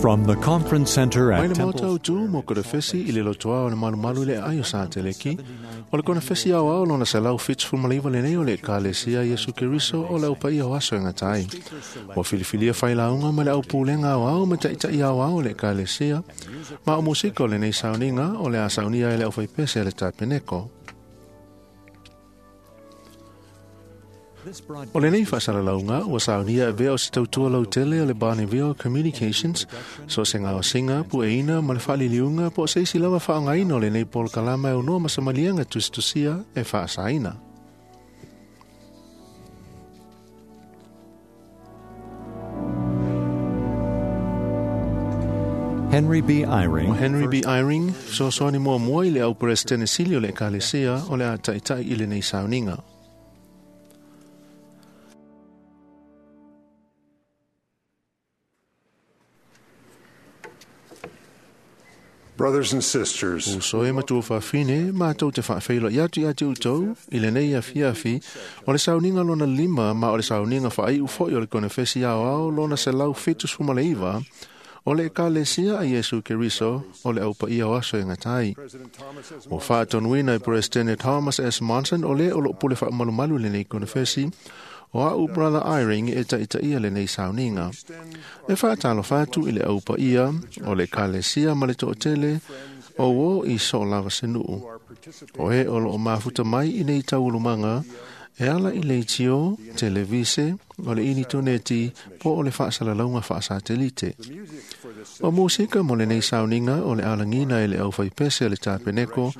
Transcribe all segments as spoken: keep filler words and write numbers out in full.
From the Conference Center Mai at le Temple maota o tu mo konefesi i le lotoa o le malumalu le ai o sa teleki. O le konefesi au au lona selau fitusefulumalaiva lenei o le Ekalesia Iesu Keriso o le aupaia o aso e gata ai. Ua filifilia failauga ma le aupulega aoao ma taʻitaʻi aoao o le Ekalesia. Ma o musika o lenei sauniga o le a saunia e le aufaipese a le tapeneko. O lenei faasalalauga ua saunia e vea o se tautua lautele o le Bonneville Communications, so o se gaosiga pueina ma le faaliliuga po o se isi lava faaaogaina o lenei polokalama e aunoa ma samaliaga tusitusia e faasaina. Henry B. Eyring, O Henry B. Eyring, fesoasoani muamua i le auperesetene sili o le Ekalesia o le a taʻitaʻi i lenei sauniga. Brothers and sisters, Uso e matua faafine, matou te faafeiloai atu ia te outou i lenei afiafi o le sauniga lona lima ma o le sauniga faaiu foʻi o le konefesi aoao lona selau fitusefulumalaiva o le Ekalesia a Iesu Keriso o le aupaia o aso e gata ai. President Thomas S. Ua faatonuina e Peresetene Thomas S. Monson o lē o loo pule faamalumalu lenei konefesi o a'u Brother Eyring e taʻitaʻia lenei sauniga. E faatalofa atu i le aupaia o le Ekalesia ma le toʻatele o uō i soo lava se nuu. O e o loo mafuta mai i nei taualumaga e ala i leitio, televise, o le initoneti po o le faasalalauga faasatelite. O musika mo lenei sauniga o le alagina e le aufaipese a le tapeneko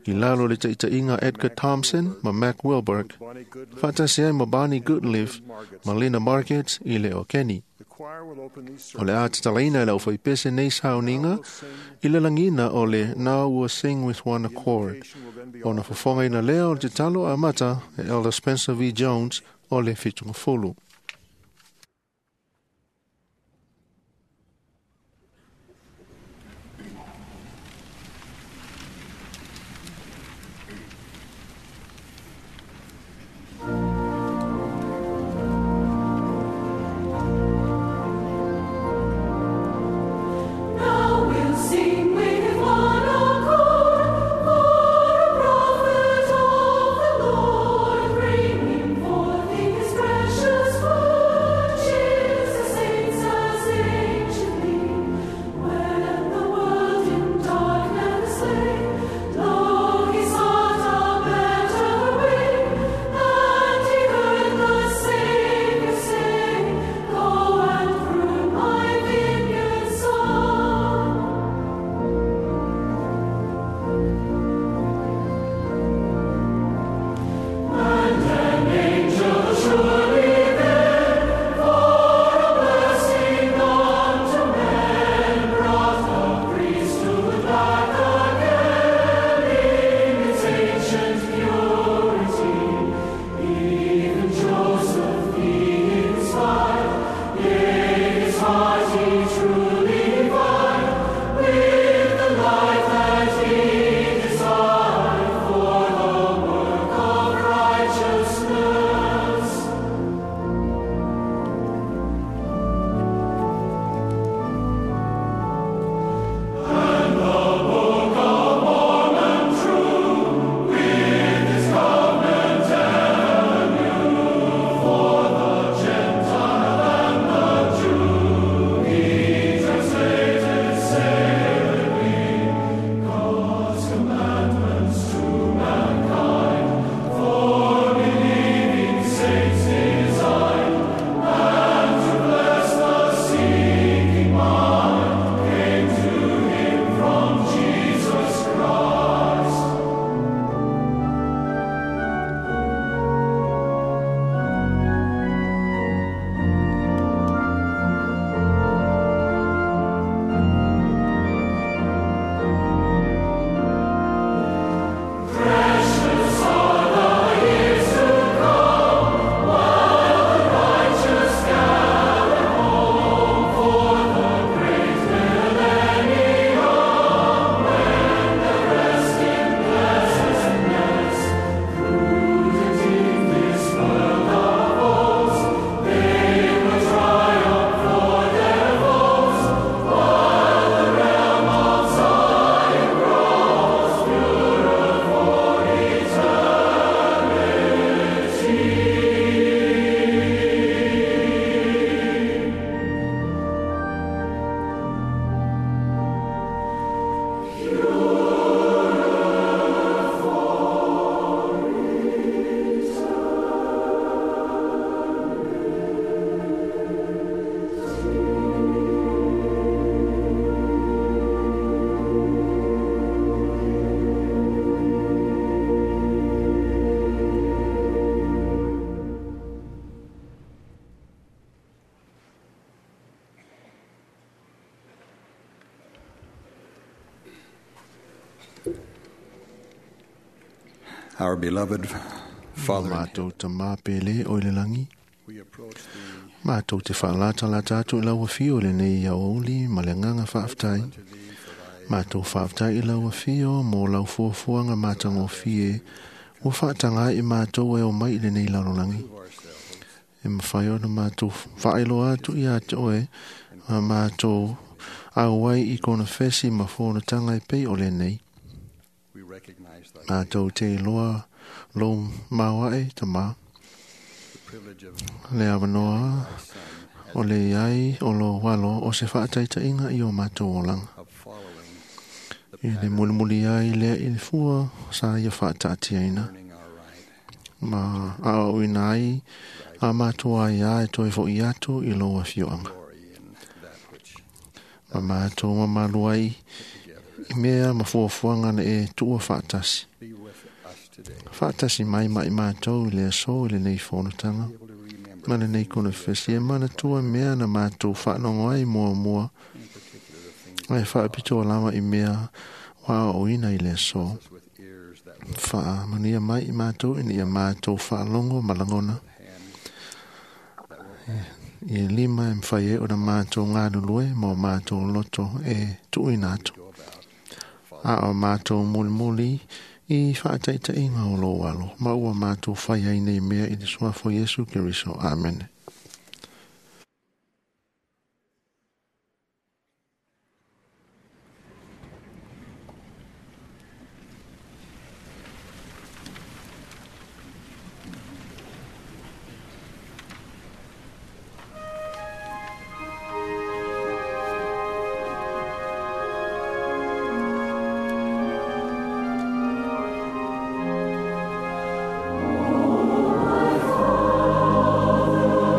i lalo o le taʻitaʻiga Edgar Thompson ma Mac Wilberg, faatasi ai ma Barney Goodliff ma Lena Markets i le o Kenny. The choir will open these O le a tatalaina e le aufaipese nei sauniga i le lagina o le Now We'll Sing With One Accord. Ona fofogaina lea o le tatalo amata e Elder Spencer V. Jones o le Fitugafulu. Now we'll sing with one accord for a prophet of the Lord, bringing forth His precious Our beloved Father, in Mātou ta mā pele o i le langi. we approach thee Mātou te whaalatalata atu i lau afio le nei ia oli ma le nganga whaaftai. to thee for thy Mātou whaaftai i lau afio mō lau fuafuanga mātangofie. Ua whaatanga i mātou e o mai i le nei lalolangi. ourselves E mawhai ona mātou whaeloa atu i a te oe a mātou au ai i kona whesi ma whonatanga e pei o le nei. we recognize thy Mātou te loa lo maua e ta mā. the privilege of Le awanoa thy Son o le iai o lo walo o se whaataita inga i o mātou olanga. of following the I le pattern mulimuli ai lea i le fua sa ia whaataatia ina. of earning our right Ma a o ina ai a mātou ai a e toe fo i atu i lo afioanga. glory in that which Ma mātou ma malu ai together i mea ma fuafuaga na e tuua faatasi. be with us today. Faatasi mai mai mātou i le aso i lenei fonotaga. Be able to remember Ma lenei konefesi e manatua mea na mātou faanogo ai muamua. in particular the things Ai faapitoa lava i mea ua aoaoina i le aso. us with ears that will Faamanuia mai i mātou ina ia mātou faalogo ma lagona. hands that will I lima e mawhai e ona mātou ngālulue ma o mātou loto e tuuina atu. go about A o mātou mulimuli i whaataitainga o lō alo. Ma ua mātou whai ai nei mea i te suafo Iesu Keriso. Amen. Father,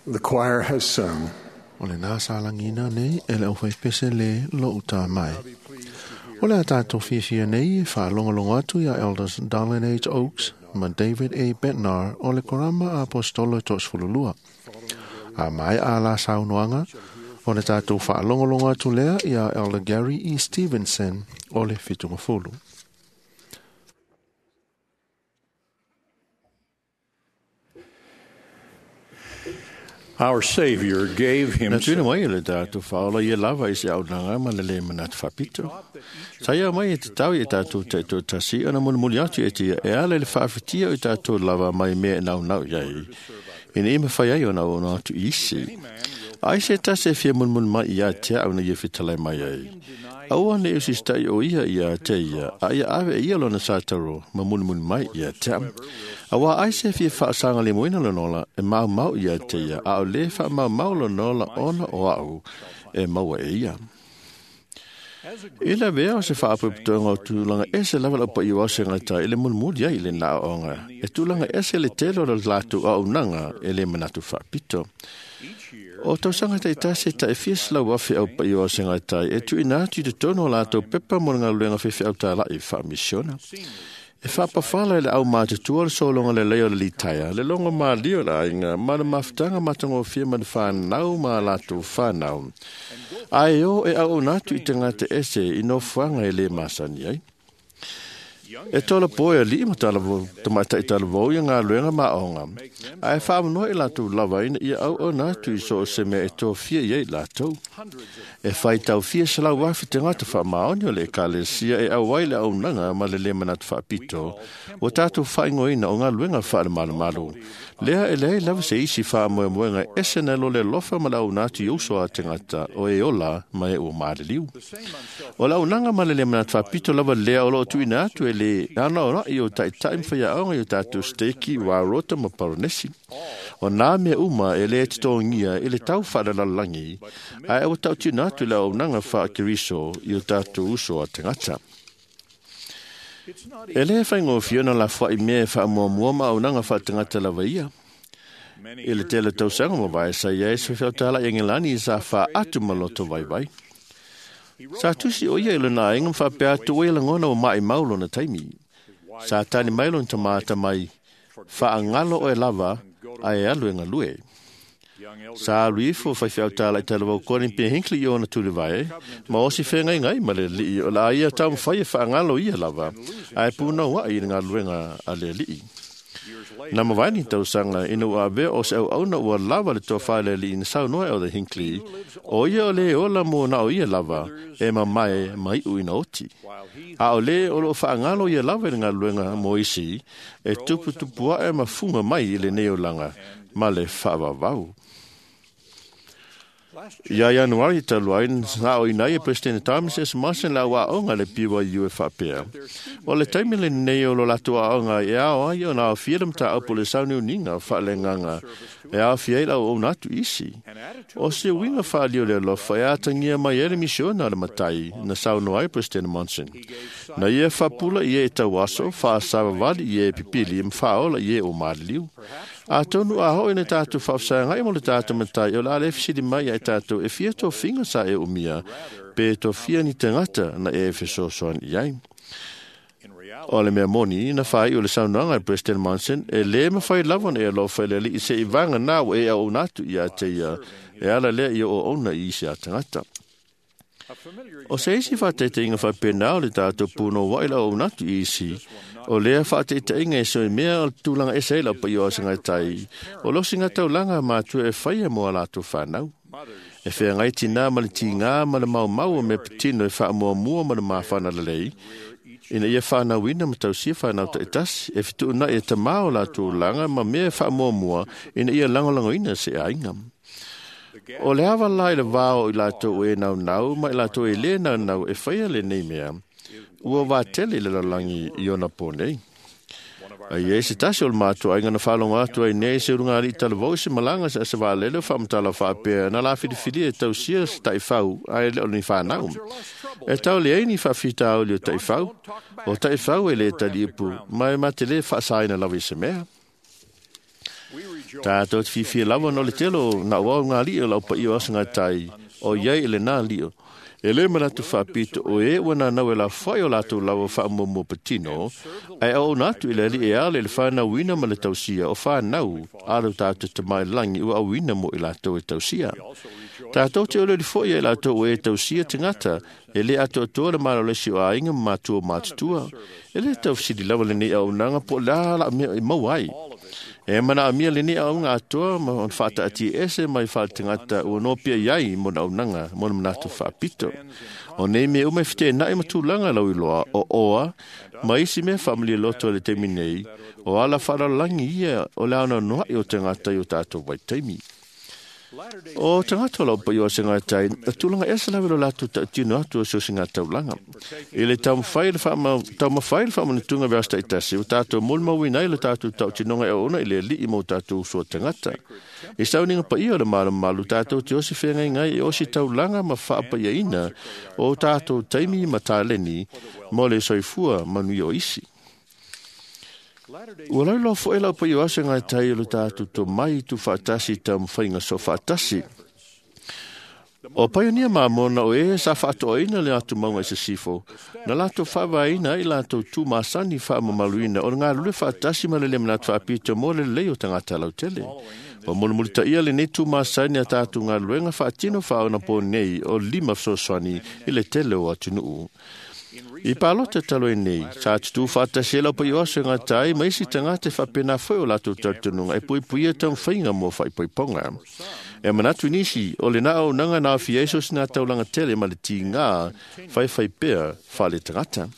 The choir has sung. O le nā sālangina nei e le au pese le lo uta mai. O le a tātou fiafia nei e whaalongolongo atu ia Elders Darlene H. Oaks ma David A. Bednar o le Korama Apostolo Tosfululua. A mai a la saunoanga o le tātou whaalongolongo atu lea ia Elder Gary E. Stevenson o le Fitungafulu. Our Savior gave Na himself. tuna mai le tātou whaola ia lava i se aunanga ma le le manatu whapito. Sa ia mai e te tau i tātou te tō tasi ana muli atu e te ia e ala le whaawhitia o tātou lava mai mea e nau nau iai. Ina ima whai ai o nau ona atu isi. Ai se tasi e fia munmun mai ia te au na ia fitalai mai ai. Aua ne usi stai o ia ia te ia, a ia ave e ia lona sātaro, ma munmun mai ia te au. Awa ai se fia whaasanga le moina lonola, e mau mau ia te ia, a o le wha mau mau lonola ona o au, e maua e ia. I la vea o se whaapuputonga o tūlanga ese lava lau pa iwa se ngata i le mulmuli ai le nā onga. E tūlanga ese le telo le lātu au nanga e le manatu whaapito. O tau sanga tai tasi ta e fias lau afi au pa iwa se ngata e tu ina atu i te tono lātou pepa mo ngā luenga whiwhi au tā lai whaamisiona. E whapawhala le au mātutua le solonga le leo le litaia, le longo mā lio la inga, ma le mafutanga matango fia ma le whanau ma lātou whanau. Ai o e au natu i te ngata ese i no fuanga e le masani ai. E tola poe a lii ma tala vo, tamaita i tala vau ia ngā luenga ma onga. Ai whaamanoa i lātou lava ina ia au o natu i so o se mea e tō fia i ei lātou. E whai tau fia se lau wafi te ngata wha maoni o le ekalesia e au ai le au nanga ma le le manatu whaapito. O tātou whaingoina o ngā luenga wha le malu malu. Lea e lei lava se isi wha moe moenga ese na lo le lofa ma lau natu i uso a te ngata o e ola ma e o maale liu. O lau nanga ma le le manatu whaapito lava lea o lo tu ina atu e le ana ora i o taitai mwhia aonga i o tātou steki wā rota ma paronesi. O nā mea uma e le te tōngia i le tau whaalalangi, a e o tau tuna atu le au nanga wha keriso i o tātou uso a te ngata. E le whaingo fiona la wha i mea wha mua mua ma au nanga wha te ngata lava ia. I le tele tausanga mo vai sa ia e se whiautala i ngelani i sa wha atu maloto vai vai. Sa tusi o ia i lona ainga mwhapea atu o ia langona o mai mau lona taimi. Sa tani mai lona tamata mai whaangalo o e lava a e alu e ngalue. Sa alu ifo whaiwhiau tāla i tala wau koni pe hinkli i ona tuli vai, ma osi whengai ngai ma le lii o la ia tau mwhai e whaangalo ia lava, a e pūnau a i ngaluenga a le lii. Na mawaini tau sanga ina ua avea o se au auna ua lava le toa le lii na sau noa e o the Hinkley, o ia o le ola mo na o ia lava e mamae mai u ina oti. A o le o lo whaangalo ia lava i le ngaluenga mo isi, e tupu tupu ae mafunga mai i le nei olanga, ma le whaavavau. Ia Ianuari talu ai na o ina ia President Thomas S. Monson la aoga le P Y U e faapea. O le taimi lenei o lo latou aoga e ao ai ona aofia le mataupu le sauniuniga faaleagaga e aofia ai le auauna atu isi. O se uiga faalio le alofa e atagia mai ai le misiona a le matai na saunoa ai President Monson. Na ia faapula i e tauaso, faasavavali i e pipili ma faaola i e o maliliu. Atonu a hoi na tātou whaafsaangai mo le tātou matai o la le fisili mai ai tātou e fia tofinga sa e umia pe tofia ni tangata na e fesoasoani i ai. O le mea moni na whai o le saunoaga e President Monson e le mawhai lava na e alofa i le alii se i vanga nā o e au natu i a te ia e ala lea i o ona i isi a tangata. O se isi whāteiteinga whāpena o le tātou pūno wai la o natu i isi, o lea whāteiteinga e soe mea o tūlanga ese la pa i o asingai tai, o losi ngā taulanga mātua e whaia mo a lātou whānau. E whea ngai tina ma le tingā ma le mau mau o me patino e whaamua mua ma le māwhana lelei, ina ia whānauina ma tausia whānau ta etasi, e whitu na e tamā o lātou langa ma mea e whaamua mua, ina ia langolangoina se ainga. O le awa lai le vāo i lātou e nau nau, ma i lātou e le nau nau e whaia le nei mea, ua wātele i le lalangi i ona pō nei. Ai e se tasi o le mātua, ai ngana whalonga atu ai nei se urunga ali talavau se malanga se asa waalele o whamatala whaapea na la whiriwhiri e tausia se taiwhau ai le o ni whanau. E tau le ei ni whawhita au le o taiwhau, o taiwhau e le taliipu, mai matele whaasaina lawe se mea. Tātou te whiwhia lava no le telo na wau ngā lio lau pa iyo asa ngā tai o iai ele nā lio. E le manatu whapito o e ua nā nau e la whai o lātou lawa whaamuamua patino, ai au nātu i le ali e ale le whānau wina ma le tausia o whānau alo tātou te mai langi ua au wina mo i lātou e tausia. Tātou te ole foi e lātou e tausia te ngata, e le ato atoa le malo lesi o ainga mātua mātutua, e le tausili lawa le nei au nanga po la la mea i mau ai. E mana amia le ni au ngā atoa ma on whaata ati ese mai whaatangata ua nōpia iai mo na unanga mo na manatu whaapito. O nei me ume white nai matulanga lau iloa o oa ma isi mea whaamalia loto le teimi nei o ala whaaralangi ia o le ana noa i o tangata i o tātou waitaimi. O tangata lau pa i o se ngā tai, a tūlanga esa lawe lo lātou tautino atu o se o se ngā taulanga. I le taumawhai le whaama, taumawhai le whaamanatunga vea sta itasi, o tātou mulmauina i le tātou tautinonga e ona i le lii mo tātou usua tangata. I sauninga pa ia o le malumalu tātou te osi whengai ngai e osi taulanga ma whaapa ia ina o tātou taimi ma tāleni mo le soifua manui o isi. Ua lau loa foe lau pa i o asa ngai tai o le tātou tō mai tu whaatasi ta mwhainga so whaatasi. O paionia mamona o e sa whaatoaina le atu maunga i se sifo, na lātou whaavaina i lātou tū māsani whaamamaluina o ngā lule whaatasi ma le le manatu whaapito mo le lei o tangata lautele. O mulimulita ia le nei tū māsani a tātou ngā luenga whaatino whaona pō nei o lima fesoasoani i le tele o atunuu. I pālota talo e nei, sa tutu whaatasi e lau pa i oso ngā tai, ma isi tangata e whapena whai o lātou tautununga e pui pui e taumwhainga mō whaipoiponga. E manatu nisi, o le nā au nanga nā whia eso sina taulanga tele ma le tingā whai whai pea whale tangata.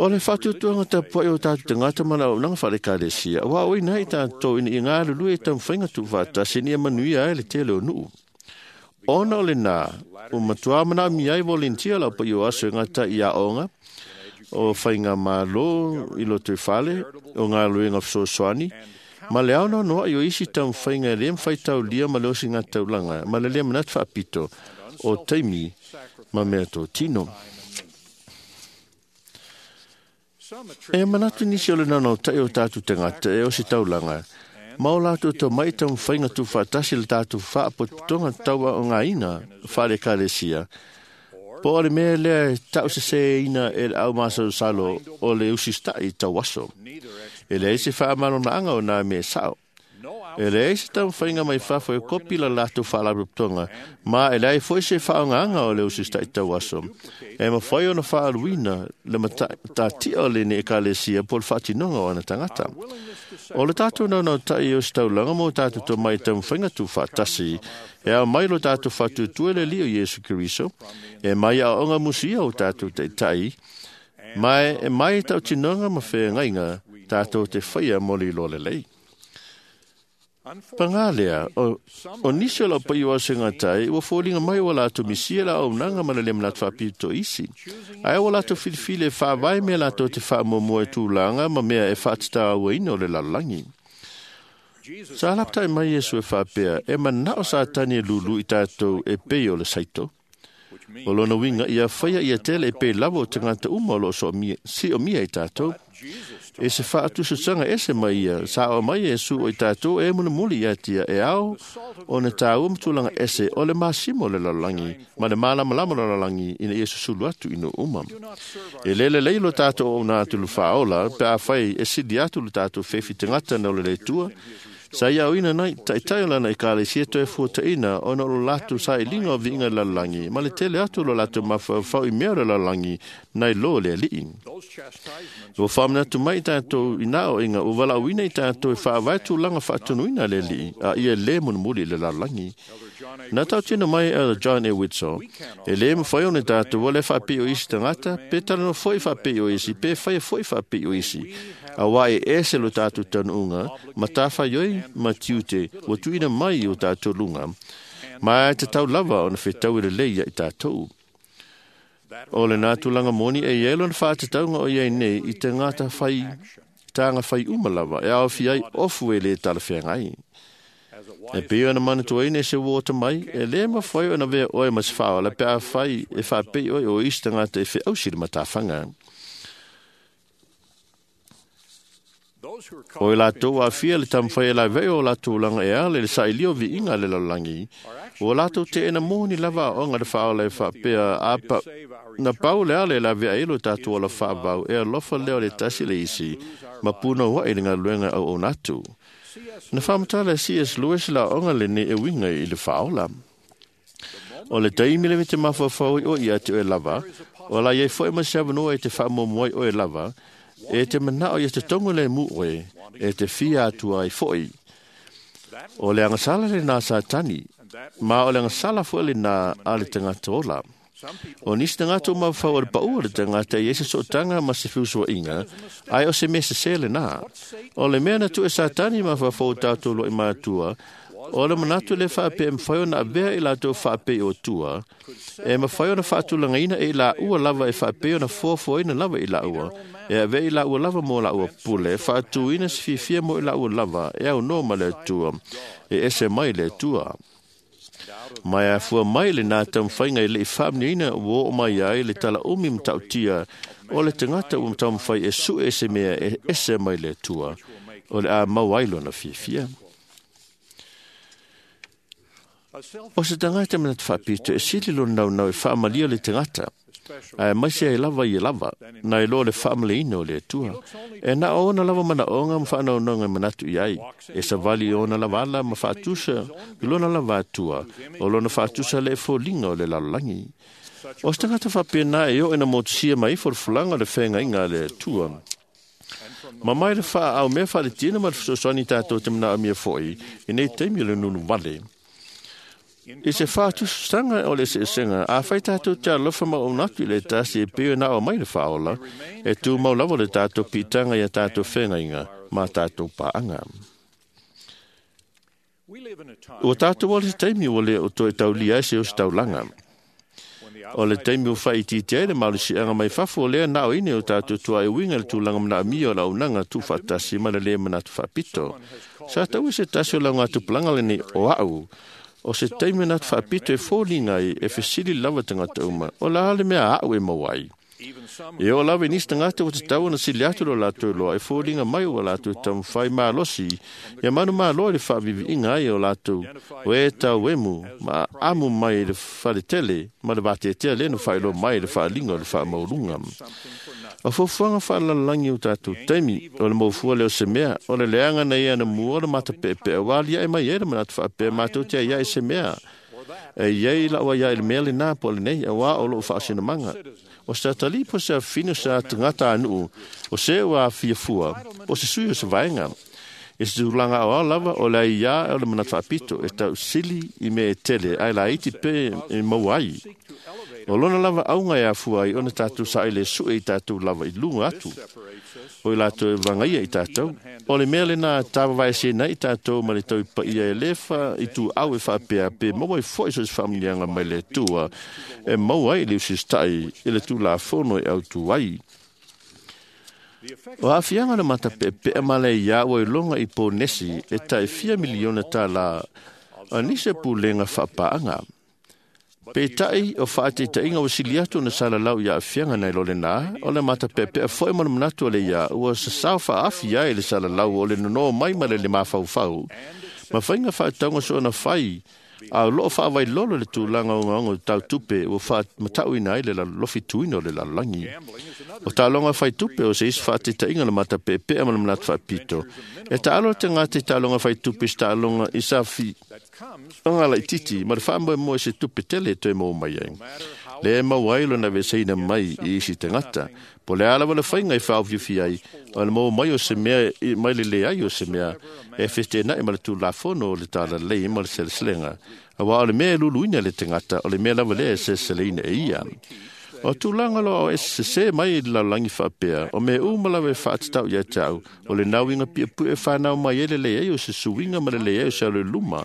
O le whatutuanga tapua i o tātou tangata ma lau nanga whale kālesia, wa oi nei tātou ina i ngā lulu e taumwhainga tu whaatasi ni e manuia e le tele o nuu. Ona o le nā, o matua mana mi ai volunteer lau pa i o aso ngā tai i a onga, o whainga mālo i loto i whale, o ngā luenga fesoasoani, ma le aona noa i o isi tau whainga e le mwhai tau lia ma le osi ngā taulanga, ma le lea manatu whaapito o teimi ma mea tō tino. E manatu nisi o le nana o tai o tātou tangata e osi taulanga, ma o lātou tau mai tau whainga tū whaatasi le tātou whaapotonga taua o ngā ina whare kālesia. Po o le mea lea e tau se se ina e le au māsau salo o le usistai tau aso. E le ese whaamarona anga o nā mea sao. E le ese tau whainga mai whawha e kopi la lātou whaalarotonga, ma e le ai foi se whaonga o le usistai tau aso. E ma whai ona whaaluina le matatia o le ne e kālesia po le whaatinonga o ana tangata. O le tātou nau nau tai o staulanga mō tātou tō mai tau whainga tū whaatasi, e au mai lo tātou whatutua le lio Iesu Keriso, e mai a onga musia o tātou te tai, mai e mai tau tinonga ma whaengainga tātou te whaia moli lo le lei. Pangā lea, o, o nisi o lau pai o asenga tai, ua fōlinga mai o lātou misia la au nanga mana le manatu whapito isi. Ai o lātou filifili e whaavai mea lātou te whaamomoa e tūlanga ma mea e whaatata aua ina o le lalalangi. Sa laptai mai Iesu e whaapea, e manao sa tani e lulu i tātou e pei o le saito. O lona winga ia whaia ia tele e pei lava o te ngata uma o lo so mia, si o mia i tātou. E se whaatususanga ese mai ia, sa o mai e su o i tātou e muna muli ia tia e ao o ne tāua matulanga ese o le masimo le lalangi, ma le malamalama le lalangi ina ia susulu atu ino uma. E lele leilo tātou o nā tulu whaola, pe a whai e sili atu le tātou whewhi te ngata na o le leitua, sa ia oina nai, taitai o lana i ka le sia toe fuataina o na o lātou sa i linga o viinga lalangi, ma le tele atu lo lātou mawhau i mea o le lalangi nai lo le alii. Ua whamanatu mai tātou i nā o inga, ua walauina i tātou e whaawai tūlanga whaatunuina le alii, a ia le munumuli le lalangi. Nā tau tino mai a John E. Whitso, e le mwhai o ne tātou wale whaapei o isi tangata, pe talano foi whaapei o isi, pe whaia foi whaapei o isi. A wā e ese lo tātou tanuunga, ma tāwhaioi ma tiute, wa tuina mai o tātou lunga. Ma e te tau lava o na whetau i le leia i tātou. O le nā tūlanga moni e ielo na whātataunga o iei nei i te ngāta whai, tānga whai uma lava, e ao whiai ofu e le talawhengai. E pio na mana tuaine se wōta mai, e le ma whai o na vea oe mas whaola pe a whai e whapei oe o isi tangata e wheausi le matawhanga. O i lātou a fia le tamwhai e lai vei o lātou langa e ale le sailio vi inga le lalangi. O lātou te ena mōni lava o nga le whaola e whapea a pa, na pau le ale la vea elo tātou o la whaavau e alofa leo le tasi le isi, ma puna wa i le ngaluenga au o natu. Na whamatala C S Lewis la onga le ne e winga i le whaola. O le taimi le te mawhawhau o ia te oe lava, o la iei foe ma se avanoa e te whaamomoi oe lava, e te manao ia te tongo le mu oe, e te fia atua i foi. O le angasala le nā satani, ma o le angasala foe le nā a le tangata ola. O nisi tangata o mawhau o le paua le tangata i ese sootanga ma se fiusua inga, ai o se mese se le nā. O le mea na tu e satani mawhawhau tātou lo i mātua, o le manatu le whaape e mwhai ona avea i lātou whaape o tua, e mwhai ona whaatulangaina e la ua lava e whaape ona fuafuaina lava i la ua, e avea i la ua lava mo la ua pule, whaatuina se fiafia mo i la ua lava, e au no ma le tua, e ese mai le tua. Mai a fua mai le nā tamwhainga i le i whaamniina o o mai ai le tala umi mtautia o le tangata o mtamwhai e su e se mea e ese mai le tua, o le a mau ai lona fiafia. O se tangata mana te whapito e sili lo nau nau e whaamalia le tangata. Ae maise ai lava i lava, na i lo le whaamaleina o le atua. E na ona lava mana onga ma whaanaunonga manatu i ai. E sa vali ona lava ala ma whaatusa i lona lava atua, o lona whaatusa le e fōlinga o le lalolangi. O se tangata whapena e o ena motusia mai fo le fulanga o le whenga inga le atua. Ma mai le wha au mea wha le tina ma le whasosani tātou te mana amia foi, i nei teimi le nunu wale. I se whātusanga o le sesenga, a whai tātou te alofa ma o natu i le tasi e peo nā o mai le whaola, e tū mau lava le tātou pitanga i a tātou whengainga, mā tātou paanga. O tātou o le taimi o le o toi taulia e se o se taulanga. O le taimi o whai titi ai le malusianga mai fafo o lea nā o ine o tātou tua e winga le tūlanga mana amia o la unanga tū whatasi ma le le manatu whapito. Sa tau e se tasi o la ngā tupulanga le nei o au. O se taimi na whapito e fōlinga i e whesili lava tangata uma, o la hale mea au e mawai. E o lawe nisi tangata o te tau na sili atu lo lātou loa e fōlinga mai o lātou tamwhai mālosi, ia manu māloa le whaavivi inga ai o lātou, o e tau emu, ma amu mai le whaletele, ma le wātetea le no whailo mai le whaalinga o le whaamaulunga. O fofuanga whaalalangi o tātou taimi, o le maufua leo se mea, o le leanga na ia na mua o le matapepe, o wali ai mai e le manatu whaapea mātou te ia i se mea. E iei la ua ia i le mea le nā po le nei, a wā o loo whaasina manga. O se atali po se awhina se atangata anuu, o se ua awhia fua, o se sui o se vaenga. E se tūlanga o lava o le ia o le manatu whaapito, e tau sili i me e tele, ai la iti pe e mau ai. O lona lava aunga e afua ai, ona tātou sa ile sue i tātou lava i lunga atu. O i lātou e vangaia i tātou. O le mea lena tāvavaeseina ai tatou ma le taupaia e lē faaituau e faapea pe maua ai fo'i so se faamanuiaga mai le Atua e maua ai le usita'i i le Tulafono e autū ai. O aafiaga o le matape'epe'e ma le aiā ua iloga i Ponesi e ta'i fia miliona tālā a nisi o pulega faapaaga. Peitai o faateitaʻiga ua sili atu ona salalau i aafiaga nai lo lenā, o le matapeʻepeʻe fo'i ma le manatu o le iā ua sasao faaafi ai le salalau o le nonō mai ma le mafaufau ma faiga faatauga soona fai a o loo faavailolo le tulaga ogaoga o tautupe ua faamataʻuina ai le lofituina o le lalolagi. O taaloga faitupe o se isi faateitaʻiga le matapeʻepeʻe ma le manatu faapito. E taalo le tagata i taaloga faitupe i se taaloga i sa fiaga laititi ma le faamoemoe se tupe tele e toe maua mai ai. Le maua ai lona veseina mai i isi tagata. Po le a lava le faiga e faaofiofia ai, o le maua mai o se mea mai le leai o se mea e fetenaʻi ma le Tulafono o le talalelei ma le seleselega. Auā o le mea e luluina le tagata, o le mea lava lea e seleseleina e ia. O tulaga loa o e sesē mai i le lalolagi faapea, o mea uma lava e faatatau ia te au, o le nauiga piapue e fanau mai ai le leai o se suiga ma le leai o se alo i luma.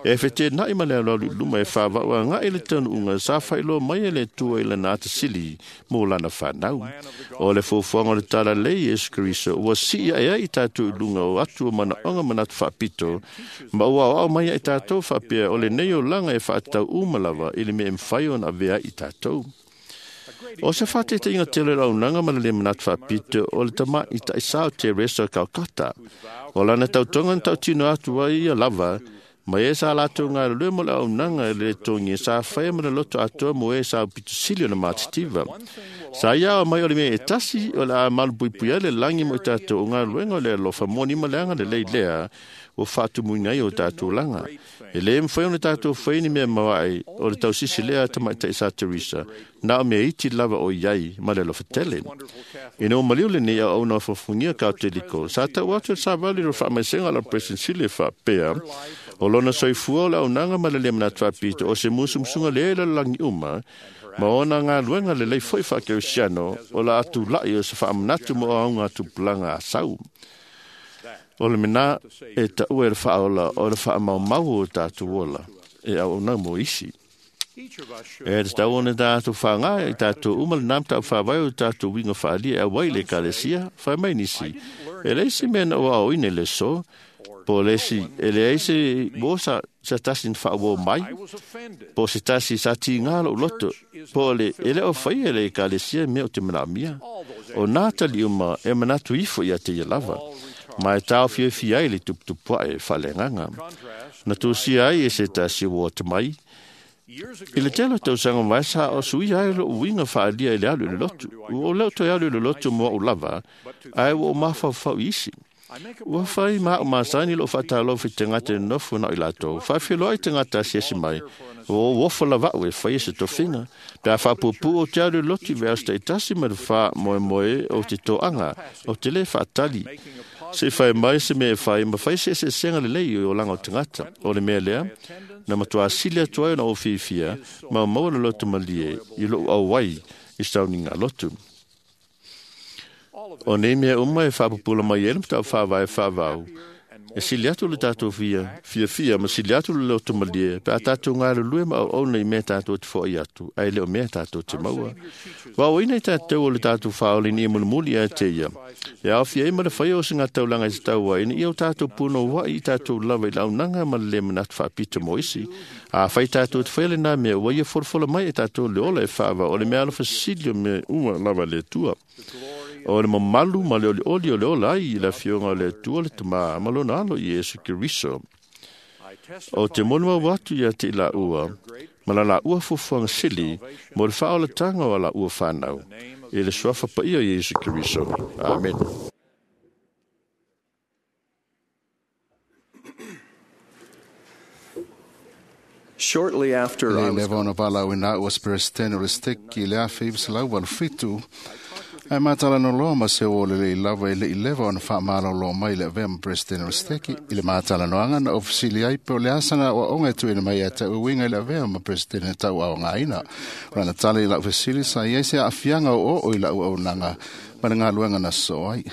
E fetenaʻi ma le aloalo i luma e faavaʻu agaʻi le taunuuga sa faailoa mai e le Atua i lana atasili mo lana fanau. O le fuafuaga o le talalelei Iesu Keriso ua sii aʻe ai i tatou i luga o atu o manaʻoga manatu faapito, ma ua aoao mai ai tatou faapea o lenei olaga e faatatau uma lava i le mea e mafai ona avea ai i tatou. O se faateitaʻiga tele o le auaunaga ma le lē manatu faapito o le tamaʻi taʻisā o Teresa o Calcutta. O lana tautoga na tautino atu ai ia lava ma e sa latou galulue mo le auaunaga e le togia sa faia ma le loto atoa mo e sa upitosili o le matitiva. Sa ia ao mai o le mea e tasi o le a malupuipui ai le lagi mo i tatou o galuega o le alofa moni ma le agalelei lea ua faatumuina ai o tatou laga. E lē mafai ona tatou fai ni mea maoaʻe o le tausisi lea a tamaʻitaʻi sa Teresa, na o mea iti lava o i ai ma le alofa tele. Ina ua maliu lenei auauna o fofogia Kauteliko, sa tau atu le savali o le faamaisega a la President Sili e faapea, o lona soifua o le auaunaga ma le lē manatu faapito o se musumusuga lea i lalolagi uma, ma ona galuega lelei fo'i faakerisiano o la atulaʻi o se faamanatu mo aoga tupulaga a sau. O le mena e taʻua e le faaola o le faamaumau o tatou ola e auaunaga mo isi. E tatau ona tatou faga i tatou uma lenā mataupu faavae o tatou uiga faaalia e auai i le Ekalesia, fai mai nisi. E leai se mea na ou aoaoina i le aso, po o le isi, e leai se uo sa, sa tasi na faauō mai, po o se tasi sa tigā loʻu loto, po o le e le o faia e le Ekalesia mea o te manaomia. O nā tali uma e manatu ifo ia te ia lava, ma e taofiofia ai le tuputupuaʻe faaleagaga. Na tusia ai e se tasi ua ata mai, i le tele o tausaga mai sa o suia ai loʻu uiga faaalia i le alu i le lotu. Ua ou leo toe alu i le lotu mo aʻu lava, ae ua ou mafaufau i isi. Ua fai ma aʻu masani loʻu faatalofa i tagata e nonofo na o i latou. Faafiloa ai tagata asiasi mai, ua ou ofo lavaʻu e faia se tofiga. Pe a faapuupuu ou te alu i le lotu i veaso taʻitasi ma le fā moemoe o te toaga, o te lē faatali. Se fai mai se mea e fai, ma fai se eseesega lelei i olaga o tagata. O le mea lea, na matuā sili atu ai ona ou fiafia, ma maua le loto malie i loʻu auai i sauniga lotu. O nei mea uma e faapupula mai ai le mataupu faavae faavau, e sili atu le tatou fia, fiafia ma sili atu le loto malie, pe a tatou galulue ma auauna i mea tatou te foʻi atu, ae le o mea tatou te maua. Ua aoaina i tatou o le tatou faaola ina ia mulimuli ia te ia. E aofia ai ma le faia o se gataulaga i se taua ina ia o tatou punouaʻi i tatou lava i le auaunaga ma le lē manatu faapito mo isi. Afai tatou te faia lenā mea, ua ia folafola mai e tatou le ola e faava o le mea alofasili o mea uma lava le Atua. O le mamalu ma le olioli o le ola ai i le afioga o le Atua le Tamā ma lona alo Iesu Keriso. O te molimau atu ia te i laua, ma la laua fuafuaga sili mo le faaolataga o a laua fanau, i le suafa paia o Iesu Keriso. Amen. Shortly after Le I was leva ona valaauina a'u o se Peresetene o le Steki i le afe iva selau valu fitu, ae matalanoa ma se ō lelei lava e leʻi leva ona faamalōlō mai le avea ma Peresetene o le Steki i le matalanoaga na ofisili ai pe o le asa na aʻoaʻoga e tuuina mai ia te a'u e uiga i le avea ma Peresetene tauaogaina. O lana tala i la'u fesili sa i ai se aafiaga o oo i la'u auaunaga ma le galuega na sosoo ai.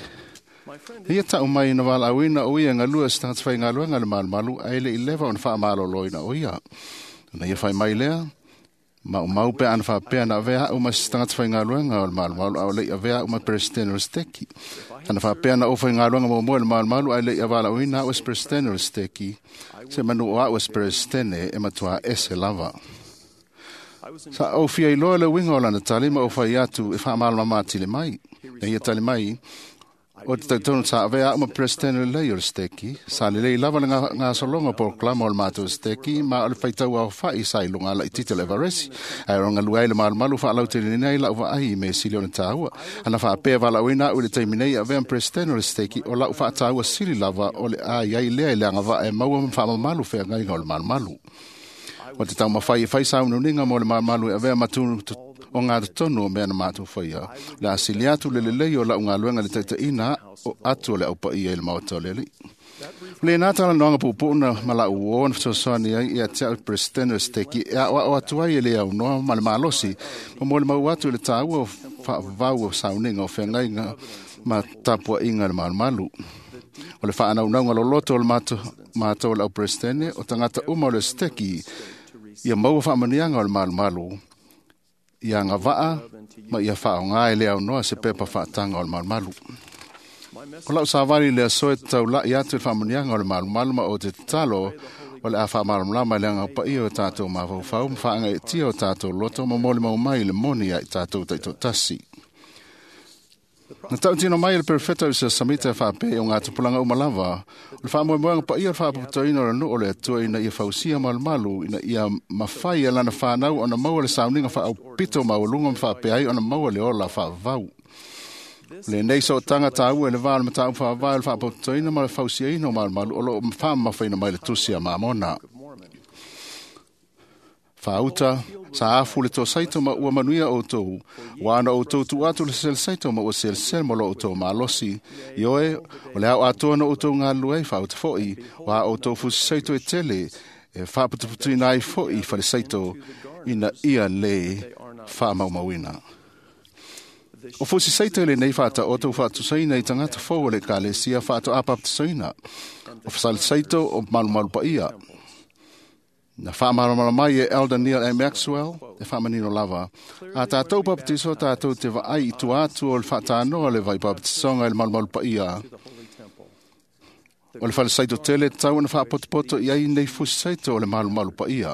Ia tau mai na walaawina o ia ngalua se tagata faigaluega le malumalu ae le i leva ona faamaloloina o ia. Na ia fai mai lea, maumau pe ana faapea na avea au ma se tagata faigaluega o le malumalu a o le i avea au ma Peresetene o le Seteki. Ana faapea na ou faigaluega muamua i le malumalu ae le i avalaauina au e se Peresetene o le Seteki, se manu o au e se Peresetene e matuā ese lava. Sa ou fia iloa le uiga o lana tali ma ou fai atu e faamalamalama atili mai. Na ia tali mai, o te tautono sa avea au ma Peresetene lelei o le Seteki, sa lelei lava le gasologa o polokalama o le matou Seteki, ma o le faitau aofa'i sa i luga laitiiti o le Everesi, ae o galue ai le malumalu faalauteleina ai lau vaai i mea sili ona taua. Ana faapea valaauina au i le taimi nei e avea ma Peresetene o le Seteki, o lau faataua sili lava o le a i ai lea i le agavaa e maua ma faamamalu feagaiga o le malumalu. O te taumafai e fai sauniuniga mo le malumalu e avea ma tu o ngā totonu o mea na mātou whaia. Le asili atu le lelei o lau galuega le taitaiina o atu o le aupaia i le maota o le Alii. O le nā talanoaga puupuu ma lau uō na fesoasoani ai ia te au Peresetene o Seteki e aoao atu ai e le aunoa ma le malosi ma mo le mau atu i le tāua o faavavau o sauniga o feagaiga ma tapuaiga le malumalu. O le faanaunauga loloto o le mātou o le au Peresetene o tagata uma o le Seteki ia maua faamanuiaga o le malumalu ia agavaa ma ia faaaoga e le aunoa se pepa faataga o le malumalu. O lau savali le aso e taula'i atu i le faamanuiaga o le malumalu ma o te tatalo o le a faamalamalama i le agapaia o tatou mafaufau ma faagaeetia o tatou loto ma molimau mai i le moni ia i tatou taitoatasi. Na tautino mai e le Perofeta o se Samita e faapea o ngā tupulaga uma lava, o le faamoemoega paia o le faapotopotoina o le nuu o le Atua ina ia fausia malumalu, ina ia mafai e lana whanau ona maua le sauniga faaupito maualuga ma faapea ai ona maua le ola faavavau. O lenei sootaga taua i le va o le mataupu faavae o le faapotopotoina ma le fausiaina o malumalu o loo faamamafaina mai le tusi a Mamona. Faauta, sa afu le tosaito ma ua manuia outou, ua ana outou tuu atu le seleseito ma ua selesele ma lo outou malosi. Ioe, o le ao atoa na outou galulue ai faauta fo'i, ua outou fusiseito e tele, e faaputuputuina ai fo'i faleseito ina ia le faamaumauina. O fusiseito i lenei faataoto faatusaina i tagata fou o le ekalesia faatoa baptisaina. O fasaleseito o malumalu paia. Na faamalamalama mai e Elder Neil A. Maxwell e faamanino lava. A tātou baptiso tātou te vaai i tua atu o le faatanoa le vai baptisoga i le malumalu paia. O le falesaito tele tau ona faapotopoto i ai nei fusisaito o le malumalu paia.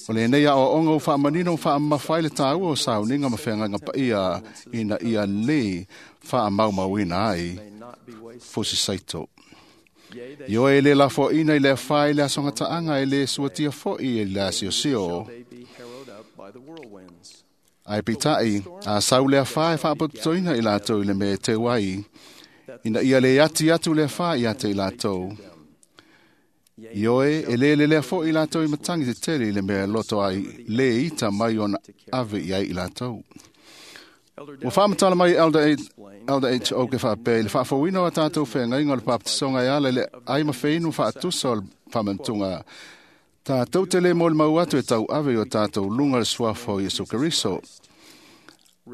O lenei aoaoga ua faamanino ma faamamafa ai le tāua o sauniga ma feagaiga paia ina ia lē faamaumauina ai fusisaito. Ioe e le lafoaina i le afā i le asogataaga e le suatia fo'i i le asiosio. Ae peitai, a sau le afā e faapotopotoina i latou i le mea e teu ai, ina ia le ati atu le afā ia te i latou. Ioe e le lelea fo'i i latou i matagi tetele i le mea e loto ai le ita mai ona ave i ai i latou. Ua faamatala mai Elder Elder H. O ke faapea i le faafouina o a tatou feagaiga o le baptisoga e ala i le ai ma feinu faatusa o le faamanatuga. Tatou te le molimau atu e tauave i o tatou luga le suafa o Iesu Keriso.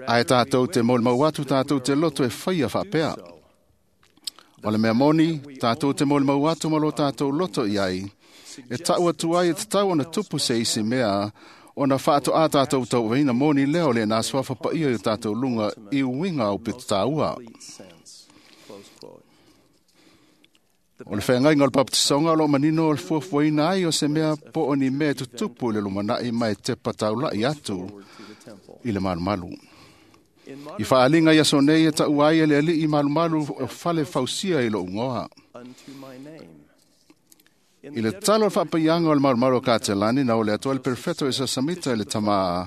Ae tatou te molimau atu tatou te loto e faia faapea. O le mea moni, tatou te molimau atu ma lo tatou loto i ai. E tau atu ai e tatau ona tupu se isi mea ona faatoa tatou tauaveina moni lea o le nā suafa paia i o tatou luga i uiga o pito tāua. O le feagaiga o le baptisoga o loo manino o le fuafuaina ai o se mea po o ni mea e tutupu i le lumanai ma e tepa taula'i atu i le malumalu. I faaliga i aso nei e taua ai e le Alii malumalu o fale fausia i lou igoa. I le tatalo o le faapaiaga o le malumalu o Katelani na o le Atua le Perofeta o Isa Samita i le tamā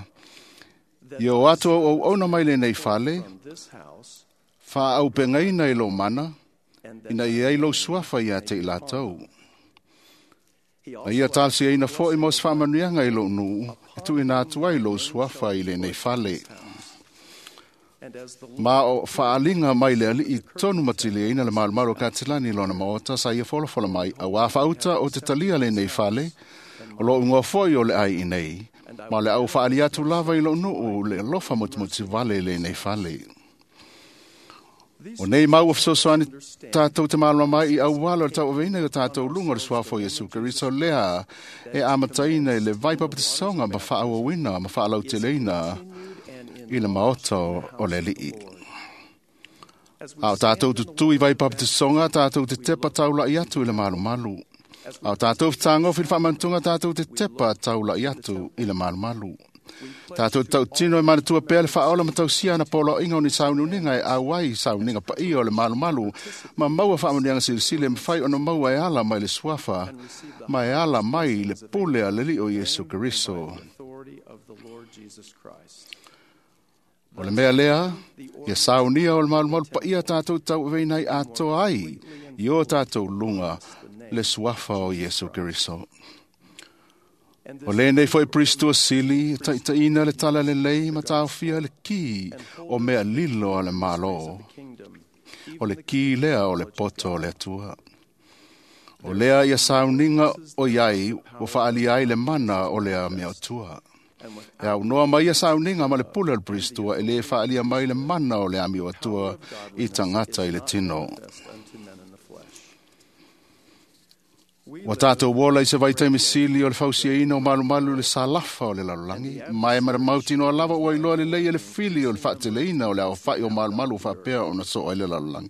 ia o atu auauauna mai lenei fale, faaaupegaina i lou mana, ina ia ai lou suafa ia te i latou. Na ia talosiaina fo'i mo se faamanuiaga i lou nuu, e tuuina atu ai lou suafa i lenei fale. Ma o faaliga mai le Alii tonu matiliaina le malumalu o Katelani i lona maota sa ia folafola mai, auā faauta o te talia lenei fale, o lou igoa fo'i o le ai i nei, ma o le au faali atu lava i lou nuu le alofa motumotu vale i lenei fale. O nei mau o fesoasoani tātou te mālama mai i auala o le tauaveina i o tātou lunga o le suafa o Iesu Keriso lea e amataina i le vai papatisoga ma faaauauina ma faalauteleina i le maota o le Alii. A o tātou tutu i vai papatisoga tātou te tepa taulai atu i le malumalu. A o tātou fetagofi i le faamanatuga tātou te tepa taulai atu i le malumalu. Tātou tautino e manatua pea le faaola ma tausia ana poloaiga o ni sauniuniga e auai sauniga paia o le malumalu ma maua faamanuiaga silisili e mafai ona maua e ala mai le suafa ma e ala mai le pule a le Alii o Iesu Keriso. O le mea lea, ia saunia o le malumalu paia tātou tauaveina ai atoa ai i o tātou luga le suafa o Iesu Keriso. O lenei foi Pristo sili, taitaina le tala lelei ma taofia le ki o mea lilo a le malo. O le ki lea o le poto o le Atua. O lea ia sauniga o iai ua faalia ai le mana o lea mea atua. E aunoa mai ia sauniga ma le pule o le Pristo e le faalia mai le mana o le amio atua i tagata i le tino. Ua tātou ola i se vaitaimi sili o le fausiaina o malumalu le salafa o le lalolagi, ma e maramautinoa lava ua iloa lelei e le fili o le faateleina o le aofai o malumalu faapea ona soo ai le lalolagi.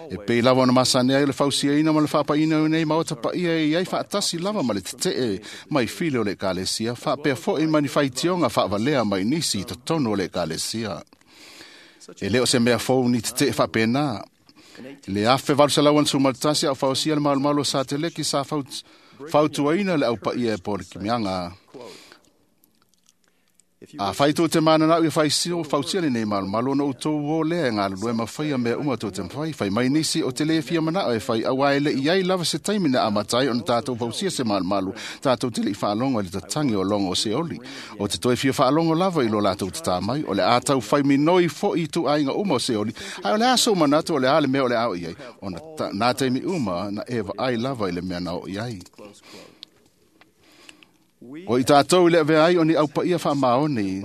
E pei lava ona masani ai o le fausiaina ma le faapaina o nei maota paia e iai faatasi lava ma le tetee mai fili o le ekalesia, faapea foi ma ni faitioga faavalea mai nisi i totonu o le ekalesia. E le o se mea fou ni tetee faapena. Le afe valu selau ana sumalutasi au fausia le malumalu o Sateleki sa fautuaina le aupaia e po le kimiaga. A fai tou te mananau ia faisio fausia lenei malumalu ona outou o lea e galulue ma faia mea uma tou te mafai. Fai mai nisi o te le fia manao e fai auā e le'i ai lava se taimi na amata ai ona tātou fausia se malumalu. Tātou te le'i faalogo i le tatagi o logo o Seoli. O te toe fia faalogo lava i lo latou tatā mai. O le a tau fai minoi fo'i i tuaiga uma o Seoli. Ae o le a sou manatu o le a le mea o le a o i ai. Ona ta, nā taimi uma na e vaai lava i le mea na o i ai. O i tātou i le avea ai o ni aupaia faamaoni,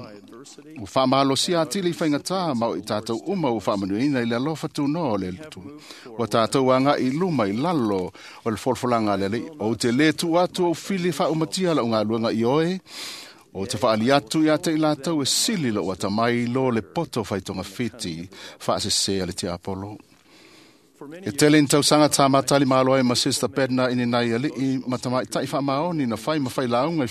ua faamalosia atili i faigata ma o i tātou uma ua faamanuiaina i le alofa tunoa o le Atua. Ua tātou agai i luma i lalo o le folafolaga a le Alii. Ou te lē tuu atu ou fili faaumatia lau galuega i oe, o te faali atu ia te i latou e sili lou atamai i lo le poto faitogafiti faasesē a le tiapolo. E tele ni tausaga tāmatali malo ai ma Sister Bednar i ni nai alii ma tamaitai faamaoni na fai ma failauga i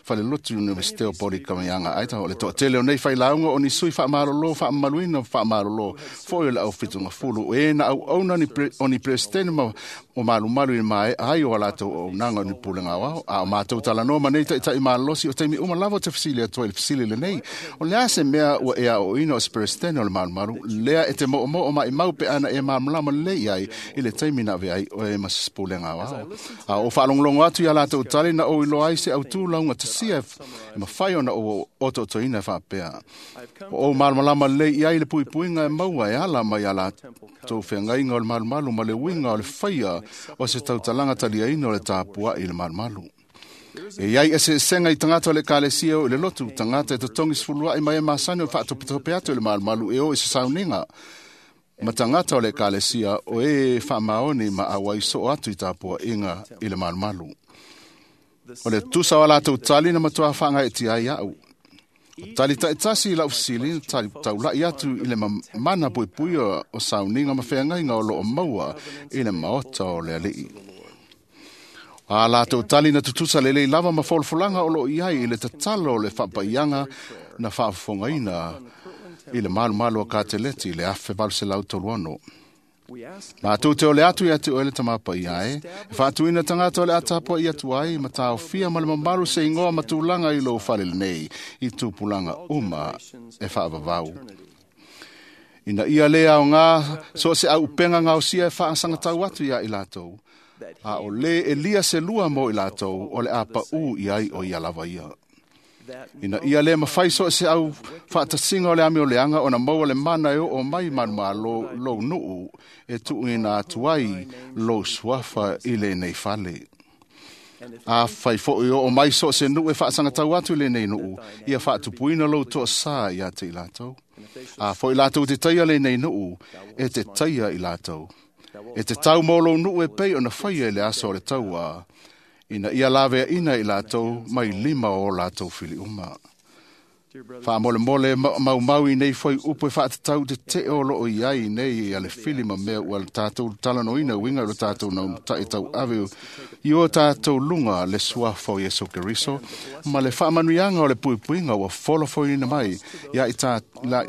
falelotu Universite o Polikamiaga Idaho. O le toatele o nei failauga o ni sui faamalolo faamamaluina ma faamalolo foi o le aufitugafulu e na auauna o ni Peresetene ma o malumalu i le maea ai o a latou auaunaga o ni pulega aoao. A o matou talanoa ma nei taitai malolosi o taimi uma lava o te fesili atu ai i le fesili lenei. O le a se mea ua e aoaoina o se Peresetene o le malumalu lea e te moomoo maimau pe ana e malamalama lelei ai i le taimi na avea ai oe ma se pulega aoao. A o faalogologo atu ia latou tali na ou iloa ai se autū lauga tasia e mafai ona ou otootoina e faapea. O ou malamalama lelei i ai le puipuiga e maua e ala mai ia latou feagaiga o le malumalu ma le uiga o le faia o se tautalaga taliaina o le tapua'i i le malumalu. E iai eseesega i tagata o le ekalesia o i le lotu, tagata e totogi sefulua'i mai e masani o le faatopetope atu i le malumalu e o i se sauniga. Ma tagata o le ekalesia o e faamaoni ma auai soo atu i tapua'iga i le malumalu. O le tusa o a latou tali na matuā faagaeetia ai a'u. O tali taitasi i lau fesili na tali taula'i atu i le mana puipui o sauniga ma feagaiga o loo maua i le maota o le Alii. A latou tali na tutusa lelei lava ma folafolaga o loo i ai i le tatalo o le faapaiaga na faafofogaina i le malumalu o Kateleti i le afe valu selau tolu ono. Matou te ole atu ia te oe le tamapaia e, e faatuina tagata o le a tapua'i atu ai ma taofia ma le mamalu se igoa ma tulaga i lou fale lenei i tupulaga uma e faavavau. Ina ia lē aogā so o se auupega gaosia e faasagatau atu iā i latou, a o lē e lia se lua mo i latou o le a paʻū i ai o ia lava ia. Ina ia lē mafai so o se au faatasiga o le amioleaga ona maua le mana e oo mai manumalo lou nuu e tuuina atu ai lou suafa i lenei fale. A fai foʻi oo mai so o se nuu e faasagatau atu i lenei nuu, ia faatupuina lou toasā iā te i latou. A foʻi latou te taia lenei nuu, e te taia i latou. E te tau mo lou nuu e pei ona faia i le aso o le tauā, ina ia laveaʻina i latou mai lima o latou filiuma. Faamolemole maumau i nei foi upu e faatatau te o loo iai nei a le fili ma mea ua tatou talanoaina uiga i lo tatou nautaʻi tauave i o tatou luga le suafa o Iesu Keriso ma le faamanuiaga o le puipuiga ua folafoina mai ia i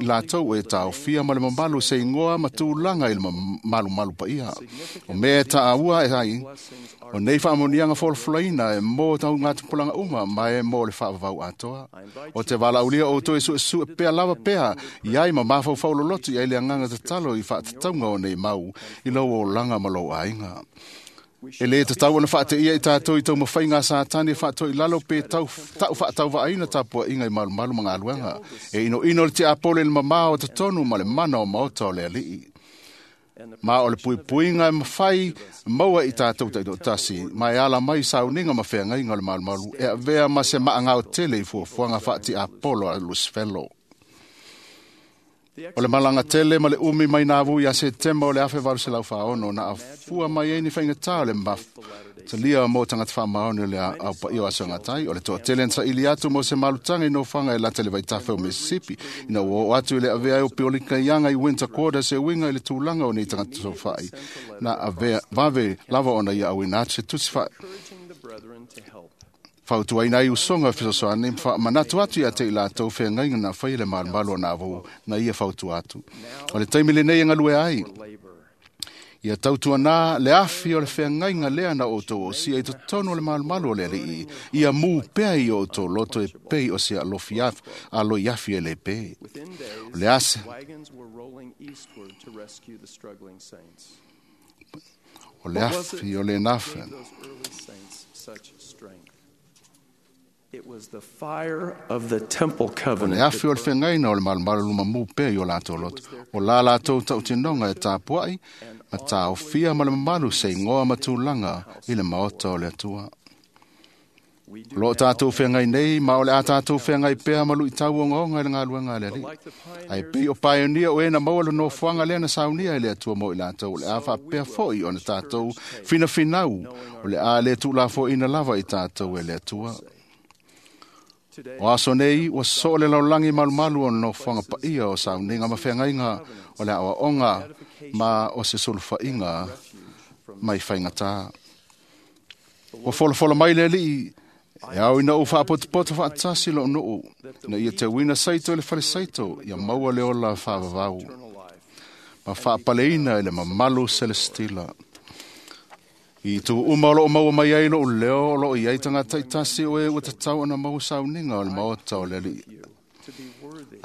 latou e taofia ma le mamalu se igoa ma tulaga i le malumalu paia. O mea e taaua e ai o nei faamanuiaga folafolaina e mo taugatupulaga uma ma e mo le faavavau atoa. O te valaaulia outou e suesue pea lava pea i ai ma mafaufau loloto i ai le agaga tatalo i faatatauga o nei mau i lou olaga ma lou aiga. E lē tatau ona faateia i tatou i taumafaiga a Satani e faatoilalo pe tau, taʻu faatauvaaina tapuaʻiga i malumalu ma galuega. E inoino le tiapolo i le mamā o totonu ma le mana o maota o le alii. Ma o le puipuiga e mafai maua i tatou taitoatasi, ma e ala mai sauniga ma feagaiga o le malumalu e avea ma se maagao tele i fuafuaga faatiapolo a Lusifelo. O le malaga tele ma le umi mai nāvu ia Setema o le afe valu selau faaono na afua mai ai ni faigata o le mafutalia mo tagata faamaoni o le aupaia o asogatai. O le toatele na saili atu mo se malutaga i nofoaga e lata i le vaitafe o Mississippi, ina ua oo atu i le avea ai o piolika ianga i Winter Quarters e uiga i le tulaga o nei tagata sofai na avea vave lava ona ia auina atu se tusi fa fautuaina ai usoga fesoasoani ma faamanatu atu ia te i latou feagaiga na faia le malumalu o nāvou na ia fautua atu. O le taimi lenei e galue ai, ia tautuanā le afi o le feagaiga lea na outou osia i totonu o le malumalu o le alii, ia mū pea i o outou loto e pei o se alofi afi, aloi afi e le pē. O le ase o le afi o le nafe. It was the fire of the temple O le covenant. afi o le feagaina o le malumalu luma mū pea i o latou loto. O la latou tautinoga e tapuai, ma taofia ma le mamalu se igoa ma tulaga i le maota o le Atua. O loo tatou feagai nei, ma o le a tatou feagai pea ma luitau ogaoga i le galuega a le alii. Ae pei o paionia o e na maua le nofoaga lea na saunia e le Atua mo i latou, o le a faapea foʻi ona tatou finafinau, o le a le tuulafoaina lava i tatou e le Atua. O aso nei, ua soo le laulagi malumalu o nofoaga paia o sauniga ma feagaiga o le aoaoga ma o se sulufaiga mai faigatā. Ua folafola mai le alii, e ao ina ou faapotopoto faatasi lou nuu, na ia teuina saito i le fale saito, ia maua le ola faavavau, ma faapaleina i le mamalu selestila. I tu uma o loo maua mai ai lou leo o loo iai tagata itasi o e ua tatau ona maua sauniga o le maota o le alii.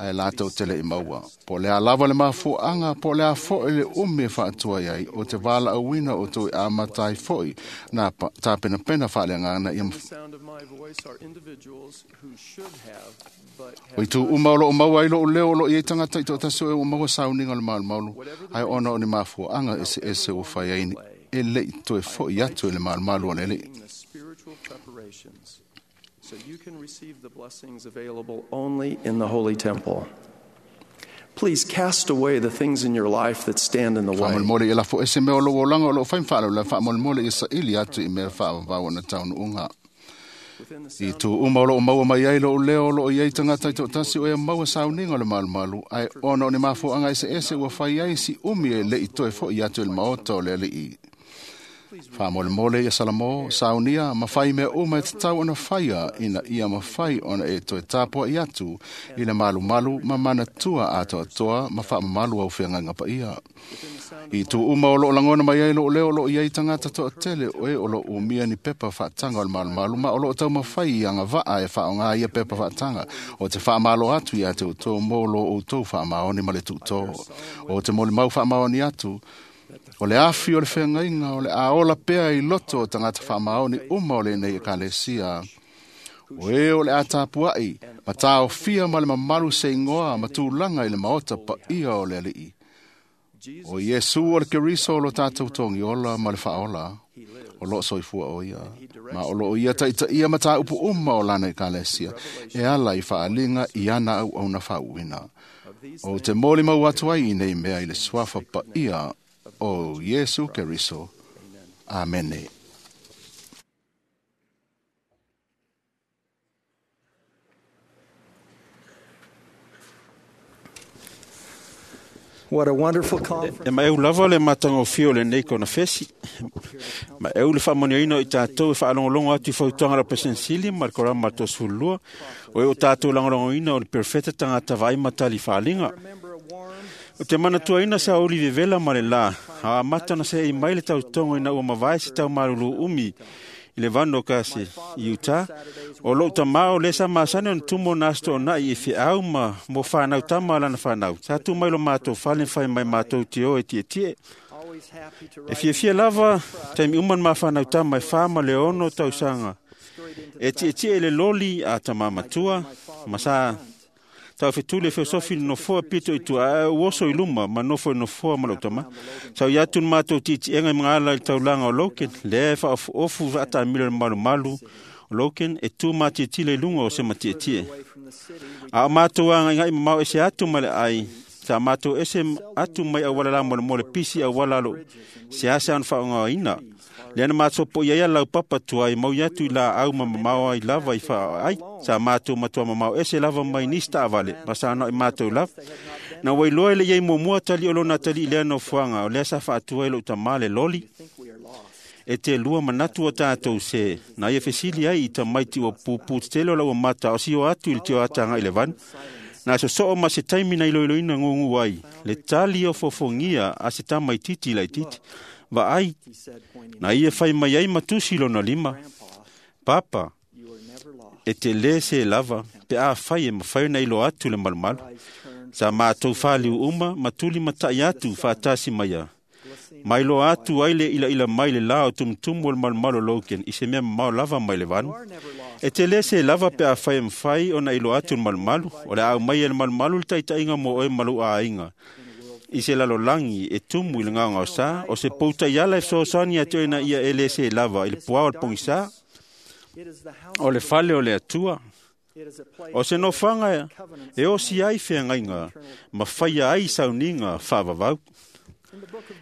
Ae latou te leʻi maua. Po o le a lava le mafuaaga, po o le a foʻi le umi e faatua ai, o te valaauina o toe amata ai foʻi na tapenapena faaleagaga ia The sound of my voice are individuals who should have but O i tu uma o loo maua ai lou leo o loo iai tagata i toatasi o e ua maua sauniga o le malumalu, ae ona o ni mafuaaga eseese ua fai ai e leʻi toe foʻi atu i le malumalu o le alii. the spiritual preparations so you can receive the blessings available only in the holy temple. Please cast away the things in your life that stand in the way. Faamolemole ia lafo ese mea o lou olaga o loo fai ma faalavelave, faamolemole ia saili atu i mea faavavau ona taunuuga. I tu uma o loo maua mai ai lou leo o loo iai tagata i toatasi o e maua sauniga o le malumalu, ae ona o ni mafuaaga eseese ua fai ai si umi e leʻi toe foʻi atu i le maota o le alii. Faamolemole ia Salamo, saunia ma fai mea uma e tatau ona faia ina ia mafai ona e toe tapuaʻi atu i le malumalu ma manatua atoatoa ma faamamalu au feagaiga paia. I tu uma o loo lagona mai ai lou leo o loo iai tagata toatele o e o loo umia ni pepa faataga o le malumalu ma o loo taumafai i agavaa e faaogā ia pepa faataga o te faamalo atu iā te outou mo lo outou faamaoni ma le tuutō. O te molimau faamaoni atu, o le afi o le feagaiga o le a ola pea i loto o tagata faamaoni uma o lenei ekalesia. O e o le a tapuaʻi, ma taofia ma le mamalu se igoa ma tulaga i le maota paia o le alii. O Iesu o le Keriso o lo tatou togiola ma le faaola. O loo soifua o ia. Ma o loo ia taitaia mataupu uma o lana ekalesia. E ala i faaliga i ana auauna faauuina. O te molimau atu ai i nei mea i le suafa paia o Iesu Keriso. Amene. What a wonderful conference. E maeu lava le matagofie o lenei konafesi. Ma eu le faamanioina o i tatou e faalogologo atu i fautuaga a le Peresetene ma le Korama ma le Toasefululua, o e o tatou lagolagoina o le perofeta tagata vaai ma tali faaliga. O te manatuaina sa uli vevela ma le lā, a amata na seei mai le tautogo ina ua mavae se taumalulu umi i le vano o kasi i Utah. O lou tamā o lea sa masani ona tumu o na aso toonai i feau ma mo whanau tama lana whanau. Sa tu mai lo mātou fale whai mai mātou te o e tietie. E fiafia lava, taimi uma ma whanau tama e wha ma le ono tausanga. E tietie e le loli a tama matua, ma sa tau fetuli feosofi no nofoa pito i tua, a uoso i luma, ma nofo i nofoa ma lau tama. Sau i atu ni mātou titienga i mga i taulanga o Loken, lea e whaofu ata milo le malu malu o Loken, e tū mātietile i lunga o se matietie. A o mātou anga ingai mamau ese atu ma le ai, sa mātou ese atu mai au wala la mo le mo le pisi au wala lo, se asa an whaonga ina. Lea na mātou po ia ia lau papa tua i mau atu i la au ma mamao ai lava i wha ai. Sa mātou matua mamao ese lava mai nista avale, ma sa anau i mātou lava. Na wailoa ele iai muamua tali o lona tali i lea nofoaga, o lea sa faatua i lou tamā le loli. E te lua manatu o tātou se, na ia fesili ai i tamaiti ua pupū tetele o lau mata o sio atu i le tio atanga i le vanu. Na sosoo ma se taimi na iloiloina ngungu ai, le tali o fofongia a se tamaititi laititi. Vaai, na ia fai mai ai matusi lona lima. Papa, e te lē se lava, pe a fai e mawhai na ilo atu le malumalu. Sa mātou whaliu uma, matuli matai atu whaatasi maia. Mai lo atu ai le ila ila mai le lao tumutumu o le malumalu Logan, i se mea mamao lava mai le vanu. E te lē se lava pe a fai e mawhai ona ilo atu le malumalu, o le au mai e le malumalu le taitaiga mo oe malu a ainga. I se lalolangi e tumu i le ngaongao sa, o se pouta i ala e fesoasoani atu ai na ia e lē se lava i le puao o le pogisa, o le fale o le Atua. O se nofoaga e osi ai feagaiga ma faia ai sauniga faavavau.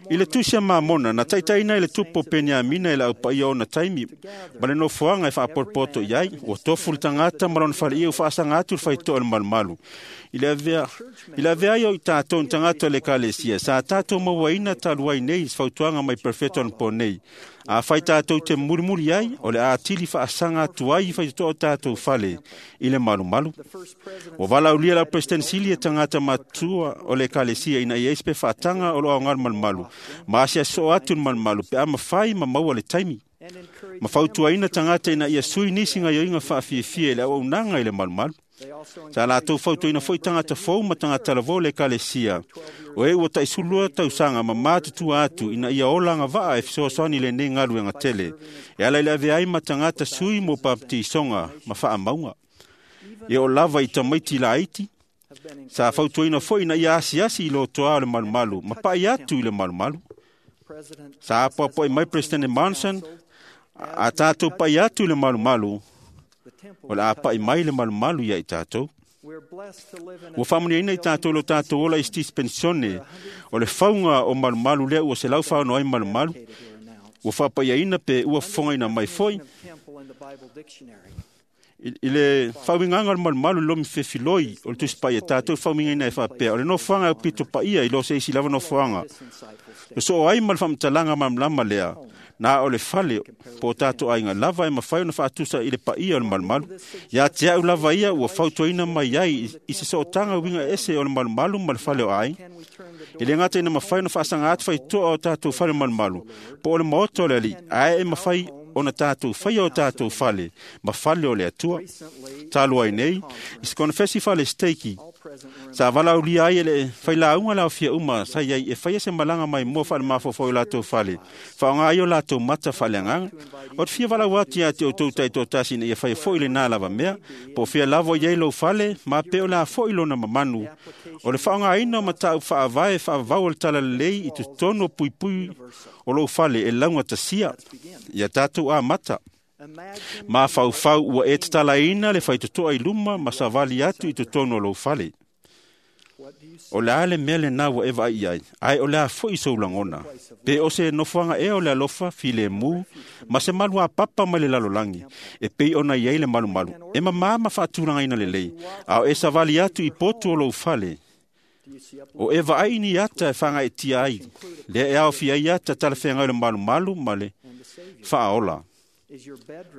I le tusi a Mamona, na taitaina i le tupu o Peniamina i le aupaia ona taimi, ma le nofoaga e faapotopoto i ai, ua tofu le tagata ma lona faleia ua faasaga atu le faitoa o le malumalu. I le avea, i le avea ai o i tātou ni tagata o le ekalesia, sa tātou mauaina talu ai nei i se fautuaga mai perofeta onapo nei. A fai tātou te mulimuli ai, o le atili faasaga atu ai i faitotoa o tātou fale i le malumalu. Ua valaulia lau President Sili e tagata matua o le ekalesia ina ia ai se pefaataga o loo aoga le malumalu. Ma asiasoo atu le malumalu pe a mafai ma maua le taimi. Ma fautuaina tagata ina ia sui nisi gaioiga faafiafia i le auaunaga i le malumalu. Sa latou fautuaina foi tagata fou ma tagata lavō o le ekalesia. O e ua taʻisulua tausaga ma matutua atu ina ia ola agavaa e fesoasoani i lenei galuega tele. E ala i le avea ai ma tagata sui mo papatiisoga ma faamauga. E oo lava i tamaiti laiti, sa fautuaina foi ina ia asiasi i lotoa o le malumalu ma paʻi atu i le malumalu. Sa apoapoai mai President Monson, a tatou paʻi atu i le malumalu, o le a paʻi mai le malumalu ia i tatou. Ua faamuniaina i tatou lo tatou ola i se dispensione o le fauga o malumalu lea ua selau faano ai malumalu. Ua faapaiaina pe ua fofogaina mai foi. I le faauigaga o le malumalu i lomi fefiloi o le tusipaia e tatou faauigaina e faapea, o le nofoaga e aupito paia i lo se isi lava nofoaga. O soo ai ma le faamatalaga malamalama lea, na o le fale po o tatou aiga lava e mafai ona faatusa i le paia o le malumalu. Ia te au lava ia ua fautuaina mai ai i se sootaga uiga ese o le malumalu ma le fale o aiga. E le gata ina mafai ona faasaga atu faitoa o tatou fale malumalu, po o le maota o le alii, ae e mafai ona tātou whaia o tātou fale, ma fale o le atua. Talu ai nei, i se konefesi fale steiki, sa valaulia ai e le whailaunga lau fia uma, sa iai e whaia se malanga mai mua whaale mafofo i lātou fale, whaonga ai o lātou mata whale anganga. O te fia walau atu ia te o tau tai tō tasi na ia whaia fo i le nā lava mea, po fia lavo iai lou fale, ma pe o la fo i lona mamanu. O le whaonga aina o matau whaavae whaavau o le tala lelei i totonu o pui pui o lou fale e launga tasia, ia tātou a mata. Ma whaufau ua e tatalaina le whaitotoa i luma ma savali atu i totonu o lou fale. O le ale mea le nā ua e vaai ai, ai o le a foi sou langona. Pe o se nofoanga e o le alofa file mu, ma se malu a papa mai le lalolangi, e pei ona iai le malu malu. E mamā ma whaatulanga ina lelei, a o e savali atu i potu o lou fale. O e vaai ni ata e whanga e tia ai, le e ao fia i ata tala whenga o le malu malu ma le whaaola.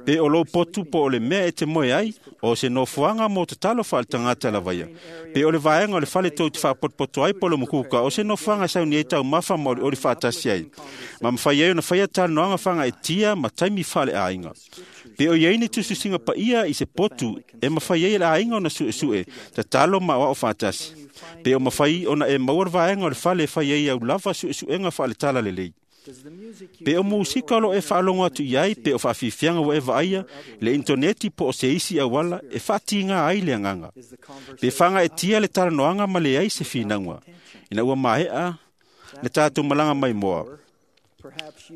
Pe o lou potu po o le mea e te moe ai, o se nofoanga mō te talo whaale tangata lavaia. Pe o le vaenga o le fale tau te whaapotopoto ai po le mukuka, o se nofoanga sau ni e tau mawha ma o le whaatasi ai. Ma mwhai ai ona whaia tānoanga whanga e tia ma taimi whale a inga. Pe o iei ni tususinga pa ia i se potu, e mawhai ai le ainga ona sue sue, ta talo ma o whaatasi. Pe o mawhai ona e maua le vaenga o le fale e whai ai au lava sue suenga whaale tala lelei. Pe o musika lo e whaalongo atu iai, pe o whaafifianga wa e vaaia, le interneti po o se isi awala, e whaatinga ai le anganga. Pe whanga e tia le talanoanga ma le ai se whinangwa. Ina ua mahea, le tātou malanga mai moa.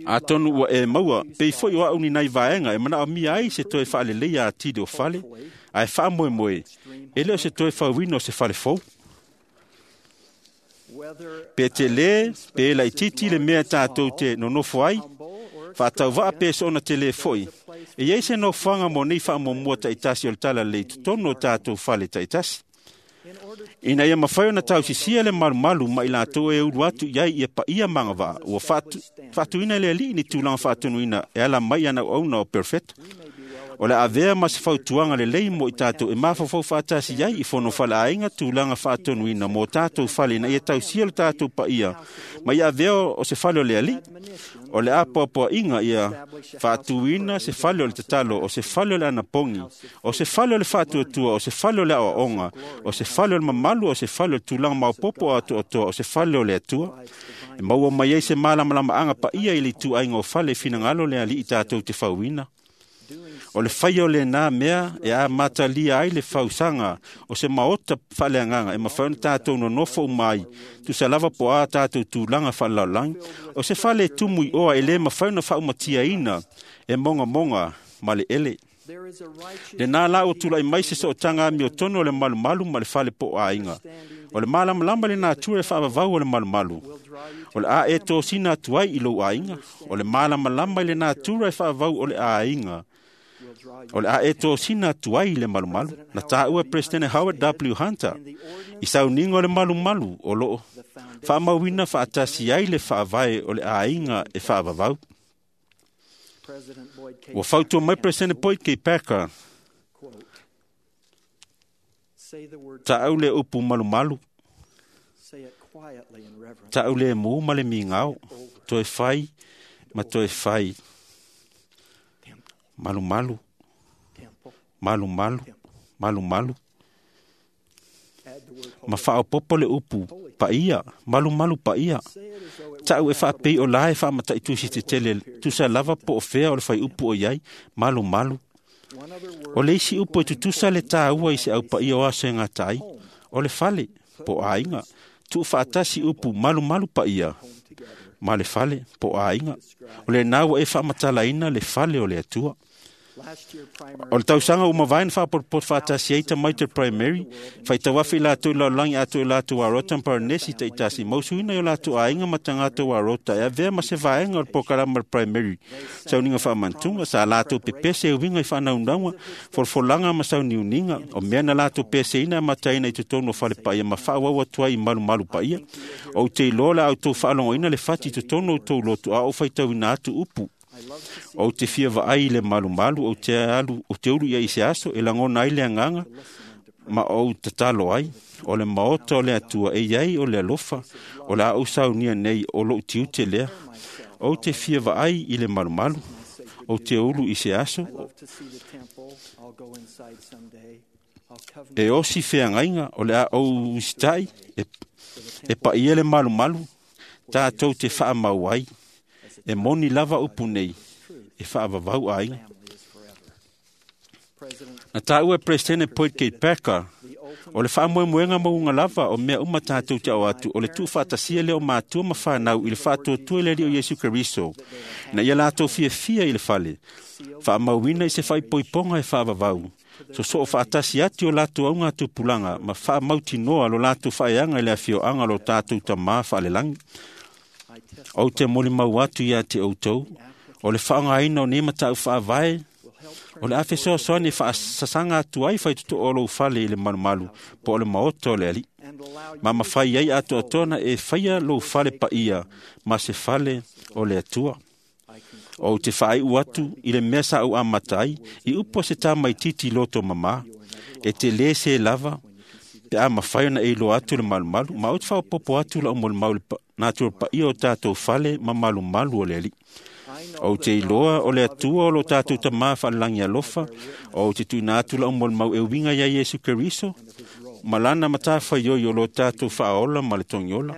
Atonu ua e maua, pe i foi o au ni nai vaenga, e mana o mia ai se toe whaalelei a tide o fale, a e whaamoe moe, e leo se toe whawino se fale fou. Pe te le, pe la titi le mea tātou te nonofo ai, whaatau pe se ona te le foi. E iei se nofanga mo nei whaamomua taitasi o le tala lei totono o tātou fale taitasi. Ina ia mawhai ona tausisia le malumalu ma i lātou e uru atu iai ia pa ia mangawaa, ua whaatu, whaatuina le alii ni tūlanga whaatunuina e ala mai ana auna o perfect. O le avea ma se fautuanga le lei mo i tātou e mawhawhau whaatasi ai i whono whala ainga tūlanga whaatonuina mō tātou whale na ia tausia le tātou pa ia. Ma ia avea o se whale o le ali, o le apoapoa inga ia whaatuina se whale o le tatalo, o se whale o le anapongi, o se whale o le whaatuatua, o se whale o le aoaonga, o se whale o le mamalu, o se whale o le tūlanga maupopo a atoatoa, o se whale o le atua. E maua mai ai se malamalama anga pa ia i le tū ainga o whale whinangalo le ali i tātou te whauina. O le whai o le nā mea e a matalia ai le whausanga o se maota whaleanganga e mawhauna tātou no nofo mai tu sa lava po a tātou tūlanga whalaulangi o se whale tumui oa e le mawhauna whaumatia ina e monga monga ma le ele. Le nā la o tūlai mai se so tanga mi o tono o le malumalu ma le whale po a inga. O le malamalama le nā tua e whaavavau o le malumalu. O le a e tō sina atu ai i lou a inga. O le malamalama le nā tura e whaavavau o le a inga. O le a e tō sina atu ai i le malumalu. Na tāua President Howard W. Hunter. I sauninga o le malumalu o loo. Whaamauina whaatasi ai le whaavae o le a inga e whaavavau. Ua whautua mai President Boyd K. Packer. Ta au le upu malumalu. Ta au le mū ma le mingao. Toe whai ma toe whai. Malumalu. Malumalu. Malumalu. Ma whaopopo le upu pa ia. Malumalu pa ia. Ta'u e whaapei o lae whaamatai tusi te tele tusa lava po o whea o le whai upu o iai, malu malu. O le isi upu e tutusa le tāua i se au pa ia o aso e ngā tai, o le fale, po a inga, tu whaatasi upu malu malu pa ia, ma le fale, po a inga. O le nāua e whaamatalaina le fale o le atua. O le tausanga uma vaen whaapotpot whaatasi eita mai te primary, whai tawafi lātou laulangi atu e lātou arota paranesi te itasi, mausuina i o lātou ainga matangātou arota, e avea ma se vaenga o le pokalama le primary. Sauninga whaamantunga, sa lātou pepese e uinga i whanaundaunga, folfolanga ma sauniuninga, o mea na lātou pese ina mataina i te tonu o whale paia, ma whaawau atua i malu malu paia. O te ilola au tau whaalongoina le whati i te tonu o tau lotu, a o whaitauina atu upu. O te fia vaai le malumalu, o te alu, o te uru ia i se aso, e langona ai le anganga, ma o tatalo ai, o le maota o le atua, e iai o le alofa, o le au saunia nei o lou tiute lea, o te fia vaai i le malumalu, Ou te ulu i se aso e osi feagaiga o le a ou usitai e, e paia le malumalu tatou te faamau ai e moni lava upu nei e faavavau aiga. Na taua e Peresetene Boyd K. Packer o le faamoemoega mauga lava o mea uma tatou te ao atu o le tuufaatasia lea o matua ma fanau i le faatuatua i le Alii o Iesu Keriso na ia latou fiafia i le fale faamauina i se faaipoipoga e faavavau sosoo faatasi atu o latou auga tupulaga ma faamautinoa lo latou faaeaga i le afioaga o lo tatou Tamā faalelagi. Ou te molimau atu ia te outou o le faaaogaina o nei matau faavae o le a fesoasoani e faasasaga atu ai faitotoa o lou fale i le malumalu po o le maota o le Alii ma mafai ai atoatoa ona e faia lou fale paia ma se fale o le Atua. Ou te faaiu atu i le mea sa ou amata ai i upu a se tamaititi loto mamā e te lē se lava pe a mafai ona e iloa atu le malumalu ma ou te faaopoopo atu lau molimau i le natura paia o tatou fale ma malumalu o le Alii. Ou te iloa o le Atua o lo tatou Tamā faalelagi alofa, ou te tuuina atu lau molimau e uiga ia Iesu Keriso ma lana matafaioi o lo tatou faaola ma le togiola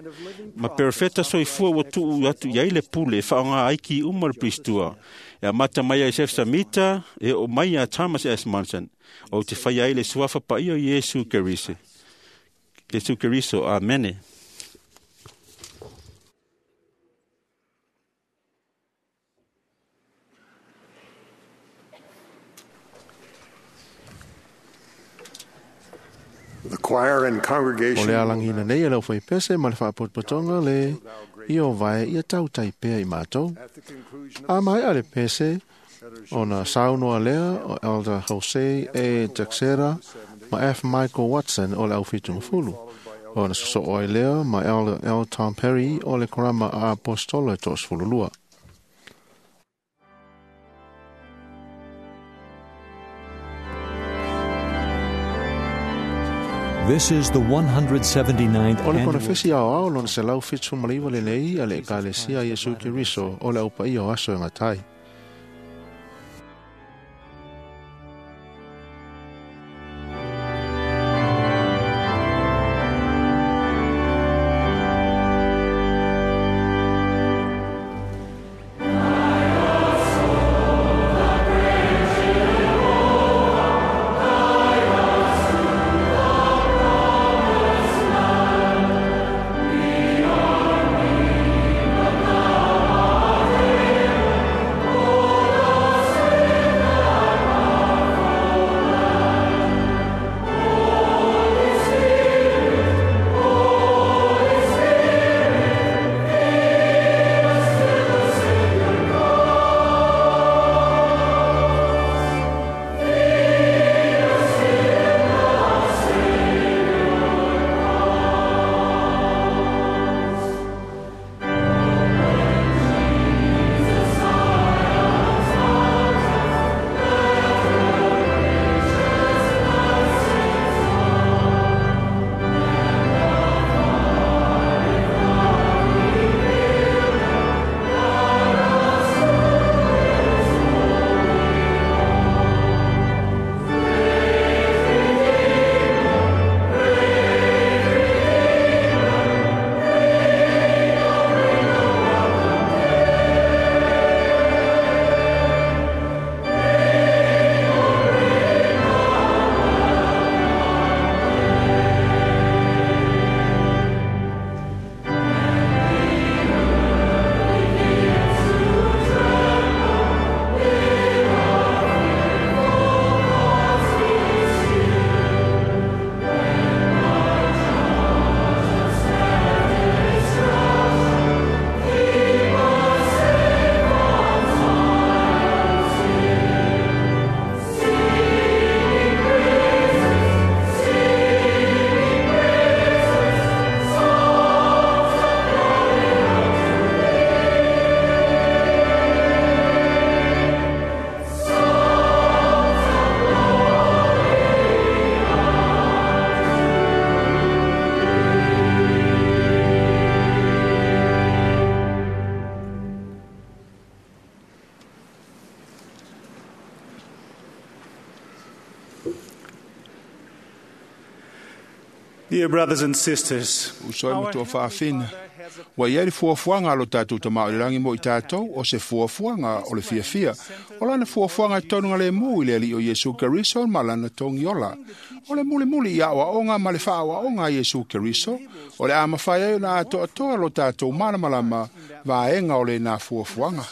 ma perofeta soifua ua tuu atu i ai le pule e faaaoga ai ki uma o le Piristua e amata mai ia Iosef Samita e oo mai ia Thomas S. Monson. Ou te faia ai le suafa paia o Iesu Keriso. Iesu Keriso. Amene. The choir and O congregation le alagina nei e lau whaipese ma le whaapotopotonga le i o vae ia tautai pea i mātou. A mai a le pese o na saunoa lea o Elder Jose A. Texera ma F. Michael Watson o le au whitungafulu. O na soso ai lea ma Elder L. Tom Perry o le korama a apostolo e toosfululua. This is the one hundred seventy-ninth O le annual konofesi ao ao lona se lau fitu maliwa le nei a le ekalesia Iesu Keriso o le au paia o aso e ngatai. We Dear brothers and sisters, Uso e matua whaafina. Wa ia le fuafuaga a lo tatou Tama o le lagi mo i tatou, o se fuafuaga o le fiafia. O lana fuafuaga e tonuga lemu i le Alii o Iesu Keriso ma lana togiola. O le mulimuli i aoaoga ma le faaoaoga a Iesu Keriso, o le a mafai ai ona atoatoa lo tatou malamalama vaega o lenā fuafuaga.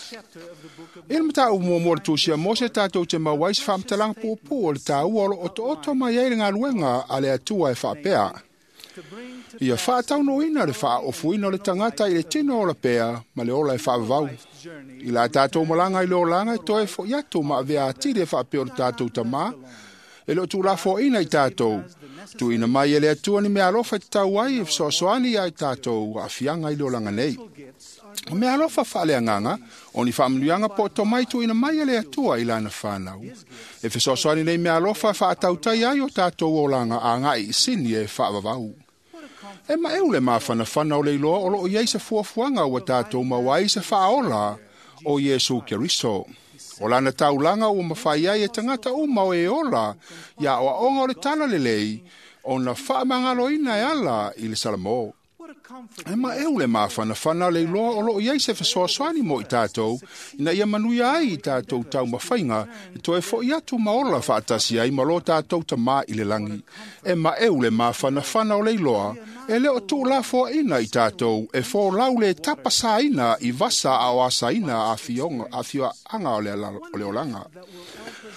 I le mataupu muamua o le Tusi a Mose tatou te maua ai se faamatalaga puupuu o le taua o lo otooto mai ai le galuega a le Atua e faapea: Ia faataunuuina le faaofuina o le tagata i le tino ola pea ma le ola e faavavau. I la tatou malaga i le olaga e toe fo'i atu ma avea atili e faapea o le tatou Tamā, e le o tuulafoaina i tatou. Tuuina mai e le Atua ni mea alofa e tatau ai e fesoasoani ia i tatou aafiaga i le olaga nei. O mea alofa faaleagaga, o ni faamanuiaga po o tomai tuuina mai e le Atua i lana fanau. E fesoasoani nei mea alofa e faatautai ai o tatou olaga agai i sini e faavavau. E maeu le mafanafana o le iloa o loo i ai se fuafuaga ua tatou maua ai se faaola o Iesu Keriso. O lana taulaga ua mafai ai e tagata uma o e ola ia aoaoga o le tala lelei ona faamagaloina e ala i le Salamo. E maeu le mafanafana le iloa o loo i ai se fesoasoani mo i tatou, ina ia manuia ai i tatou taumafaiga e toe fo'i atu ma ola faatasi ai ma lo tatou Tamā i le lagi. E maeu le mafanafana o le iloa e le o tuulafoaina i tatou e folau le tapasaina i vasa a o asaina afioaga o le olaga.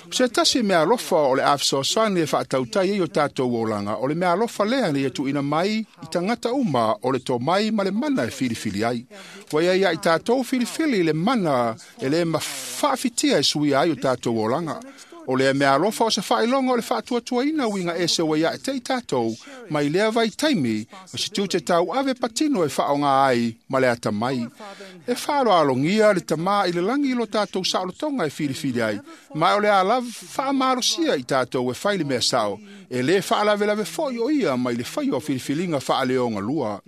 O se tasi mea alofa o le a fesoasoani e faatautai ai o tatou olaga, o le mea alofa lea na ia tuuina mai i tagata uma o le tomai ma le mana e filifili ai. Ua ia ia i tatou filifili le mana e le mafaafitia e suia ai o tatou olaga. O lea mea alofa o se faailoga o le faatuatuaina uiga ese ua ia e te i tatou, mai lea vaitaimi, o se tiute tauave patino e faaaoga ai ma le atamai. E faaaloalogia le Tamā i le lagi i lo tatou saolotoga e filifili ai, ma o le a lava faamalosia i tatou e fai le mea sao, e lē faalavelave foi o ia mai le faia o filifiliga faaleogalua.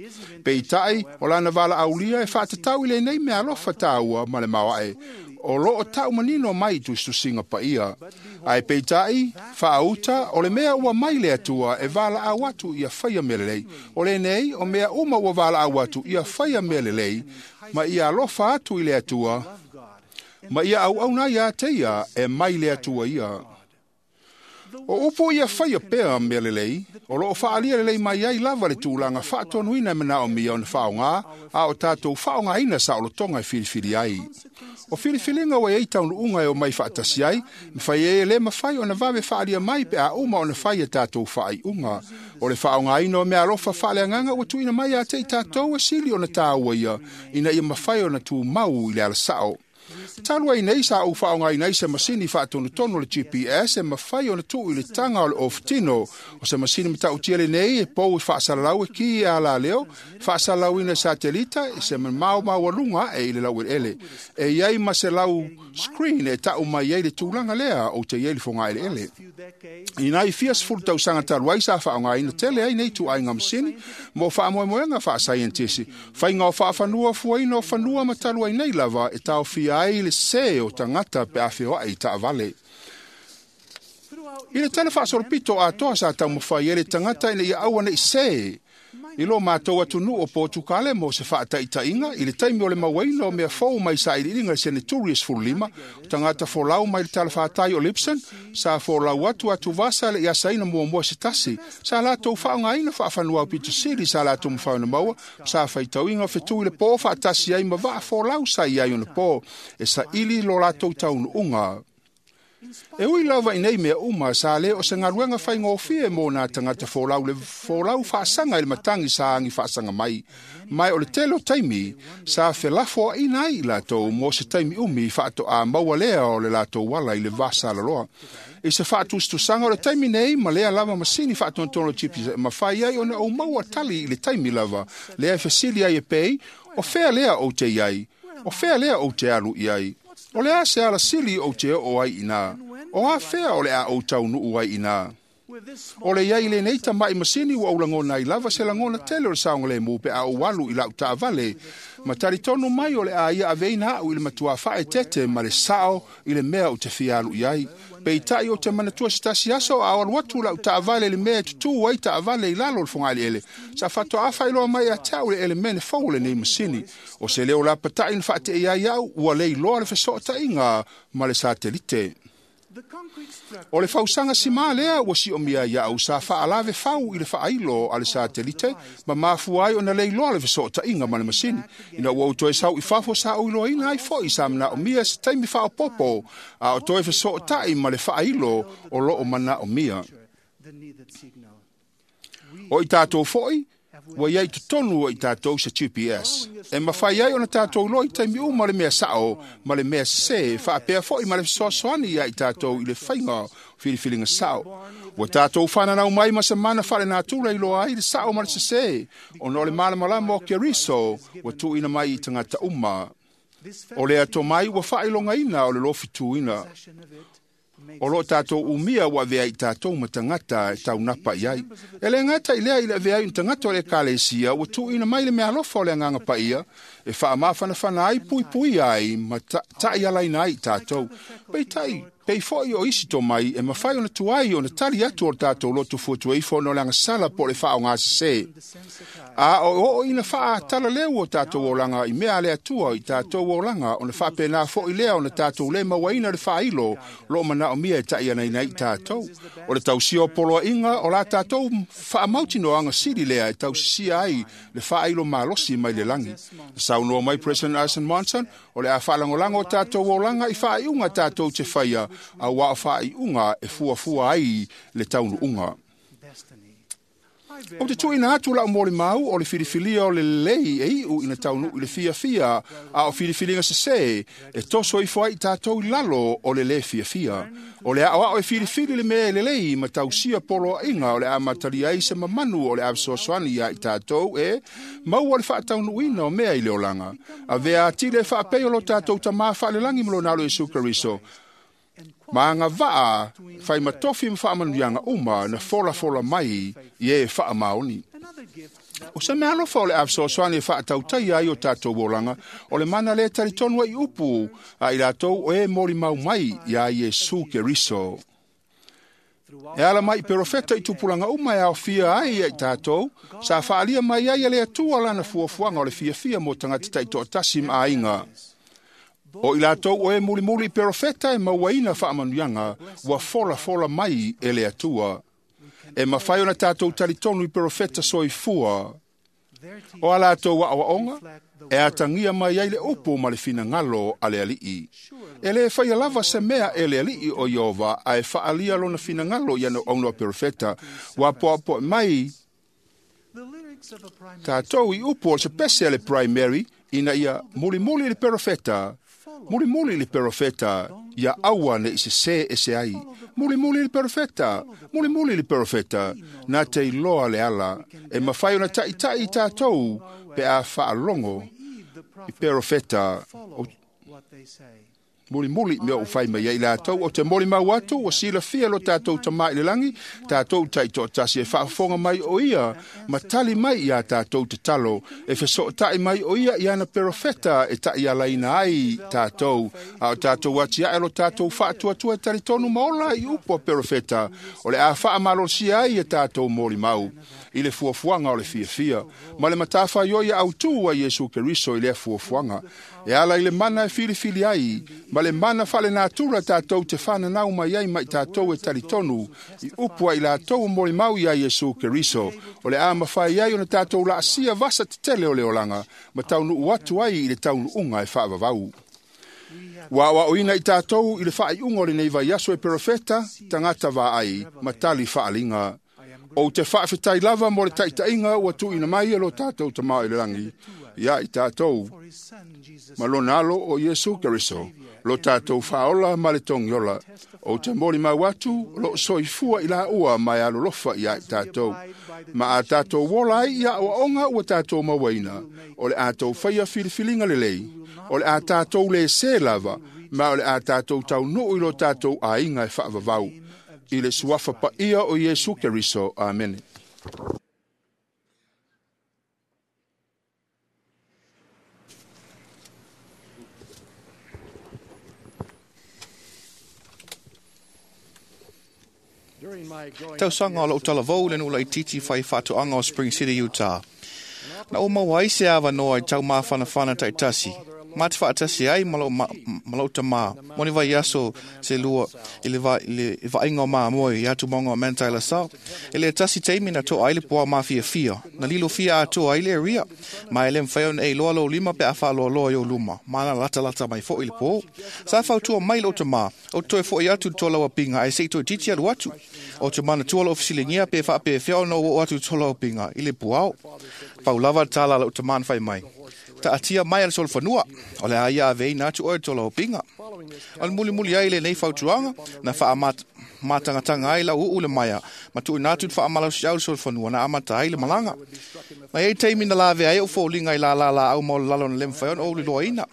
Peitai, o lana valaaulia e faatatau i lenei mea alofa taua ma le maoae, o loo tau manino mai tusitusiga paia. Ae peitai, faauta, o le mea ua mai le Atua e valaau atu ia faia mea lelei. O lenei, o mea uma ua valaau atu ia faia mea lelei, ma ia alofa atu i le Atua, ma ia auauna ia te ia e mai le Atua ia. O upu ia faia pea mea lelei, o loo faalia lelei mai ai lava le tulaga faatonuina e manaomia ona faaaoga, a o tatou faaaogaina saolotoga e filifili ai. O filifiliga ua iai taunuuga e omai faatasi ai, mafai ai e lē mafai ona vave faalia mai pe a uma ona fai e tatou faaiuga. O le faaaogaina o mea alofa faaleagaga ua tuuina mai ia te i tatou e sili ona taua ia, ina ia mafai ona tumau i le alasao. Talu ai nei sa ou faaaogaina ai se masini faatonutonu o le G P S e mafai ona tuu i le taga o le ofutino. O se masini matautia lenei e pou e faasalalau e ki e alaleo, faasalalauina e satelita e se mamao maualuga ae i le laueleele. E i ai ma se lau screen e tau mai ai le tulaga lea ou te i ai le fogaeleele. Ina i fia sefulu tausaga talu ai sa faaaogaina tele ai nei tuaiga masini mo faamoemoega faasaienitisi, faiga o faafanua fuaina o fanua ma talu ai nei lava e taofia ai le sē o tagata pe a feoai i taavale. I le tala faasolopito atoa sa taumafai ai le tagata ina ia aua nei sē i lo matou atunuu o Potukale mo se faataitaiga i le taimi o le mauaina o mea fou mai sailiiliga i le seneturi e sefululima, o tagata folau mai le talafatai o Lipson sa folau atu atuvasa le i asaina muamua se tasi, sa latou faaaogaina faafanua aupito sili sa latou mafai ona maua, sa faitauina o fetui le pō faatasi ai ma vaa folau sa i ai ona pō, e saili lo latou taunuuga. E ui lava i nei mea uma, sa lē o se galuega faigofie mo nā tagata folau le folau faasaga i le matagi sa agi faasaga mai. Mai o le tele o taimi, sa felafoaina ai i latou mo se taimi umi faatoa maua lea o le latou ala i le vasalaloa. I se faatusatusaga o le taimi nei ma lea lava masini faatonutonu o G P S mafai ai ona ou maua tali i le taimi lava, lea e fesili ai e pei, o fea lea ou te i ai, o fea lea ou te alu i ai. O le a se alasili ou te oo ai ina, o a fea o le a ou taunuu ai ina. O le iai lenei tama'i masini ua ou lagona ai lava se lagona tele o le saogalemu pe a ou alu i la'u taavale ma talitonu mai o le a ia aveina a'u i le matuā fa'aetete ma le sa'o i le mea ou te fia alu i ai. Peitai ou te manatua se tasi aso a o alu atu la'u taavale i le mea e tutū ai taavale i lalo o le fogaaliele sa fa'ato'a fa'ailoa mai ia te a'u le elemene fou o lenei masini. O se leo lapata'i na fa'ate'i ai a'u ua le iloa le feso'ota'iga ma le satelite. O le fausaga simā lea ua si'omia ai a'u sa fa'alave fau i le fa'ailo a le satelite ma mafua ai ona le iloa le feso'ota'iga ma le masini. Ina ua ou toe sau i fafo sa ou iloaina ai fo'i sa mana'omia se taimi fa'aopopo a o toe feso'ota'i ma le fa'ailo o lo'o mana'omia. O i tatou fo'i ua iai totonu o i tatou se G P S. E mafai ai ona tatou iloa i taimi uma le mea sa'o ma le mea sesē, fa'apea fo'i ma le fesoasoani ia i tatou i le faiga filifiliga sa'o. Ua tatou fananau mai ma se mana fa'alenatura iloa ai le sa'o ma le sesē, ona o le malamalama o Keriso ua tu'uina mai i tagata uma. O le ato mai ua fa'ailogaina o le lofituina. O lo'o tatou umia ua avea i tatou ma tagata e taunapa i ai. E le gata i lea i le avea ai o tagata o le ekalesia ua tu'uina mai le meaalofa o le agaga pa'ia e fa'amafanafana ai puipuia ai ma ta'ialaina ai i tatou. Peitai, pei fo'i o isi tomai e mafai ona tuai ona tali atu o le tatou lotu fuatuaifo ona o le agasala po o le fa'aogāsesē. A o o'o ina fa'atalaleu o tatou olaga i mea a le Atua i tatou olaga ona fa'apena fo'i lea ona tatou lē mauaina le fa'ailo lo'o mana'omia e ta'ianaina ai i tatou. O le tausia o poloa'iga o la tatou fa'amautinoaga sili lea e tausisia ai le fa'ailo malosi mai le lagi. Na saunoa mai President Alison Monson, o le a fa'alagolago o tatou olaga i fa'aiuga tatou te faia auā o fa'aiuga e fuafua ai le taunu'uga. O te tu'uina atu la'u molimau o le filifilia o le lelei e i'u ina taunu'u i le fiafia a o filifiliga sesē e toso ifo ai i tatou i lalo o le lē fiafia. O le a'oa'o e filifili le mea e lelei ma tausia poloa'iga o le a matalia ai se mamanu o le a fesoasoani iā i tatou e maua le fa'ataunu'uina o mea i le olaga. Avea atili e fa'apei o lo tatou tamā fa'alelagi ma lona alo Iesu Keriso ma agava'a faimatofi ma fa'amanuiaga uma na folafola mai i e fa'amaoni. O se mea alofa o le a fesoasoani e fa'atautaia ai o tatou olaga o le mana lē talitonu ai upu a i latou o e molimau mai iā Iesu Keriso. E ala mai i perofeta i tupulaga uma e aofia ai ia i tatou, sa fa'alia mai ai e le Atua lana fuafuaga o le fiafia mo tagata ta'ito'atasi ma aiga. O i latou o e mulimuli i perofeta e mauaina fa'amanuiaga ua folafola mai e le Atua. E mafai ona tatou talitonu i perofeta soifua. O a latou a'oa'oga e atagia mai ai le upu ma le finagalo a le Ali'i. E lē faia lava se mea e le Ali'i o Ieova ae fa'alia lona finagalo i ana aunoa perofeta. Ua poapoa'i mai tatou i upu o se pese a le primary ina ia mulimuli le perofeta, mulimuli le perofeta, ia aua ne'i sesē ese ai. Mulimuli le perofeta, mulimuli le perofeta, na te iloa le ala, e mafai ona ta'ita'i i tatou pe a fa'alogo i perofeta o mulimuli mea o fai mai ai latou o te molimau atu ua silafia lo tatou tamā i le lagi tatou ta'ito'atasi e fa'afofoga mai o ia ma tali mai iā tatou tatalo e feso'ota'i mai o ia i ana perofeta e ta'ialaina ai tatou a o tatou atia'e lo tatou fa'atuatua e talitonu ma ola i upu a perofeta o le a fa'amalosia ai e tatou molimau i le fuafuaga o le fiafia ma le matafaioi autū a Iesu Keriso i lea fuafuaga e ala i le mana e filifili ai ma le mana fa'alenatura tatou te fananau mai ai ma i tatou e talitonu i upu ai latou o molimau iā Iesu Keriso o le a mafai ai ona tatou la'asia vasa tetele o le olaga ma taunu'u atu ai i le taunu'uga e fa'avavau. Ua a'oa'oina i tatou i le fa'ai'uga o lenei vaiaso e perofeta tagata va'ai ma tali fa'aliga. Ou te fa'afetai lava mo le ta'ita'iga ua tu'uina mai e lo tatou tamā i le lagi ia i tatou ma lona alo o Iesu Keriso lo tatou fa'aola ma le togiola. Ou te molimau atu lo'o soifua i lāua ma e alolofa iā i tatou ma a tatou ola ai ia a'oa'oga ua tatou mauaina o le a tou faia filifiliga lelei o le a tatou lēsē lava ma o le a tatou taunu'u i lo tatou aiga e fa'avavau. I le suafa paia o Iesu Keriso. Amene. Tausaga o lou talavou le nuu laitiiti fai faatoaga o Spring City, Utah. Na ou maua ai se avanoa i taumafanafana taitasi. Ma te faatasi ai ma lou, ma, ma lou tamā. Mo ni vaiaso se lua i le, va, i le vaaiga o mamoe i atumoga o Manti La Sau. E le tasi taimi na to'a ai le puao mafiafia. Na lilo fia atoa ai le area. Ma e le mafai ona e iloa lou lima pe a faaloaloa i ou luma. Ma na latalata mai fo'i le pō. Sa fautua mai lou tamā. O toe fo'i atu le tolau apinga ae se'i toeitiiti alu atu. O te manatua lou fesiligia pe faapefea ona ou oo atu i le tolau apinga i le puao. Pau lava le tala a lou tamā na fai mai. Taatia mai a le solofanua, o le a ia aveina atu oe le tolau apinga. O le mulimuli ai lenei fautuaga, na faamatangatanga ai lau uu le maea, ma tuuina atu le faamalosiau le solofanua na amata ai le malaga. Na iai taimi na lavea ai ou foliga i lālā laau ma o le lalo na le mafai ona ou liloaina,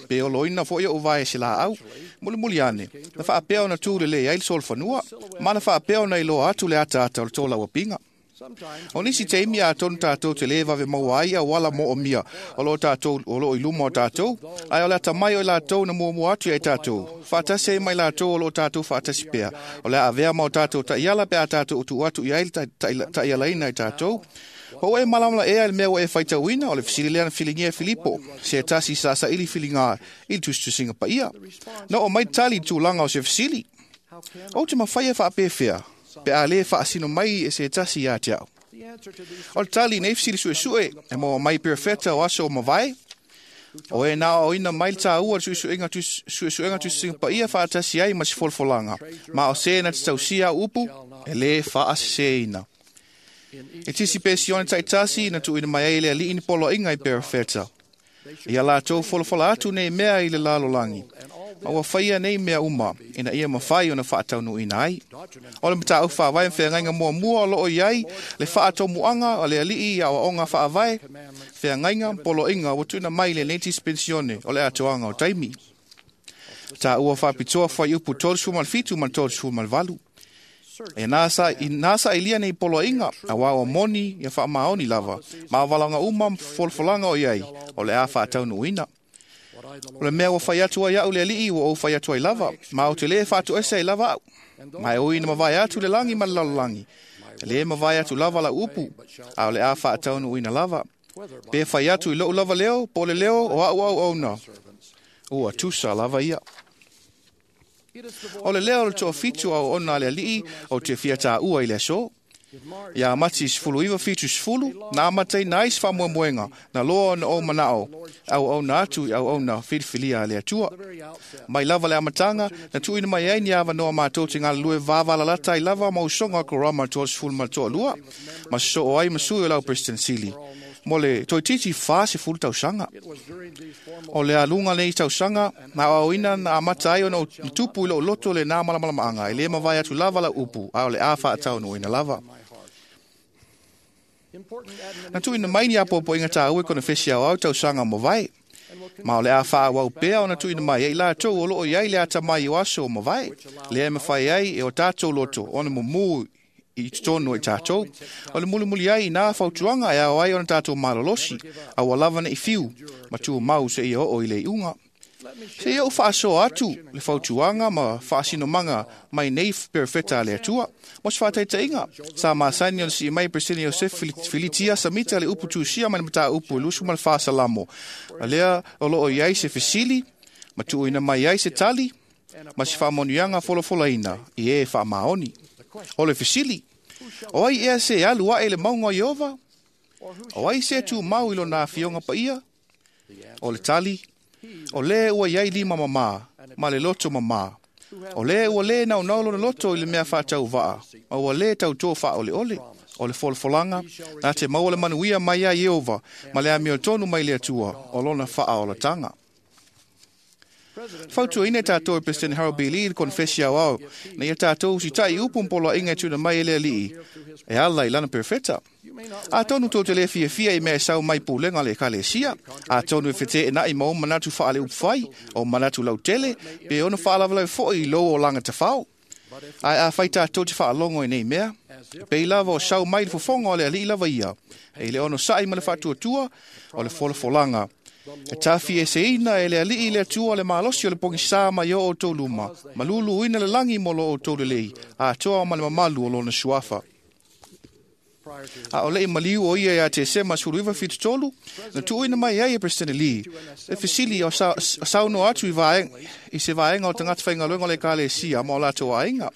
pe oloina fo'i ou vae se laau. Mulimuli ane, na faapea ona tu lelei ai le solofanua, ma na faapea ona iloa atu le ataata o le tolau apinga. O nisi taimi atonu tātou te lē vave maua ai auala moomia o loo tātou o loo i luma o tātou, ae o le atamai o i latou na muamua atu ia i tātou. Faatasi ai mai latou o loo tātou faatasi pea. O le a avea ma o tātou taiala pe a tātou tuu atu i ai le taialaina i tātou. Po ua e malamala ea i le mea ua e faitauina o le fesili lea na filigia e Filipo, se tasi sa saili filiga i le tusitusiga paia. Na oo mai tali i tulaga o se fesili. Ou te mafai e faapefea, pe a lē faasino mai e se tasi ia te au. O le tali nei fesili suesue e maua mai perefeta o aso o mavae, o e na aoina mai le tāua le suesuega suesuega tusitusiga paia faatasi ai ma se folafolaga, ma o se na te tausia au upu e lē faaseseina. E tisi pe sione taitasi na tuuina mai ai le alii ni poloaiga i perefeta. Ia latou folafola atu nei mea i le lalolagi, ma ua faia nei mea uma, ina ia mafai ona faataunuuina ai. O le mataupu faavae ma feagaiga muamua o loo i ai le faatomuaga o le alii i aoaoga faavae, feagaiga ma poloaiga ua tuuina mai lenei dispensione o le atoaga o taimi. Taua faapitoa fuaiupu tolusefulu ma le fitu ma le tolusefulu ma le valu. E nā sa, i nā sailia nei poloaiga, auā ua moni ia faamaoni lava, ma valaga uma ma folafolaga o i ai, o le a faataunuuina. O le mea ua fai atu ai au le alii ua ou fai atu ai lava, ma ou te lē faatoese ai lava au. Ma e ui na mavae atu le lagi ma le lalolagi, e lē mavae atu lava lau upu, a o le a faataunuuina lava. Pe fai atu i lou lava leo, po o le leo o a'u auauna, ua tusa lava ia. O le leo o le toafitu auauna a le alii o te fia tāua i le aso. Ia Mati sefulu iva fitu sefulu, na amataina ai se faamoemoega, na loa ona ou manao, auauna atu i auauna filifilia a le Atua. Mai lava le amataga, na tuuina mai ai ni avanoa matou te galulue vavalalata ai lava ma usoga o Korama toasefulu ma le toalua, ma sosoo ai ma sui o lau President Sili. Mo le toeitiiti fasefulu tausaga. O le aluga nei tausaga, na aoaoina na amata ai ona ou tupu i lou loto le nā malamalamaaga, e lē mavae atu lava lau upu, a o le a faataunuuina lava. Na tuuina mai ni apoapoaiga tāua i konefesi aoao tausaga o mavae. Ma o le a faaauau pea ona tuuina mai ai i latou o loo i ai le atamai o aso o mavae, lea e mafai ai e o tātou loto ona mumu i totonu o i tātou. O le mulimuli ai i nā fautuaga e ao ai ona tātou malolosi, a ua lava nei fiu, ma tumau seia oo i le iuga. Seia ou faasoa atu le fautuaga ma faasinomaga mai nei perefeta a le Atua. Mo se faataitaiga, sa masani ona sii mai Peresetene Iosefe Filitia Samita le upu tusia mai le mataupu e lusu ma le fasalamo. A lea o loo i ai se fesili, ma tuuina mai ai se tali, ma se faamanuiaga folafolaina i e faamaoni. O le fesili, o ai ea se alu ae le mauga o Ieova? O ai se tumau i lona afioga paia? O le tali, o lē ua i ai lima mamā, ma le loto mamā. O lē ua lē naunau lona loto i le mea faatauvaa, ma ua lē tautō faaoleole. O le folafolaga, na te maua le manuia mai ia Ieova, ma le amiotonu mai le Atua, o lona faaolataga. Fautuaina e tātou e President Harold B. Lee i le konefesi aoao, na ia tātou usitai upu ma poloaiga e tuuina mai e le alii, e ala i lana perefeta. Atonu tou te lē fiafia i mea e sau mai pulega o le ekalesia, atonu e feteenai ma ou manatu faaleupufai, o manatu lautele, pe ono faalavelave foi i lou olaga tafao. Ae a fai tātou te whaalongo i nei mea, pei lava o sau mai le fofonga o le alii lava ia, e le ono sa'i ma le whaatuatua o le folafolanga. E tafi e seina e le alii le atua le malosi o le pogisa mai o o tō luma, malulu ina le langi mo lo o tō lelei, a toa ma le mamalu o lona suafa. A o lei maliu o ia ia te sema sulu iwa fitu tolu, na tuuina mai ai e President Lee. E fisili o sa, sauno atu i, vae, i se vaenga o tangata whaingaluenga o le kalesia ma o lato ainga.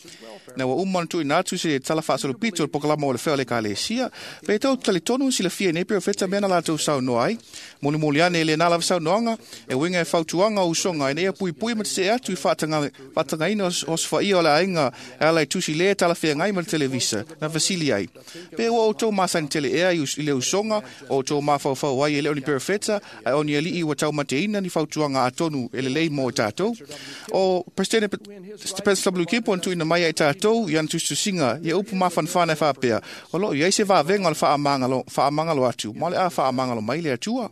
Na wa uma na tuuina atu se tala whaasolopito o le pokalama o le whea o le kalesia. Pe tau talitonu si le fia nei peo wheta mea na lato sauno ai. Moli moli ane le nala saunoanga e winga e fautuanga o usonga e nea pui pui ma te se atu i whaatanga, whaatangaina o swaia o le ainga e ala i tusi le tala whea ngai ma le televisa na vasili ai. Pe ua o tō māsani tele ea i le usonga o tō māwhauwhau ai e leo ni perefeta ai o ni alii ua tau mateina ni fautuanga a tonu e lelei mō tātou. O President President W. Kipo na tuina mai ai tātou i ana tustusinga i upu māwhanwhana e whāpea. O loo i ai se vāvenga o le whaamangalo, whaamangalo atu, ma le a whaamangalo mai le atua.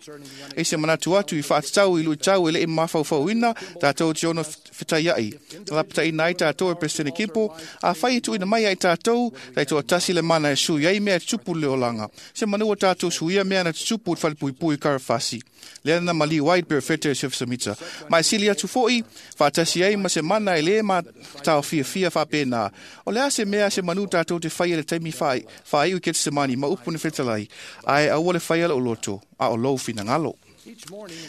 E se manatu atu i whaatatau i lui tau e le i māwhauwhauina tātou te ono whitaiai. Lapata ina ai tātou e President Kipo, a whai e tuina mai ai tātou, tai toa tasi le mana e sui ai mea tupu le olanga. Se manua tātou suia mea na tupu te whalepuipui karafasi. Lea na mali wai perfete e Chef Samita. Mai sili atu foi, whaatasi ai ma se mana e le ma tau fia fia whapena. O lea se mea se manu tātou te whai le taimi whai, whai u ke te semani ma upu ne whetalai. Ai aua le whai ala o loto, a o lou whinangalo.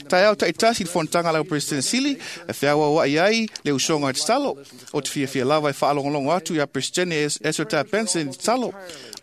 Tai au tai tasi le fontanga lau President Sili, e whiawa wa iai le usonga i te talo, o te fia fia lava e whaalongolongo atu ia President Ezra Taft Benson i te talo.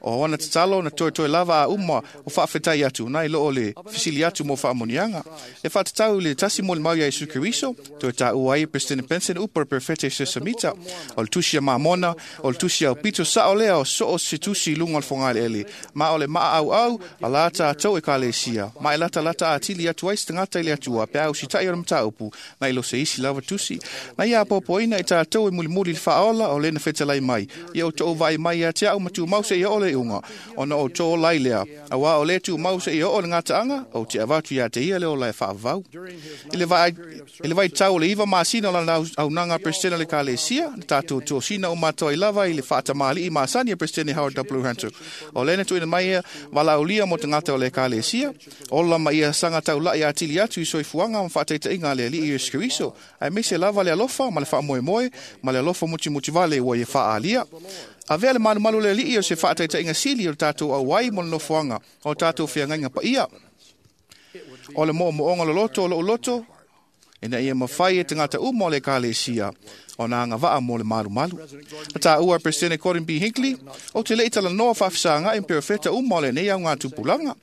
O ona te talo na toi toi lava a uma o whaafetai atu, nai loo le fisili atu mo whaamonianga. E whaatatau le tasi mo le mau ia Isu Keriso, toi tā ua ai President Benson upar perfete se samita, o le tusi a mamona, o le tusi au pito sa o lea o so o se tusi lunga o le whangaile ele. Ma o le maa au au, a lata a tau e kalesia, ma e lata lata a tili atu ai se tangata i le atua, pe au sitai o le mataupu, na ilo se isi lava tusi. Na ia popoina i tātou e mulimuli le whaola o lena whetalai mai. Ia o tō vai mai a te au matu mau se ia o le unga. Ona o tō lai lea. A wā o le tū mau se ia o le ngata anga, o te avatu ia te ia le o lai whaavau. I le vai, i le vai tau le iwa masina o lana au nanga President le kalesia, na tātou tō sina o mātou i lava i le whaatamali i masani a President Howard W. Hunter. O lena tuina mai ia walaulia mo te ngata o le kalesia, ola ma ia sanga tau lai a tili atu i soifuanga ma whaataita inga le alii Yesu Keriso. Ai mese lava le alofa ma le whaamoemoe, ma le alofa muti muti vale ua ia whaalia. A vea le malumalu le alii o se whaataita inga sili o tātou au ai mo le nofoanga o tātou whiangainga pa ia. O le mo moonga lo loto o lo loto, ina ia mawhai e te ngata uma o le kalesia o nā ngā waa mō le malu malu. Na tā ua President Gordon B. Hinckley, o te leitala noa whawhisanga i perefeta uma o le nei au ngā tupulanga.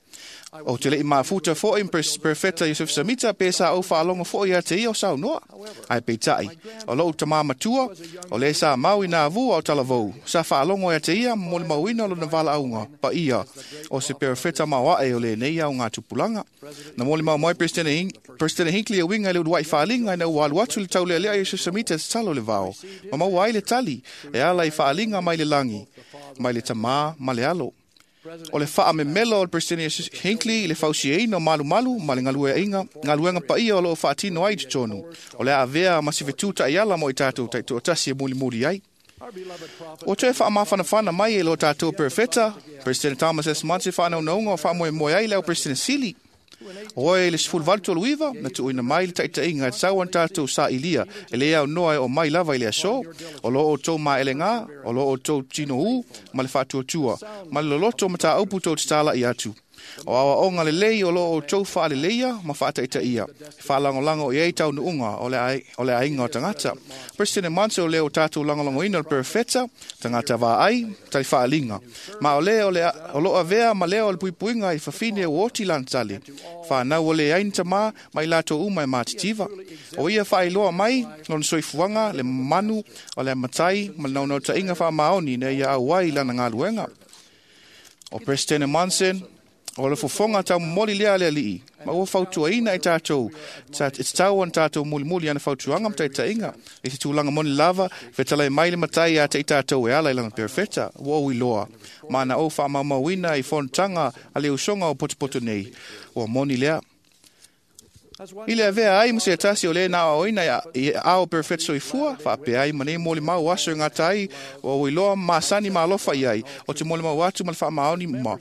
O te lei mafuta fo i perfeta Yusuf Samita pe sa o whaalongo fo i a te ia o sau noa. Ai peitai, o lou tamā matua, o le sa mau i nā vua o talavou. Sa whaalongo i a te ia mo le mauina o lona vala aunga, pa ia, o se perfeta mauae o le nei au ngā tupulanga. Na mo le mau mai President Hinckley e winga i le uduai whaalinga i na ualu atu le taulea lea Yusuf Samita te talo le vao. Ma mau ai le tali, e ala i whaalinga mai le langi, mai le tamā, ma le alo. O le whaa me melo o le President Hinckley i le fausiaina o malu malu ma le ngaluenga, ngaluenga paia o loo whaatino ai te tonu. O le avea ma si fetuta i ala mo i tātou taito tasi e muli muli ai. O te wha mawhanawhana mai e lo tātou perfeta, President Thomas S. Monte whanau naunga o wha moe ai leo President Sili. Oe le sefulu valu tolu iva, na tuuina mai le taitaiga e tatau ana tatou saʻilia e lē aunoa e o mai lava i le aso, o loo outou maʻelegā, o loo outou tinoū ma le faatuatua, ma le loloto matāupu tou tatalaʻi atu. O aoaoga lelei o loo outou faaleleia ma faataitaia, e faalagolago i ai taunuuga o le aiga o tagata. President Monson o lea o tatou lagolagoina o le perefeta, tagata vaai, talifaaliga. Ma o lea o loo avea ma lea o le puipuiga i fafine ua oti lana tali. Whanau o le aina tamā mai latou uma e mātitiva. O ia whaailoa mai, lona soifuaga, le manu, o le matai, ma le naunautaiga faamaoni ina ia auai lana galuega. O President Monson, o le fofoga taumomoli lea le alii, ma ua fautuaina i tatou, e tatau ona tatou mulimuli ana fautuaga ma taitaiga, i se tulaga moni lava, fetalai mai le matai ia te i tatou e ala i lana perefeta, ua ou iloa. Ma na ou faamaumauina i fonotaga a le usoga o potopoto nei, ua moni lea. I le avea ai ma se tasi o le na oina i ao perfect soifua, whaapea ai ma nei moli mau aso ngā tai o iloa masani ma alofa i ai, o te moli mau atu ma le whaamaoni ma.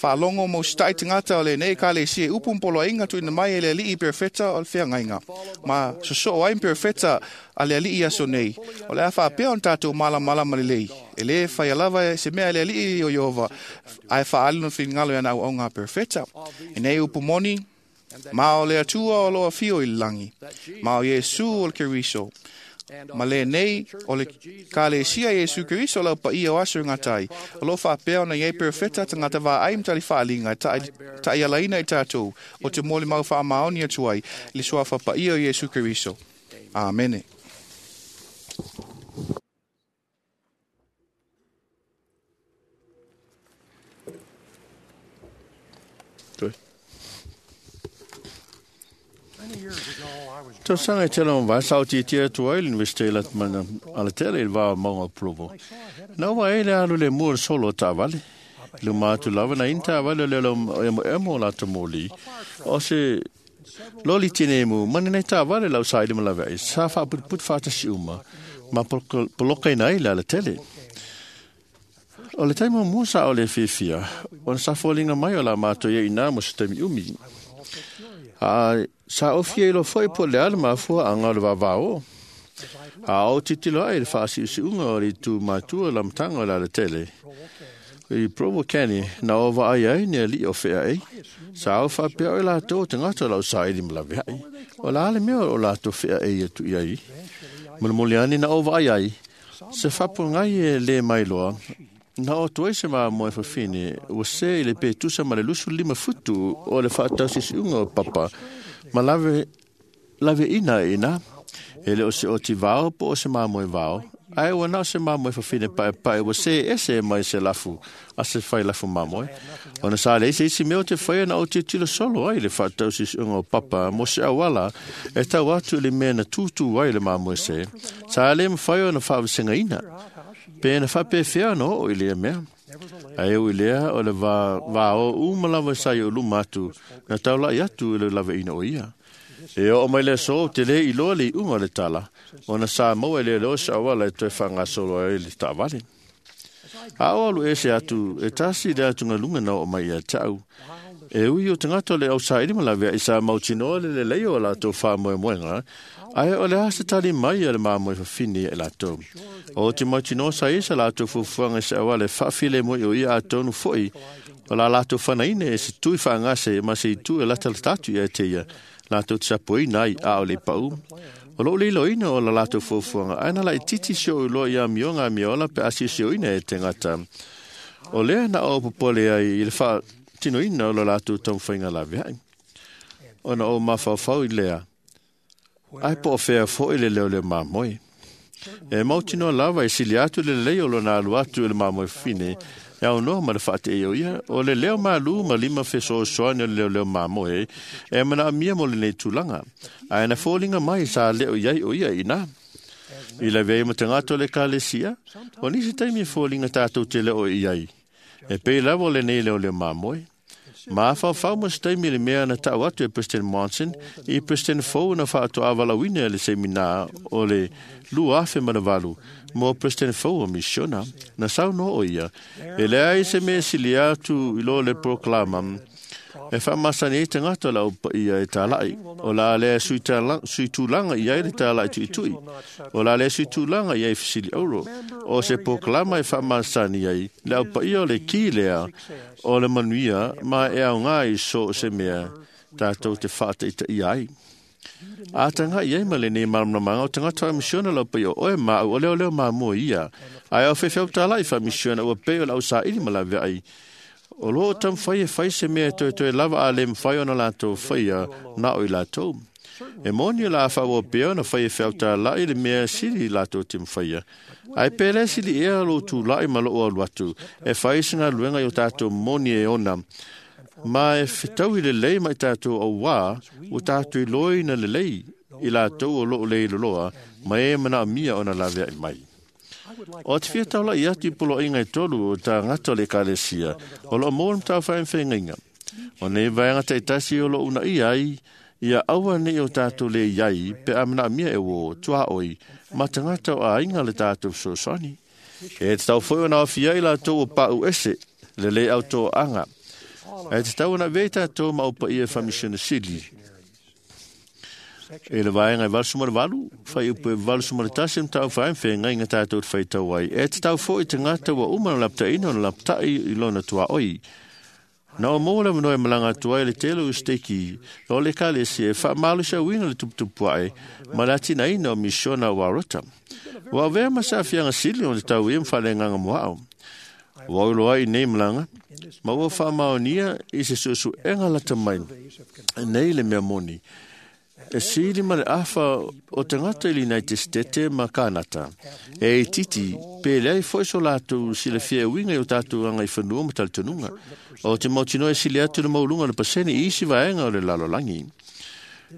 Whaalongo mo stai tangata o le nei ka le sie upu mpolo inga tuina mai e le alii perfecta o le whiangainga. Ma soso ai perfecta a le alii aso nei. O le a whaapea on tātou mala mala ma le lei. E le whai alava e se mea le alii o Iova, ai whaalu no whingalo ana au ngā perfecta. E nei upu moni, Ma o le atua o loa fio i langi. Ma o Iesu o le Keriso. Ma le nei o le ka le sia Iesu Keriso lau pa ia o aso ngā tai. O lo whapea ona iei perfecta tangata vā ai mtali whaalinga ta i alaina i tātou o te moli mau wha maoni atu ai le sua whapa ia o Iesu Keriso. Amene. Tausaga e tele o vai sao tia atu ai le University la mana ala tele i le vā maunga o Provo. Na ua e le alu le mua le solo o taavale. Luma atu lava na ina taavale o le elo emo emo o latou moli. O se loli tine mu mana nei taavale lau sa ili malawe ai. Sa whaaputuput whaatasi uma. Ma poloka ina ai le ala tele. O le taimi mua sa o le fiafia, ona sa foliga mai o la mātou ia ina mo se taimi umi. A sa ofia i lo foi po le ala mafua anga o le vavao. A o titilo ai le whaasiusiunga o le tu matua la matanga o le ala tele. I Provo Canyon, na o vaai ai ni ali o whea ei. Sa au whapea o lātou o te ngata lau sa ili malawe ai. O la ale mea o lātou whea ei atu i ai. Mulimuli ani na o vaai ai. Se whapo ngai e le mai loa. Na o tuai se maa moe whawhine, ua se i le pētusa ma le lusu lima futu o le whaatausisiunga o papa, ma lave, lave ina ina, e le o se oti vao po o se maa moe vao, ai ua na o se maa moe whawhine pae pae, ua se ese mai se lafu, a se whai lafu maa moe. Ona sa le isi isi mea o te whaia na o te tilo solo ai le whaatausisiunga o papa, mo se awala, e tau atu le mea na tūtū ai le maa moe se, sa le mwhai o na whaawisenga ina. Pe na whapewhea no o i lea mea. Ai o i lea o le vā, vā o umalawa sai o luma atu, na taulai atu i le lawe ina o ia. E o mai le so te le i loa le i unga le tala, o na sa maua e le leo sa awala e toe whangasolo ai le tawale. A o alu ese atu, e tasi le atu ngalunga na o mai ia tau. E ui o tangata le au sa ili malawea i sa mautinoa le le leo o lātou whāmoemoenga, ai o le asa tali mai a le māmoe whawhine e lātou. O te mautinoa sa isa lātou fufuanga se awale whaafile mo i o ia a tonu foi, o la lātou whanaine e se tui whaangase ma se i tu e lata tatu ia te ia, lātou te sapoina ai a o le pau. O loo lilo ina o la lātou fufuanga, ai na la i titi sio uloa ia mionga miola pe asi sio ina e te ngata. O lea na o popole ai i le wha tino ina o la lātou taumwhainga lawe ai. Ona o mawhawhau i lea, ai po o whea fo i le leo le māmoe. E mautinoa lava e sili atu le lei o lona alu atu i le māmoe whine, e au noa ma le whaate e o ia, o le leo mālu ma lima wheso o soane o le leo leo māmoe, e mana amia mo le nei tūlanga. Ai na fōlinga mai sa leo iai o ia ina. I la vei ma te ngato le kalesia, o nisi taimi fōlinga tātou te leo i ai. E pei lava o le nei leo leo māmoe. Ma whawhau mo se taimi le mea na tau atu e President Monson i President Fou na whaato awalawina le semina o le lua afe manavalu mo President Fou o misiona na sau no o ia. E lea i se mea sili atu i lo le proklama e whamasani e te ngata la upa ia e tālai. O la lea sui, tala, sui tūlanga ia e le tālai tui tui. O la lea sui tūlanga ia e fisili auro. O se proklama e whamasani ai le upa ia o le ki lea o le manuia ma e au ngā i so se mea tātou te whaata i ta ia ai. A tanga ia i ma le nei maramamanga o tangata wa misiona lau pai o oe ma au o leo leo ma mua ia. Ai au whewheu tālai wha misiona ua pei o lau sa ili ma lawe ai. O loo tam whai e whai se mea toe toe lava a le mwhai ona lātou whaia na o i lātou. E moni la wha o peo na whai e whiau tā lai le mea sili lātou te mwhaia. Ai pēle sili ea lo tū lai ma loo alu atu. E whai se ngā luenga i o tātou moni e ona. Ma e whitau i le lei mai tātou o wā, o tātou i loi na le lei i lātou o loo lei loloa, ma e mana mia ona lawea i mai. O te whia taula i atu i polo inga i tolu o tā ngata o le kalesia, o loo mō mtau whae mwhaengainga. O nei vaenga te tasi o loo una i ai, Ia aua nei o tātou le iai pe a mana mia e wo tua oi ma tangata o ainga le tātou fesoasoani. E te tau foi ona awhia i lātou o pau ese le le au tō anga. E te tau ona vei tātou ma upa ia whamisiona sili. E le vaenga e valu suma le valu, whai upu e valu suma le tasi mta au whae mwhe ngai ngā tātou te whai tau ai. E te tau foi te ngata wa uma na lapta ina na lapta i lona tua oi. Na o mō le manoe malanga atu ai le tele o steki, o le kale se e wha malu sa wina le tuputupu ai, ma la tina ina o misiona o warota. Wa vea masa whianga sili o le tau e mwhale nganga moao. Wa ulo ai nei malanga, ma ua wha maonia i se susu enga lata mai, nei le mea moni. E sili ma le awha o te ngata i linai te stete ma kānata. E i titi, pe lea i foi so lātou si le fia winga i o tātou anga i whanua ma talitonunga. O te mautino e sili atu le maulunga le pasene i isi vaenga o le lalolangi.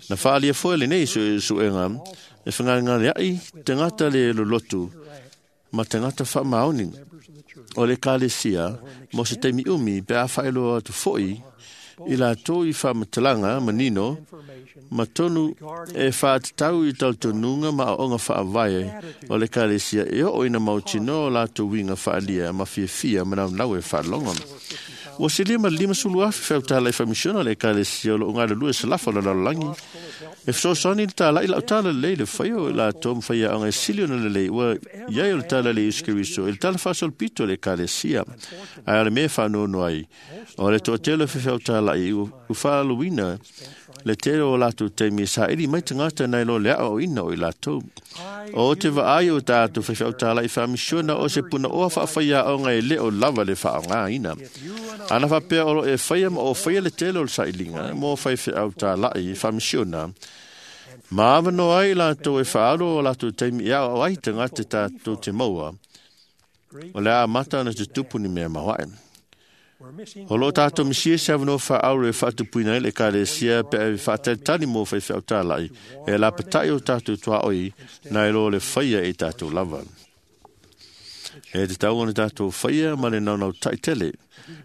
Na whaalia foi le nei su, suenga, e whangaringare ai te ngata le lolotu, ma te ngata wha maoni. O le kalesia, mo se teimi umi, pe a whaeloa atu foi, i lātou i whamatalanga, manino, ma tonu e whaatatau i tautonunga ma aonga whaavae o le kalesia e o ina mautino o lātou winga whaalia ma fiafia ma nau e whaalonga. Ua silia ma lima sulu afi whautala i whamisiona le kalesia o lo ngā lua se lafa o le lalolangi. E whasosani le tāla i lau tāla lei le whaio i lātou mwhaia anga e sili ona le lei ua iai o le tāla le Isu Keriso e le tāla whasol pito le kalesia. Ai ale me whanono ai. O le toatelo whawhautala i u whaaluina le tele o lātou teimi sa iri mai tangata nei lo lea o ina o i lātou. O te vaai o tātou whawhautala i whamisiona o se puna oa whaawhaia o ngai le o lava le whaonga ina. Ana whapea oro e whaia ma o whaia le tele o le sailinga mo whai whautala i whamisiona. Ma awano ai lātou e whaaro o lātou teimi ia o ai tangata tātou te maua. O le a mata ana te tupu ni mea mawae. O lo tātou misia se awano wha auro e whaatupuina i le kalesia pe e whaatalitali mō whai whautālai e la patai o tātou tua oi nai lo le whaia e tātou lava. E te tau ona tātou whaia ma le naunau taitele.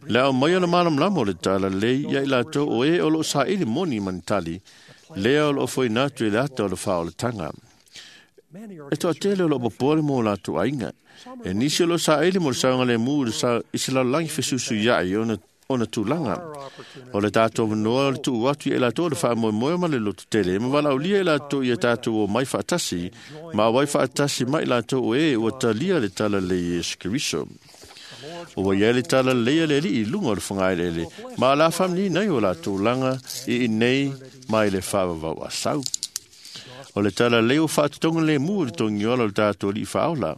Le au mai ona malam lamo le tāla lei ia i lātou o e o lo sa ili moni manitali lea o lo foi natu i le ata o le wha o le tanga. E toa tele o lo popole mō lātou ainga. E nisi o lo sa ele mo le saunga le mū le sa i se lalolangi fesusu iai ona, ona tūlanga. O le tātou manoa o le tuu atu i e lātou le whaamoemoe ma le lotu tele. Ma walaulia e lātou i e tātou o mai whaatasi, ma wai whaatasi mai lātou o e ua talia le tala le Iesu Keriso. O wa ia le tala le le li i lunga o le whangaelele. Ma la whamni nei o lātou langa i i nei mai le whaavavau a sau. O le tala leo whaatutonga le mu le tongiola o le tātou li whaola.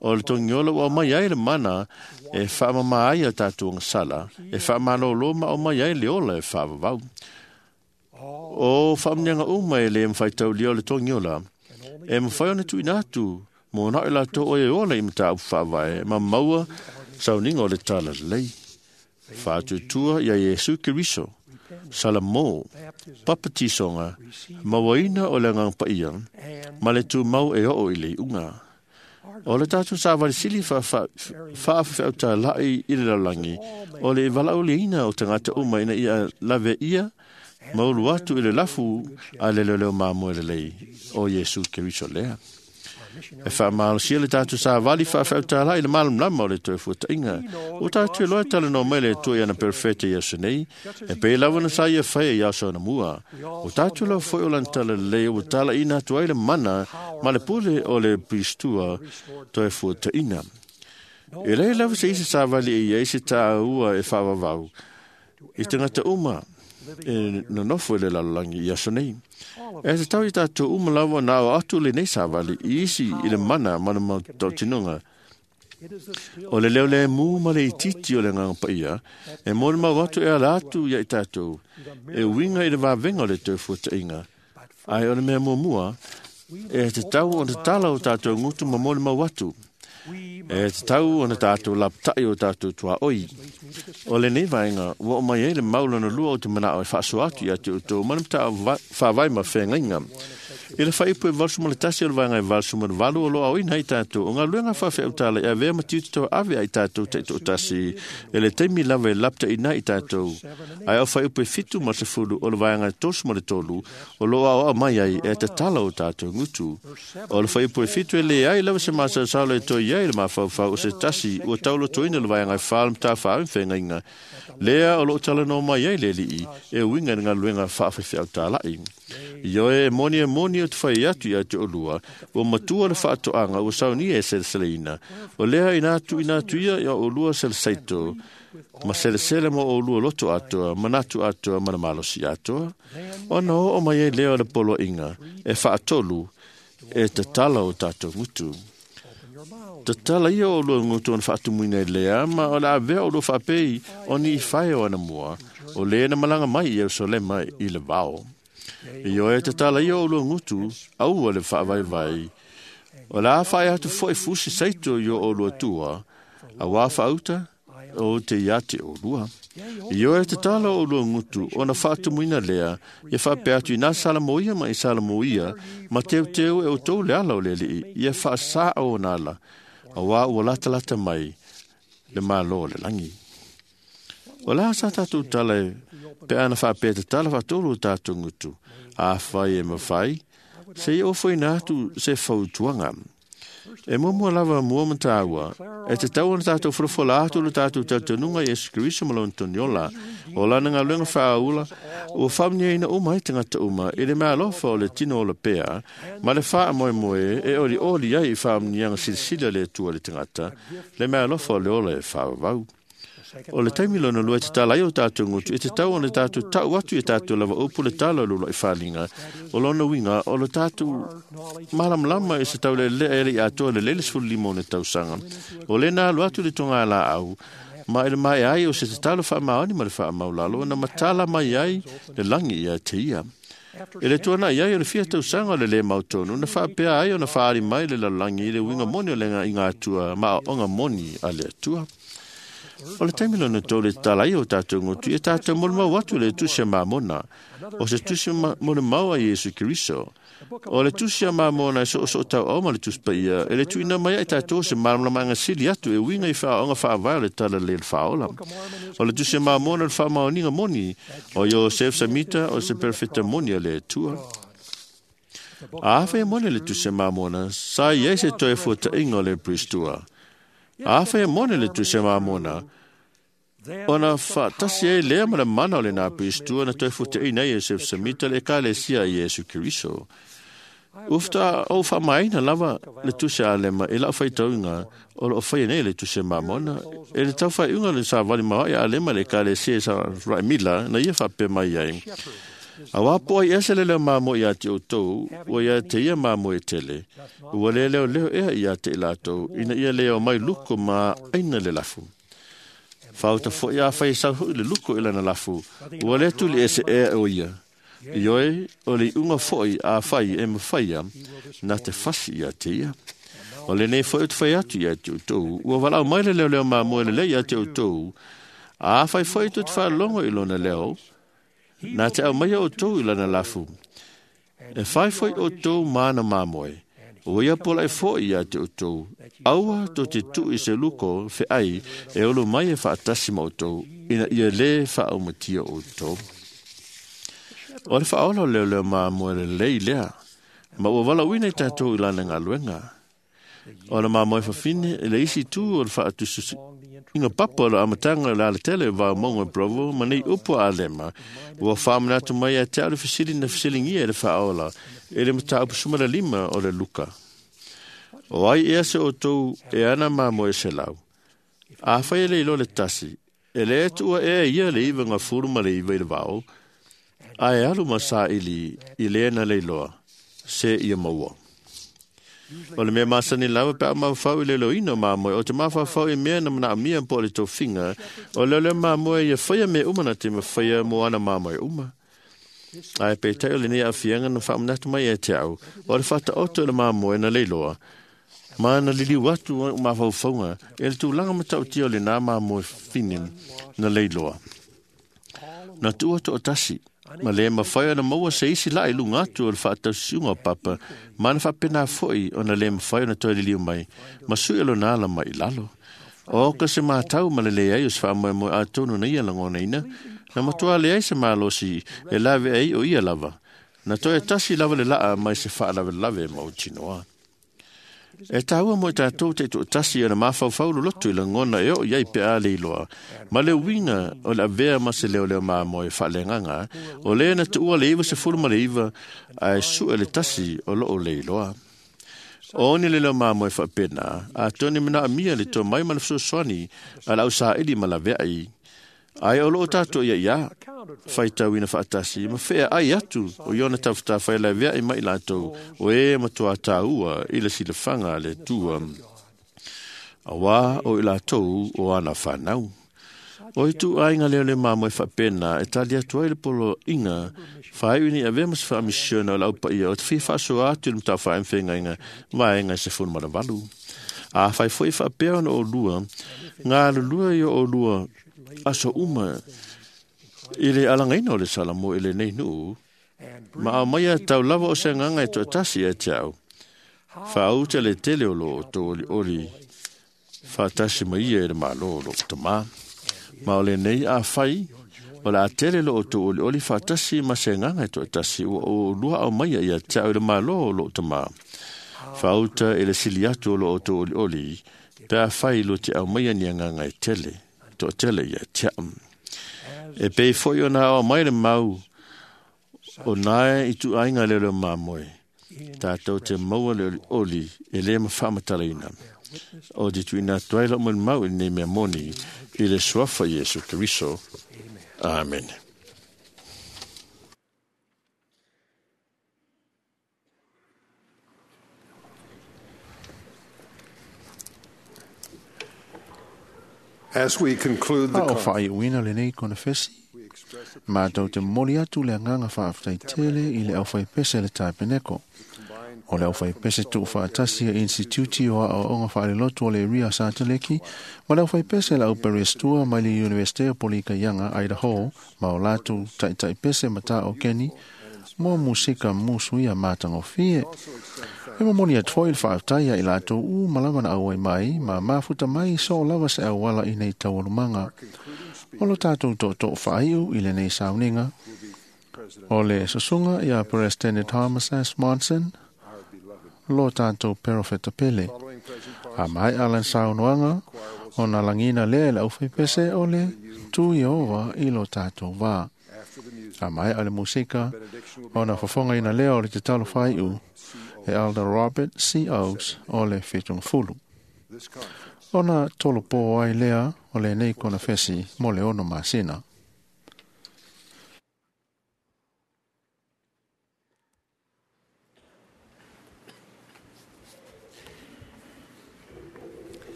O le tongiola o mai ai le mana e whaamama ai a tātou ngasala, e whaamalolo ma o mai ai le ola e whaavavau. O whaamnianga uma e le mwhaitaulia o le tongiola, e mwhai ona tuina atu, mō nao i lātou o e ola i mata au whaavae, ma maua sauninga o le tala lei. Whaatutua ia Iesu Keriso, Salamo, papatisonga, mawaina o le ngang paia, ma le tū mau e oo i le unga. O le tātou sa walisili whaawhawhauta lai i le lalangi, o le walauliina o tangata uma ina ia lave ia, maulu atu i le lafu a le leo mamoe le lei o Iesu Keriso lea. E whaamalosia le tātou sa wali whaawhauta lai le malam lama o le toi fuatainga. O tātou loa tala no mai le toi ana perfete i aso nei, e pe lawa na sa ia whaia i aso ana mua. O tātou loa foi o lan tala le o tala ina atu ai le mana ma le pule o le pristua toi fuatainga. E lei lava se isi sa wali e ia isi tā ua e whaawawau. I tangata uma e nonofo i le lalolangi i aso nei. E te tau i tātou uma lawa nā o atu le nei sāwali i isi i le mana mana mau tautinunga. O le leo le mū ma le ititi o le nganga paia, e mōre mau atu e ala atu ia i tātou, e winga i le vāwenga o le tau fuatainga. Ai o le mea mua, e te tau o te tala o tātou ngutu ma mōre mau atu. E te tau o na tātou laptai o tātou tua oi. O le nei vaenga, ua o mai e le maulana lua o te mana o e whaaso atu i atu o tō mana mta whawai ma whengainga. I le whaipu e valsu ma le tasi o le vaenga e valsu ma le valu o lo au ina i tātou. O ngā luenga whawhe au tāla e avea ma tiuti tau ave ai tātou te tō tasi. E le teimi lava e lapta ina i tātou. Ai au whaipu e fitu ma se fulu o le vaenga e tosu ma le tolu o lo au au mai ai e te tala o tātou ngutu. O le whaipu e fitu e le ai lava se masa salo e toi ai le mawhauwhau o se tasi ua taulo toina le vaenga e whalam tā whaam whengainga. Lea o lo tala no mai ai le lii e winga ngā luenga whaawhewhe au tālai. Ioe e moni e moni o te whai atu i atu o lua, o matua le whaatoanga o saunia e seleseleina. O lea ina atu ina atu ia ia o lua seleseito, ma selesele mo o lua loto atoa, manatu atoa, mana malosi atoa. Ona o o mai e lea o le polo inga, e whaatolu, e tatala o tātou ngutu. Tatala ia o lua ngutu ona whaatumuina e lea, ma o la avea o lua whaapei o ni i whae o ana mua, o lea na malanga mai i Yerusalema i le vao. I oe tatala ia o lua ngutu, aua le whaavaivai. O la whae atu foi fusi seito i o lua tua, a wā whaauta o te iate o lua. I oe tatala o lua ngutu, o na whaatumuina lea, ia whaapea atu i nā salamoia ma i salamoia, ma teu teu e o tau le ala o le lii, ia whaasaa o nala, a wā ua lata lata mai, le malo le langi. O la sa tātou tala e pe ana whaapea te tala whaatolu o tātou ngutu. A whai e mawhai, se i ofo ina atu se whautuanga. E mua lava mua matāua, e te tau ana tātou wharafola atu le tātou tautanunga Yesu Kristo malon toniola, o lana ngā luenga whaaula, o whamnia ina uma i tangata uma, i le mea alofa o le tino o le pea, ma le whaa moe moe, e oli oli ai i whamnianga silisila le atua le tangata, le mea alofa o le ola e whaawau. O le taimi lona lua e te tala ai o tātou ngutu, e te tau ona tātou tau atu i tātou lava upu le tala lula i whalinga. O lona winga, o le tātou malamlama e se tau le le ele i atoa le lele sfulu lima o le tausanga. O le nā alu atu le tonga la au, ma ele mai ai o se te talo wha maoni ma le wha maulalo, na matala mai ai le langi ia te ia. E le tuana ia o le fia tausanga o le le mautonu, na whaapea ai o na whaari mai le lalangi i le winga moni o le ngā inga atua, ma o ngā moni a le atua. O le taimi lona tō le tala i o tātou ngutu, e tātou molimau atu le tusi a mamona, o se tusi molimau a Yesu Keriso. O le tusi a mamona e so so tau au ma le tusi paia, e le tuina mai ai tātou se malamalama sili atu e winga i whaonga whaavae o le tala le whaola. O le tusi a mamona le whaamaoninga moni, o Yosef Samita o se perfecta moni a le atua. A awhai moni le tusi a mamona, sa iai se toe fuata inga o le pristua. A whai mone le tusi mamona, ona whaatasi e lea ma le mana o le nā pristua na toi fute ina Yosef Samita le ekalesia i Yesu Keriso. Ufta o whamaina lava le tusi a lema e lau whaitauinga o lo whai nei le tusi mamona e le tau whaiunga le sa wali mawa a lema le ekalesia i sa raimila na ia whape mai ai. A wapo ai ese le leo mamo i ate o tau, ua ia te ia mamo e tele. Ua le leo leo ea i ate i lātou, ina ia leo mai luko ma aina le lafu. Whauta fo ia whai sau hui le luko i lana lafu, ua le tuli ese ea o ia. Ioe, o le unga foi a whai e mwhaia, nā te fasi i ate ia. O le nei foi o te whai atu i ate o tau, ua walau mai le leo leo mamo e le lei ate o tau, a whai foi tu te whalongo i lona leo, nā te au mai o tau i lana lafu. E whai foi o tau māna māmoe. O ia pola e foi ia te o tau. Aua tō te tu i se luko whe ai e olo mai e whaatasi ma o tau ina ia le whaaumatia o tau. O le whaola leo leo māmoe le lei lea. Ma ua wala uina i tātou i lana ngā luenga. O le māmoe whawhine e le isi tū o le whaatususu. Inga papa o le amatanga le alatele vau mongo e Provo, ma nei upo a lema, ua whaamana mai a te au le fisili na fisilingia e le whaola, e le mata upusuma le lima o le luka. O ai ea se o tau e ana mamo e se lau. A whai ele ilo le tasi, e le etua ea ia le iwa ngā furu ma le iwa i le vao, a e alu ma sa ili i le na le iloa, se ia maua. O le mea masani lava pe a mawhau i le loina mamoe, o te mawhawhau i mea na mana amia po le taufinga, o leo leo mamoe ia whaia me uma na te mawhaia mo ana mamoe uma. Ai pe teo le nei awhianga na whaamanatu mai e te au, o le whata oto le mamoe na leiloa, ma na lili watu o mawhauwhaunga, e le tūlanga matautia o le nā mamoe whini na leiloa. Na tua to o tasi, Ma le mawhai ona maua se isi la i lunga atu o le whaatausisiunga o papa, ma na whapena foi ona le mawhai ona toi liliu mai, ma sui alo nā la mai lalo. O ka se mātau ma le leai o se whaamoe moe a tonu na ia langona ina, na matua le ai se mālosi e lave ai o ia lava. Na toe tasi lava le laa mai se whaalave lave mau tinoa. E tāua mo i tātou te tō tasi ana māwhauwhau lotu i langona e o iai pe a leiloa. Ma le winga o le avea ma se leo leo maa mo e whaalenganga, o le na tuua le iwa se fulu ma le iwa a e sue le tasi o loo leiloa. O ni le leo maa mo e whaapena, a tōni mana amia le tō mai ma le fusoswani a lau saili ma la veai. Ai o loo tātou ia ia, whaitau ina whaatasi, ma whea ai atu o iona tawhata whai lai vea i mai lātou, o e matua tāua i le silawhanga le tua. A wā o i lātou o ana whanau. O i tū ainga leo le māmo e whapena, e tali atu ai le polo inga, whai uni a vea mas whaamisiona o laupa ia, o te whia whaasoa atu le mtau whaemwhenga inga, vaenga i se funu maravalu. A whai foi whapea ona o lua, ngā lulua i o lua, aso uma i le alangaina o le salamo i le nei nuu, ma au mai a tau lava o se nganga e toatasi e te au. Whaauta le tele o lo o tō oli oli, whaatasi mai ia e le malo o lo tamā. Ma o le nei a whai, o la tele lo o tō oli oli whaatasi ma se nganga e toatasi o o lua au mai ia te au i le malo o lo tamā. Whaauta e le sili atu o lo o tō oli oli, pea whai lo te au mai a ni nganga e tele. Tō tele ia te am. E pei foi o nā o mai le mau o nāe i tu ainga leo leo māmoe. Tātou te maua le oli oli e le ma whaamatalaina. O te tuina tuai lo mo mau i nei mea moni i le suafa Iesu Keriso. Amen. As we conclude the A o whaaiuina le nei konefesi, mātou te moli atu le anganga whaaftai tele i le au pese le tāpeneko. O le au pese tuu whaatasi a Instituti o a o onga whaalelotu o le Ria Sāteleki, ma le au pese la uperestua mai le Universite o Polika Ianga, Idaho, ma o lātou taitai pese mata o Keni, mo musika musu ia mātangofie. E momoni atu foi le whaaftai i lātou u malawa na auai mai, ma mafuta mai so lava se auala i nei taualumanga. O lo tātou tō tō whaaiu i le nei sauninga. O le susunga ia President Thomas S. Monson, lo tātou perofeta pele. A mai alan saunoanga, o nā langina lea le au pese o le tū Iova i lo tātou wā. A mai ale musika, o nā whafonga ina lea o le te talo whaiu, e Elder Robert C. Oaks o le whitungfulu. O nā tolo pō ai lea o le nei kona whesi mo le ono masina.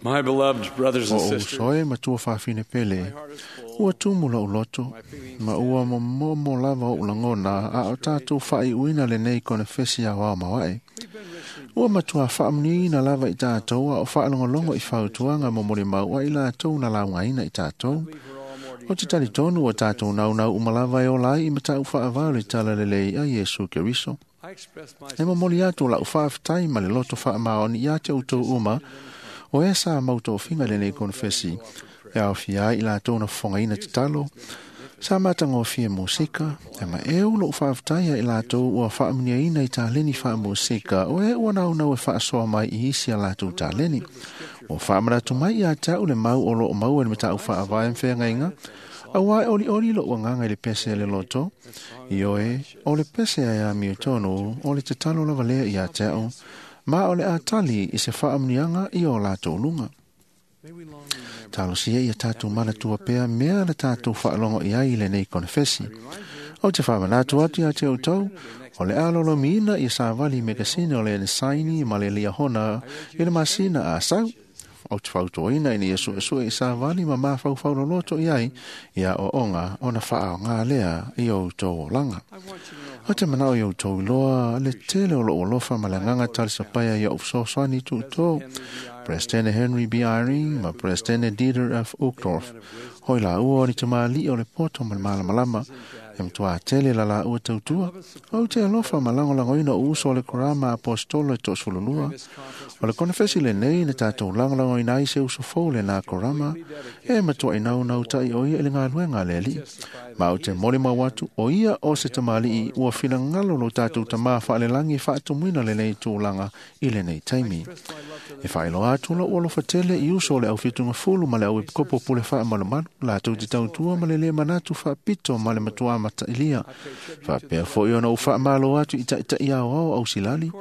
My beloved brothers and O sisters, usoe matua whawhine pele, ua tumu la uloto, ma ua momomo lava o ulangona a o tātou whai uina le nei kona whesi a wao mawae. Ua matua whaamniina lava i tātou a o whaalongolongo i whautuanga momori mau a i lātou na laungaina i tātou. O te tari tonu o tātou nau nau umalava e o lai i matau whaavau le tala lelei a Iesu Keriso. E momoli atu la uwhaaftai ma le loto whaamaoni i a te utou uma, o e sa mautō le nei konfesi, e au fia i la tōna whangaina te talo, sa matangofie musika, e ma e ulo whaaftaia i la tō ua whaamniaina i tāleni wha musika, o e ua nau nau e whaasoa mai i isi a lātou tāleni. O whaamaratu mai i a tau le mau o lo o mau e me tāu whaavae mwhengainga, a wai oli oli lo ua nganga i le pese le loto, i oe, o le pese a ia miutono, o le te talo lava lea i a tau, ma o le atali i se whaamnianga i o lātou lunga. Talo sia ia tātou manatua pea mea le tātou whaalongo i ai le nei konfesi. O te whaamanatu atu ia te utau, o le alolo miina i sa vali megasine o le nesaini ma le liahona i le masina a sau. O te whautoina i ni e sue sue i sa vali ma mawhau loto i ai, ia o onga o na whaao ngā lea i o tō o langa. O te manao i o tō loa, le tele o lo olofa ma le nganga tali sapaya i o usosoani tū tō, Presidente Henry B. Eyring ma Presidente Dieter F. Uchtdorf. Hoi la ua o ni tamali'i o le poto ma le malamalama e matuā tele la laua tautua. Ou te alofa ma lagolagoina o uso o le korama apostolo e toʻasefululua. O le konefesi lenei na tatou lagolagoina ai se uso fou lenā korama e matuaʻi naunau taʻi o ia i le galuega a le Aliʻi. Ma ou te molimau atu o ia o se tamaliʻi ua finagalo lo tatou tamā faꞌalelagi e faatumuina lenei tulaga i lenei taimi. E faailoa atu loʻu alofa tele i uso o le aufitugafulu ma le auepikopo pule faamalumalu latou te tautua ma le lē manatu faapito ma le matuā matailia. Faapea foʻi ona ou faamalo atu i taʻitaʻi aoao ausilali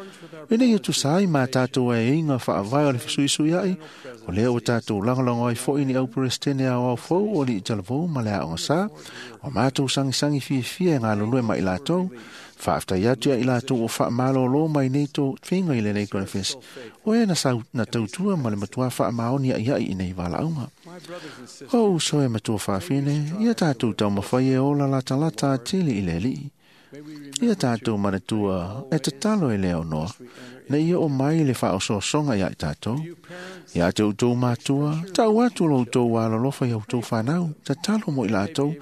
ina ia tusa ai ma tatou aiaiga faavae o le fesuisuiaʻi o lea ua tatou lagolago ai foʻi ni auperesetene aoao fou o alii talavou ma le aoga sā o matou sagisagi fiafia e galulue ma i latou. Faafetai atu ia i latou o faamalōlō mai nei tofiga i lenei konefesi o e na sau na tautua ma le matuā faamaoni aʻiaʻi i nei valaauga. O uso e matua faafine, ia tatou taumafai e ola latalata atili i le Aliʻi. Ia tatou manatua e tatalo e le aunoa na ia o mai le faaosoasoga iā i tatou. Ia te outou matua, tau atu lo outou alolofa ia outou fanau, tatalo mo i latou,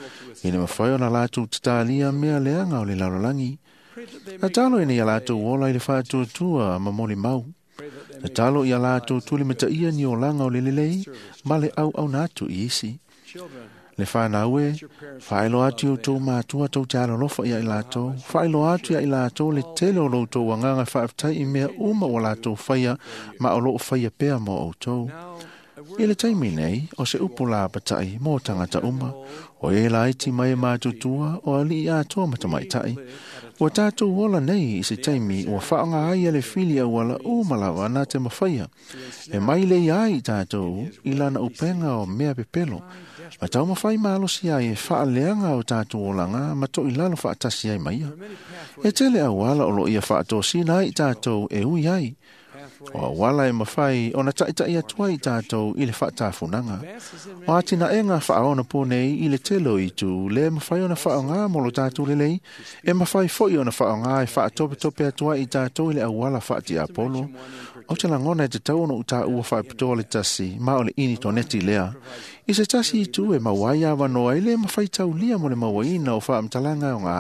ina mafai ona latou tatalia mea leaga o le lalolagi. Tatalo ina ia latou ola i le faatuatua ma molimau. Tatalo ia latou tulimataia ni olaga o le lelei ma le auauna atu i isi. Le fanau e, faailoa atu i outou matua tou te alolofa ia i latou, faailoa atu ia i latou le tele o lo outou agaga faafetai i mea uma ua latou faia ma o loo faia pea mo outou. I le taimi nei, o se upu lapataʻi mo tagata uma, o e laiti mai e matutua o aliʻi atoa ma tamaitai. Ua tatou ola nei i se taimi ua faaaoga ai e le fili auala uma lava na te mafaia. E mai lei ai i tatou i lana upega o mea pepelo. Ma taumafai malosi ai e faaleaga o tatou olaga ma toʻilalo faatasi ai ma ia. E tele auala o loo ia faatosina ai i tatou e ui ai. O auala e mafai ona taʻitaʻi atu ai i tatou i le faatafunaga. O atinaega faaona po nei i le tele o itu le mafai ona faaaogā mo lo tatou lelei, e mafai foʻi ona faaaogā e faatopetope atu ai i tatou i le auala faatiapolo. O te lagona e tatau ona utaua faapitoa le tasi ma o le initoneti lea. I se tasi itu e maua ai avanoa e lē mafai taulia mo le mauaina o faamatalaga o gā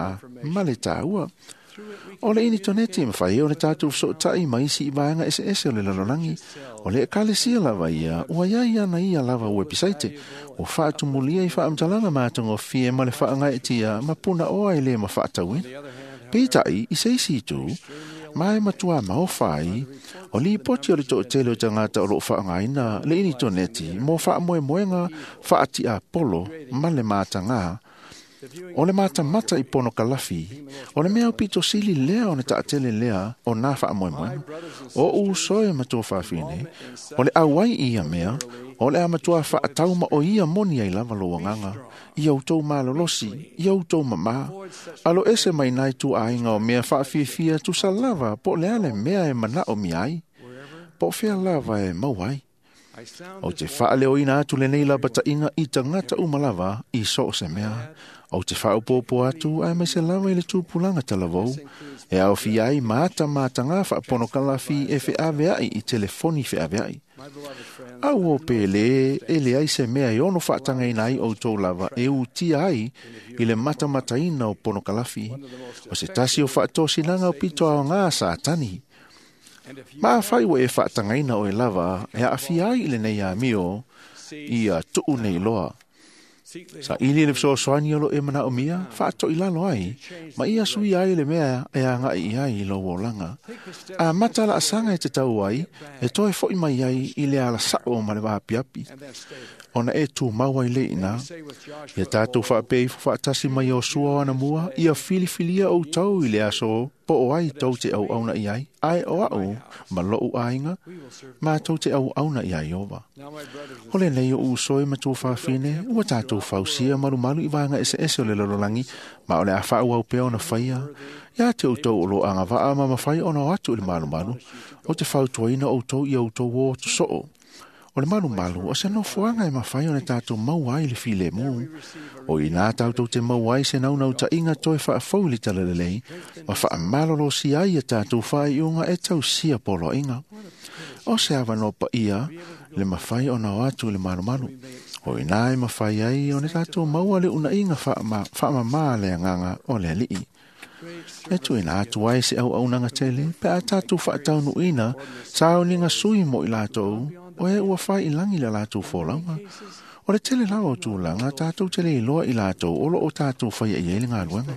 ma le tāua. O le initoneti e mafai ai ona tatou fesoʻotaʻi ma isi i vaega eseese o le lalolagi. O le ekalesia lava ia, ua iai ana ia lava uepisaite, ua faatumulia i faamatalaga matagofie ma le faagaeʻetia ma punaoa e lē mafaatauina. Peitaʻi i se isi itu, ma e matuā maofa ai, o lipoti o le toʻatele o tagata o loo faaaogaina le initoneti mo faamoemoega faatiapolo ma le matagā. O le matamata i pono kalafi, o le mea aupito sili lea ona taʻatele lea o nā faamoemoega. O uso e matua faafine, o le auai i ia mea, o le a matua faatauma o ia moni ai lava lou agaga, ia outou malolosi, ia outou mamā. Alo ese mai nai tuaaiga o mea faafiafia tusa lava po o le a le mea e manaomia ai, po o fea lava e maua ai. Ou te faaleoina atu lenei lapataʻiga i tagata uma lava i so o se mea. Ou te faaopoopo atu aemaise lava i le tupulaga talavou e aofia ai ma ata matagā faaponokalafi e feaveaʻi i telefoni feaveaʻi. Auō pe lē e leai se mea e ono faatagaina ai outou lava e utia ai i le matamataina o ponokalafi. O se tasi o faatosinaga o pito aogā Satani. Ma afai ua e faatagaina oe lava e aafia ai i lenei amio ia tuu nei loa. Saʻili le fesoasoani o loo e manaomia, faatoʻilalo ai, ma ia suia ai le mea e agaʻi i ai i lou olaga. Amata laasaga e te tau ai, e toe foʻi mai ai i le alasaʻo ma le vaapiapi. Ona e tumau ai le iina, ia tatou faapea ifo faatasi mai o sua o anamua, ia filifilia outou i le aso po o ai tou te auauna i ai, ae o aʻu ma loʻu aiga, matou te auauna iā Ieova. O lenei o uso e matua faafine, ua tatou fausia malumalu i vaega eseese o le lalolagi, ma o le a faaauau pea ona faia. Ia te outou o loo agavaa ma mafai ona o atu i le malumalu, o te fautuaina outou ia outou o atu soo. O le malumalu o se nofoaga e mafai ona tatou maua ai le filemu. O inā tatou te maua ai se naunautaiga toe faafou i le talalelei, ma faamalolosia ai ia tatou faaiuga e tausia poloaiga. O se avanoa paia le mafai ona o atu i le malumalu. O ina e mafai ai ona tatou maua le unaiga faamamā le agaga o le Alii. E tuuina atu ai se auaunaga tele pe a tatou faataunuuina sauniga sui mo i latou o e ua fai i lagi le latou folauga. O le tele lava o tulaga tatou te le iloa i latou o loo tatou faia i ai le galuega.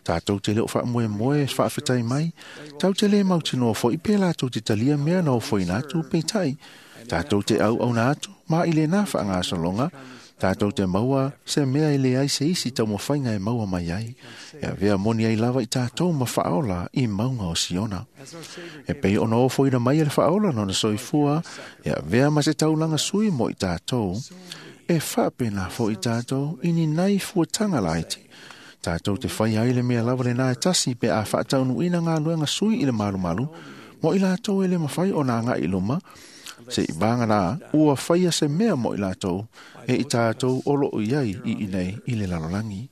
Tatou te le o faamoemoe faafetai mai, tau te le mautinoa foi pe latou te talia mea na ofoina atu peitai. Tatou te auauna atu ma i lena faagasologa, tatou te maua se mea e leai se isi taumafaiga e maua mai ai. E avea moni ai lava i tatou ma faaola i mauga o Siona. E pei ona ofoina mai e le faaola lona soifua, e avea ma se taulaga sui mo i tatou, e faapena foi tatou i ni nai fuataga laiti. Tatou te fai ai le mea lava lena e tasi pe a faataunuuina galuega sui i le malumalu, mo i latou e le mafai ona agai i luma, se i vaga ua faia se mea mo i latou e i tatou o loo i ai i inei i le lalolagi.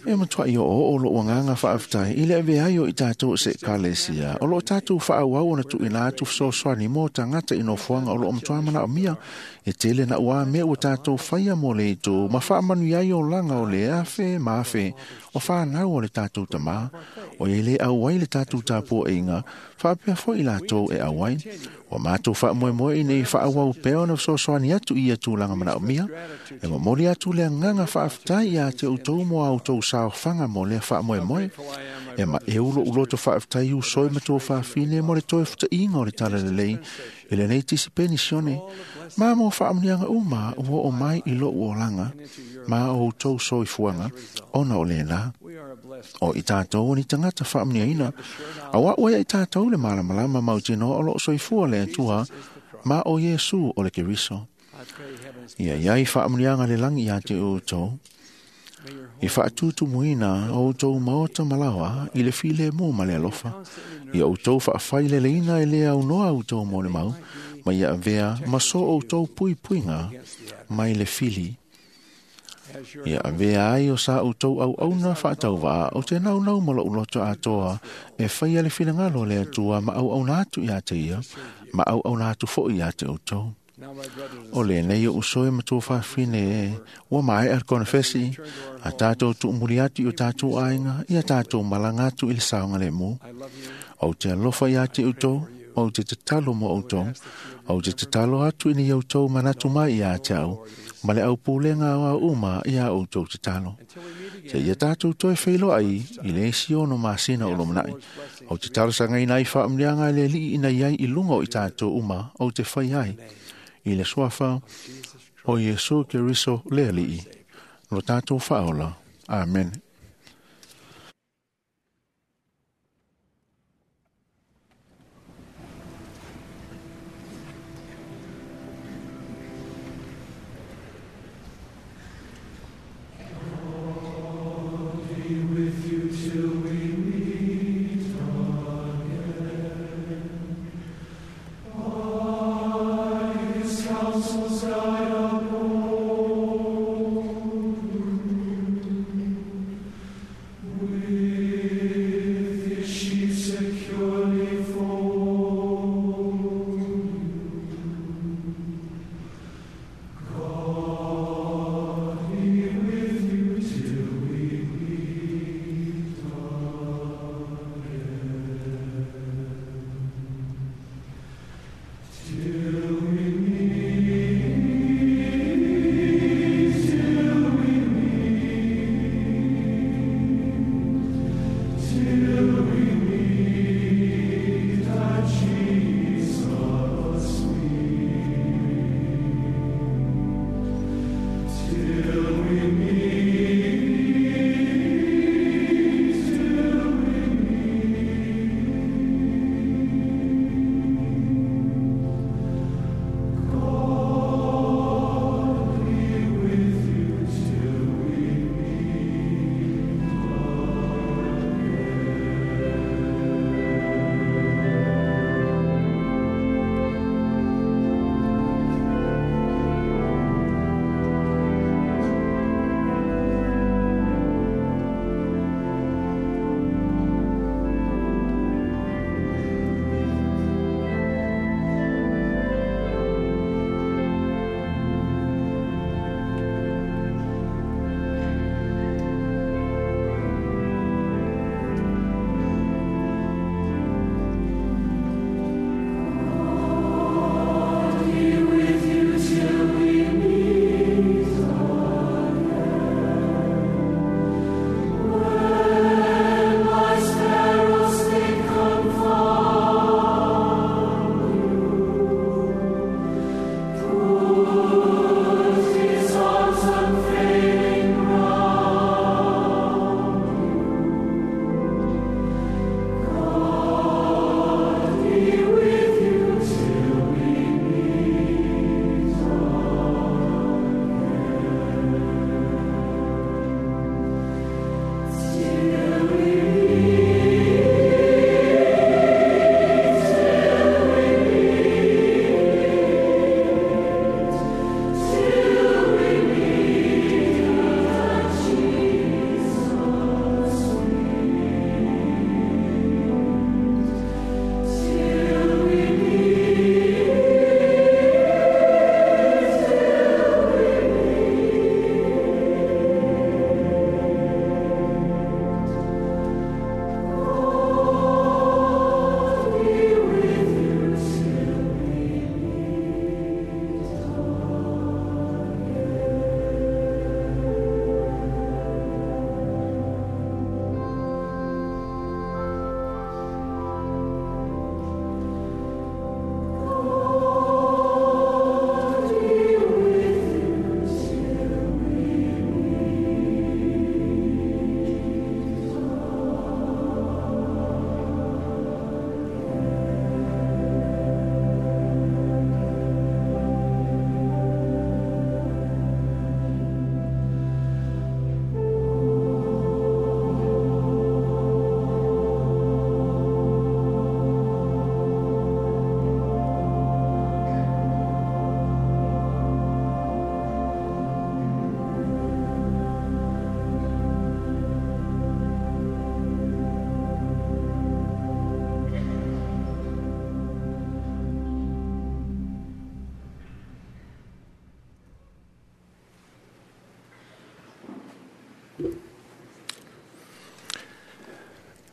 E matuai o o loo agaga faafetai i le avea ai o i tatou se ekalesia o loo tatou faaauau ona tuuina atu fesoasoani mo tagata i nofoaga o loo matua manaomia. E tele na ua mea ua tatou faia mo le itu ma faamanuia ai olaga o le afe ma afe o fanau o le tatou tamā o ia le auai le tatou tapuaiga faapea foi i latou e auai. Ua matou faamoemoe ina ia faaauau pea ona fesoasoani atu i ia tulaga manaomia. E momoli atu le agaga faafetai ia te outou mo a outou saofaga mo lea faamoemoe. E maeu lou loto faafetai usoi ma tou fafine mo le toe futaiga o le talalelei i lenei tisi penisione ma mo faamanuiaga uma ua oo mai i lou olaga ma o outou soifuaga ona o lena. O i tatou o ni tagata faamanuiaina, auā ua ia i tatou le malamalama mautinoa o loo soifua le Atua ma o Iesu o le Keriso. Ia iai faamanuiaga le lagi ia te outou, i faatutumuina o outou maota malaoa i le filemu ma le alofa. Ia outou faafaileleina e le aunoa outou molimau, ma ia avea ma so outou puipuiga mai le fili. Ia avea ai o sa outou auauna faatauvaa o te naunau ma lou loto atoa e faia le finagalo o le Atua ma auauna atu ia te ia, ma auauna atu foi ia te outou. O lenei o usoe ma tou fafine e ua maea le konefesi, a tatou tuumuli atu i o tatou aiga, ia tatou malaga atu i le saogalemu. Ou te alofa ia te outou, ou te tatalo mo outou, ou te tatalo atu ina ia outou manatu mai ia te au, ma le aupulega o au uma ia outou tatalo. Se ia tatou toe feiloai i le isi ono masina o lumanai. Ou te talosagaina ai faamanuiaga e le Alii ina iai i luga o i tatou uma ou te fai ai. I le suafa o Iesu Keriso le Alii, lo tatou faaola. Amen. With you till we meet again. By his counsels guide uphold you.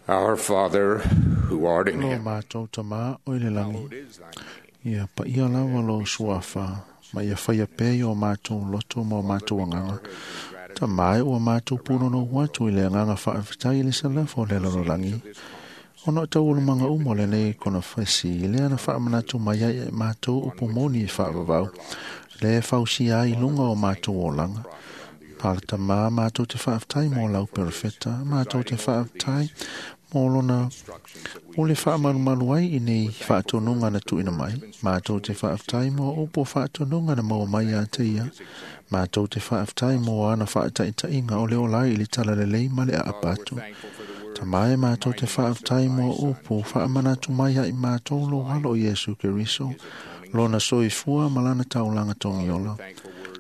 Our Father, who art in Lo heaven, mātou tamā o i le langi. Ia paia lava lo suafa, ma ia whaia pē o mātou loto ma o mātou anganga. Ta mai ua mātou punono watu i le anganga whaawhitai i le salafa o le lalolagi. Ona o taualumanga uma o lenei kona whesi, i le ana whaamanatu mai ai e mātou upu moni i whaavavau, le fausia ai lunga o mātou olanga. Pālata mā mātou te whaaftai mō lau perefeta, mātou te whaaftai mō lona o le whaamalumalu ai i nei whaatonunga na tuina mai, mātou te whaaftai mō upo whaatonunga na maua mai a te ia, mātou te whaaftai mō ana whaataitainga o le olai i le talalelei ma le aapatu. Ta mai mātou te whaaftai mō upo whaamanatu mai ai mātou lo halo o Iesu Keriso, lona soifua malana taulanga tongiola.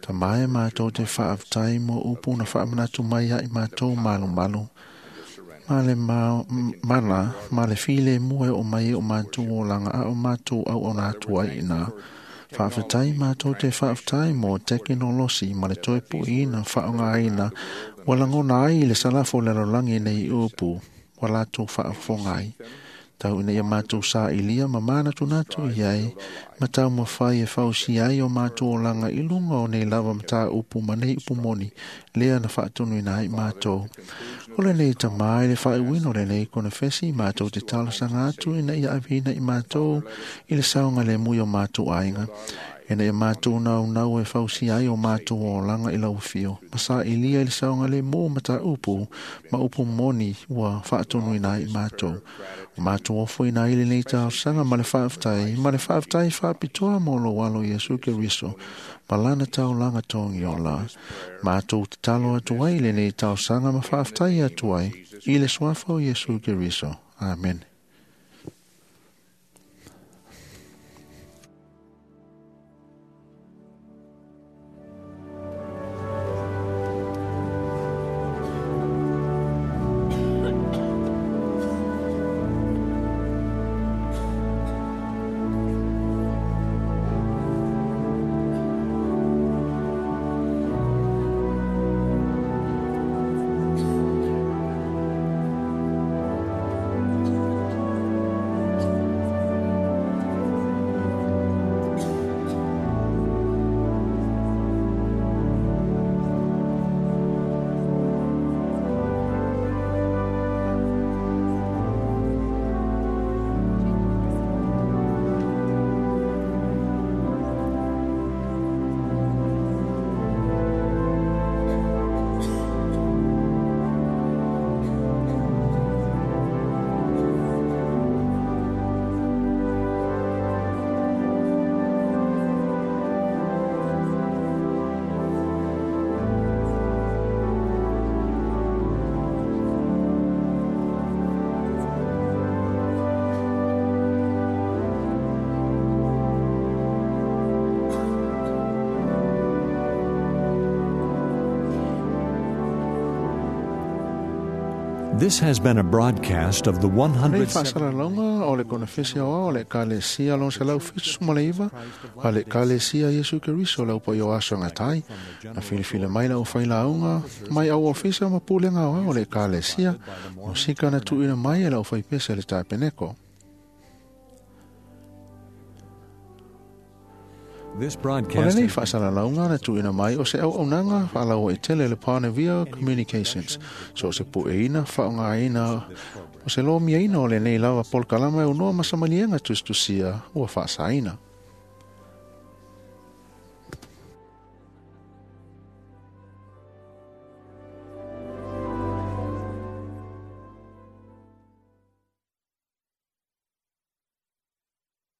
Ta mai mātou te whaaftai mō upo na whaamanatu mai ai mātou malu malu. Ma le ma, mana, ma le file mua o mai o mātou o langa a o mātou au o nā tua i nā. Whaafetai mātou te whaafetai mō tekinolosi ma le toe puina whaongaina walangona ai i le salafo le lolangi nei upu wa lātou whaafongai. Tau ina ia mātou sa ilia ma mana tunatu i ai, ma tau mawhai e whausi ai o mātou o langa i lunga o nei lava mata upu ma nei upu moni, lea na whaatunu ina ai mātou. O le nei tamai le whaewino le nei kona whesi mātou te talasanga atu ina ia awhina i mātou i le saunga le mui o mātou ainga. Ina ia mātou nau nau e whausi ai o mātou o langa i lau whio. Masa i lia i le saunga le mō mata upu, ma upu moni ua whaatonu ina i mātou. O mātou ofo ina i le nei talasanga ma le whaaftai, ma le whaaftai whaapitoa mō lo walo Iesu Keriso, ma lana tau langa tongi o la. Mātou te talo atu ai le nei talasanga ma whaaftai atu ai, i le suafa o Iesu Keriso. Amen. This has been a broadcast of the Nei one hundred whaasalalauga o le konafesi aoa o le kalesia lon selau fitu maleiva a le kalesia Iesu Keriso lau pa o aso ngatai na filifili mai lau whailauga mai au ofisa ma pulenga aoa o le kalesia musika na tuina mai e lau whaipese le tapeneko. This O broadcast lenei whaasalalauga na tuina mai o se au aunanga whaalaua i tele le Pānevia Communications. So se pueina whaongaina o se lomiaina o lenei lava polkalama e unoa masamalienga tustusia ua whaasaina.